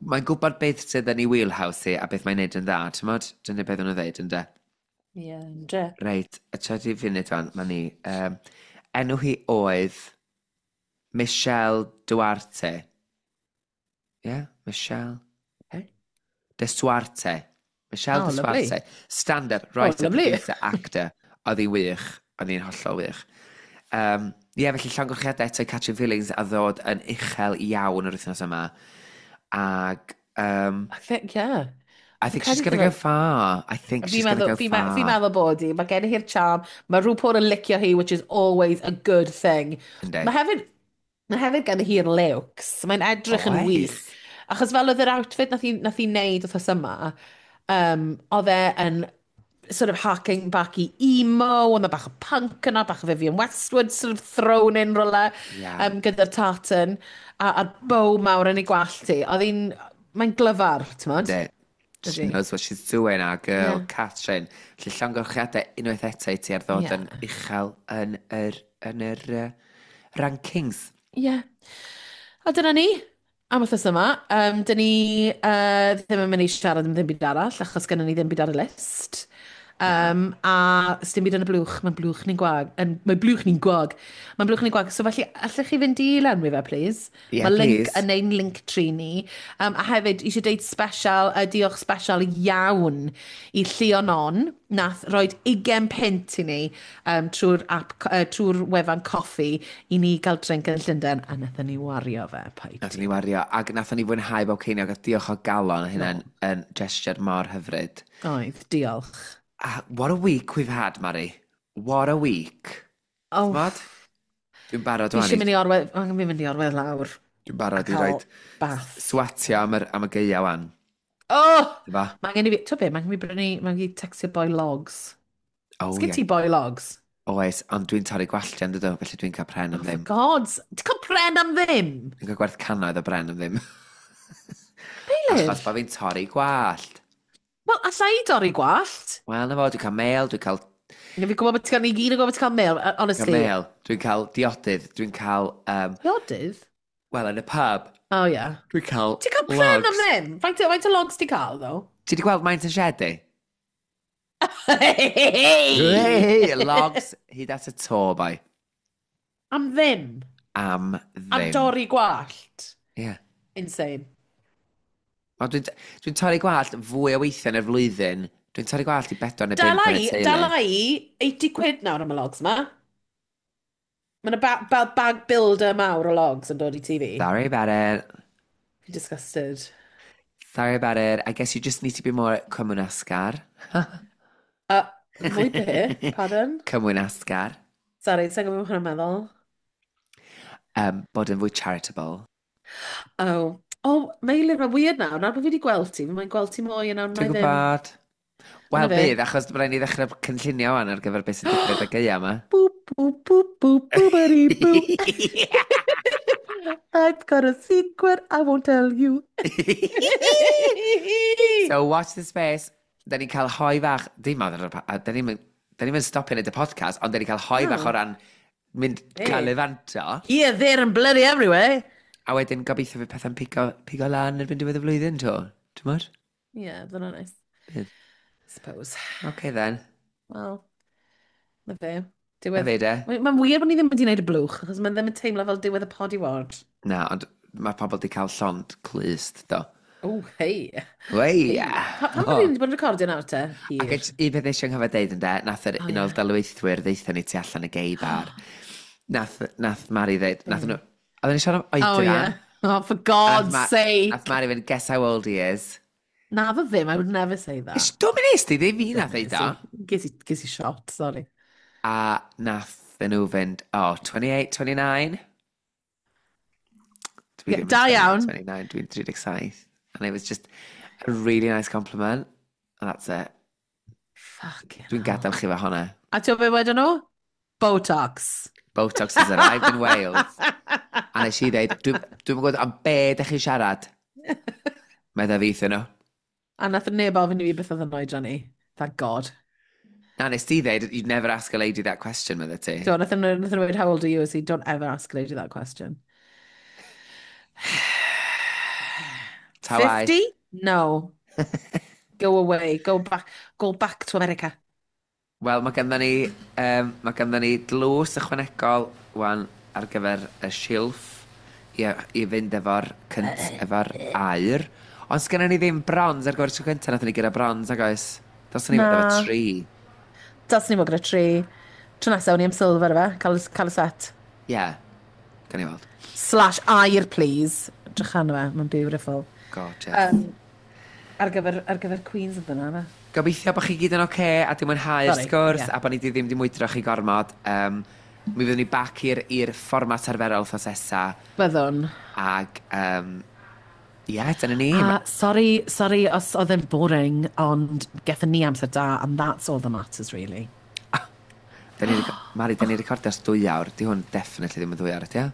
D: mae'n gwybod beth sydd yn ei wheelhouse hi a beth mae'n neud yn dda. Ti'n modd? Dyna beth o'n nhw'n dweud, ynde?
C: Ie, yeah, ynde.
D: Reit, y trydydd funud fan, mae ni. Um, enw hi oedd Michelle Duarte. Ie, yeah, Michelle.
C: Okay.
D: De Suarte. Michelle
C: Oh,
D: De
C: lovely.
D: Suarte. Stand-up, writer,
C: Oh, lovely.
D: producer, actor. Oedd hi'n wych. Oedd hi'n hollol wych. Um, Ie, yeah, felly llongyfarchiadau eto i Catrin Feelings a ddod yn uchel iawn yr wythnos yma. Ag, um,
C: I think, yeah.
D: I think she's gonna go far. I think she's gonna go
C: fi
D: far.
C: Fi'n meddwl bod hi. Mae gen hi'r charm. Mae RuPaul yn licio hi, which is always a good thing.
D: Yndi.
C: Mae hefyd, mae hefyd gen hi'r looks. Mae'n edrych yn wych. Achos fel oedd yr outfit nath hi, nath hi wneud wythnos yma, um, oedd e yn sort of harking back i emo, oedd 'na bach o punk yna, bach o Vivienne Westwood sort of thrown in rywle,
D: yeah.
C: um, gyda'r tartan, a, a'r bow mawr yn ei gwallt hi. Oedd hi'n, mae'n glyfar, ti'n
D: Yndi. She knows what she's doing, our girl,
C: Yeah.
D: Catrin. Felly llongyfarchiadau unwaith eto i ti ar ddod
C: Yeah.
D: yn uchel yn yr, yn yr uh, rankings.
C: Ie. Yeah. A dyna ni, am wythnos yma. Um, dyn ni uh, ddim yn mynd i siarad am ddim byd arall, achos gennym ni ddim byd ar y list. Um, a sdim byd yn y blwch, mae'n blwch ni'n gwag. Yn, mae blwch ni'n gwag. Mae'n blwch ni'n gwag. So felly, allech chi fynd i lenwi fe, please?
D: Yeah,
C: Mae link
D: please.
C: yn ein link tree ni. Um, a hefyd, eisiau deud special, uh, diolch special iawn i Llion On, nath roed ugain punt i ni um, trwy'r app, uh, trwy'r wefan Ko-fi i ni gael drink yn Llundain, a nathon ni wario fe, paid.
D: Nathon ni wario, ac nathon ni fwynhau bob ceiniog, a diolch o galon, hynna'n yn gesture mor hyfryd.
C: Oedd, diolch.
D: Uh, what a week we've had, Mari. What a week.
C: Oh,
D: T'mod? Dwi'n barod
C: fi
D: wan
C: eisiau
D: i...
C: mynd i orwedd, angen fi mynd i orwedd lawr.
D: Dwi'n barod i
C: Cael
D: roid
C: bath.
D: swatio am yr, am y gaea wan.
C: Oh!
D: Dyfa?
C: Mae angen i fi, ti'n be, mae angen i fi brynu, mae angen i fi textio boi logs.
D: Oh,
C: Sgyn
D: ie.
C: ti boi logs?
D: Oes, ond dwi'n torri gwalltiau yn dydw, felly dwi'n cael pren am
C: Oh, for
D: ddim.
C: gods, ti'n cael pren am ddim?
D: Dwi'n cael gwerth cannoedd o bren am ddim.
C: Meilir?
D: Achos bod fi'n torri gwallt.
C: Wel, alla i dorri gwallt.
D: Wel, na fo, dwi'n cael mêl, dwi'n cael,
C: Fi'n gwybod bod ti'n cael, ni gyd yn gwybod bod ti'n cael mêl, uh,
D: cael
C: honestly.
D: mêl, dwi'n cael diodydd, dwi'n cael, um,
C: Diodydd?
D: wel, yn y pub,
C: Oh, yeah.
D: dwi'n cael
C: Ti'n cael pren am
D: logs.
C: ddim? Faint, faint o logs ti'n cael, though?
D: Ti wedi gweld maint yn shed i?
C: Hey!
D: Hey, logs hyd at y to, bai.
C: Am ddim?
D: Am ddim.
C: Am dorri gwallt?
D: Ie. Yeah.
C: Insane.
D: Ond dwi'n dwi torri gwallt fwy o weithiau yn y flwyddyn. Dwi'n torri gwallt i bedwar neu bump
C: Dala
D: yn y
C: i,
D: teulu.
C: dala i eighty quid nawr am y logs ma. Mae yna ba ba bag builder mawr o logs yn dod i T V.
D: Sorry about it.
C: Fi'n disgusted.
D: Sorry about it. I guess you just need to be more cymwynasgar.
C: Uh, mwy be? Pardon?
D: Cymwynasgar.
C: Sorry, sa'n gwybod beth hwnna'n meddwl.
D: Um, bod yn fwy charitable.
C: Oh. Oh, Meilir, mae'n weird nawr. Nawr bod fi wedi gweld ti, mae'n gweld ti mwy yn nawr na
D: Dwi'n
C: i ddim.
D: gwybod. Wel,
C: Na fe.
D: bydd, achos mae rhaid ni ddechrau cynllunio wan ar gyfer beth sy'n digwydd y gaea yma.
C: Boop, boop, boop, boop, boopity boop. I've got a secret I won't tell you.
D: So watch the space. Da ni'n cael hoe fach, dim ar y, da ni'n da ni'n stopio wneud y podcast, ond da ni'n cael hoe fach o ran mynd
C: Hey.
D: galifanto.
C: Here, there and bloody everywhere.
D: A wedyn gobeithio fydd pethau'n pigo, pigo lan erbyn diwedd y flwyddyn, to. Ti'n modd?
C: Yeah, dyna nice.
D: Bydd.
C: Suppose.
D: Okay then.
C: Wel, na fe.
D: Na
C: Diwedd.
D: fe de.
C: Mae'n wir bod ni ddim wedi gwneud y blwch, achos mae'n ddim yn teimlo fel diwedd y pod i wad.
D: Na, ond mae pobl wedi cael llond clust, do.
C: Oh, hei.
D: Wei!
C: Pa- Pam bod ni wedi bod yn recordio nawr te? Hir.
D: Ac un peth eisiau nghofio deud yn de, nath yr
C: Oh,
D: un o'r
C: ie.
D: dalwythwyr ddeutha ni tu allan y gay bar. Nath, nath Mari ddeud, nath nhw, oedden ni siarad am
C: Oh,
D: oedran.
C: yeah. Oh, for God's
D: Nath Ma-
C: sake.
D: Nath Mari fynd, "Guess how old he is."
C: Na, fo ddim, I would never say that.
D: Ys, dwi'n mynd nes di, ddim fi nath ddeud o.
C: Ges i, ges i shot, sorry.
D: A nath nhw fynd, oh, twenty-eight, twenty-nine? Dwi
C: Yeah,
D: ddim yn
C: da iawn.
D: twenty-nine, dwi'n thirty-seven. And it was just a really nice compliment. And that's it.
C: Fucking
D: Dwi'n
C: hell.
D: gadael chi fe hwnna.
C: A ti'n gwybod be wedyn nhw? Botox.
D: Botox has arrived in Wales. A nes i ddeud, dwi'n dwi gwybod am be ydych chi'n siarad. Medda fi wrthyn nhw.
C: A nath neb ofyn i fi beth oedd yn oedran ni. Thank God.
D: Na, nes ti ddeud, "You'd never ask a lady that question," medda ti.
C: Do, nath nhw nath nhw weud, "How old are you?" I said, "Don't ever ask a lady that question."
D: Ta waith.
C: fifty? No. Go away. Go back, go back to America.
D: Wel, mae ganddo ni, um, mae ganddo ni dlws ychwanegol wan ar gyfer y silff i, i fynd efo'r cynt, efo'r aur. Ond sgynnon ni ddim bronze ar gyfer tro cyntaf, nathon ni gyda bronze, ag oes? Dylsen ni fod
C: Na.
D: efo tri.
C: Dylsen ni fod gyda tri. Tro nesaf, o'n i am silver efe. Cael, cael y set.
D: Ie, yeah. Gan i weld.
C: Slash aur, please. Drych arno fe, mae'n beautiful.
D: Gorgeous.
C: Um, ar gyfer, ar gyfer Queens oedd yna, fe?
D: Gobeithio bod chi gyd yn oce okay, a di mwynhau'r
C: Sorry,
D: sgwrs
C: ie.
D: a bod ni di ddim di mwydro chi gormod. Um, mi fyddwn ni back i'r i'r fformat arferol wythnos nesa
C: Byddwn.
D: Ag, um, ie, yeah, dyna ni.
C: A sorry, sorry os oedd e'n boring, ond gethon ni amser da, and that's all that matters, really.
D: Da ni, Mari, da ni recordio ers dwy awr. Di hwn definitely ddim yn ddwy awr, ydy o?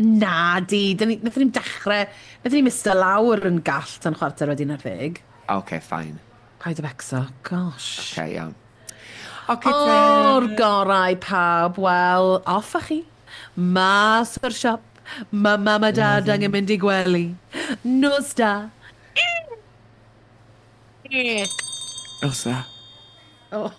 C: Na, di, dyn ni, nathon ni'n dechrau, nathon ni'n mista lawr yn gall tan chwarter wedi un ar ddeg.
D: Oce, fine.
C: Paid â becso, gosh.
D: Oce, iawn. Oce,
C: O'r gorau pawb, wel, off â chi. Mas o'r siop, ma mam a dad angen mynd i gwely. Nos da.
D: Nos da.
C: Oh.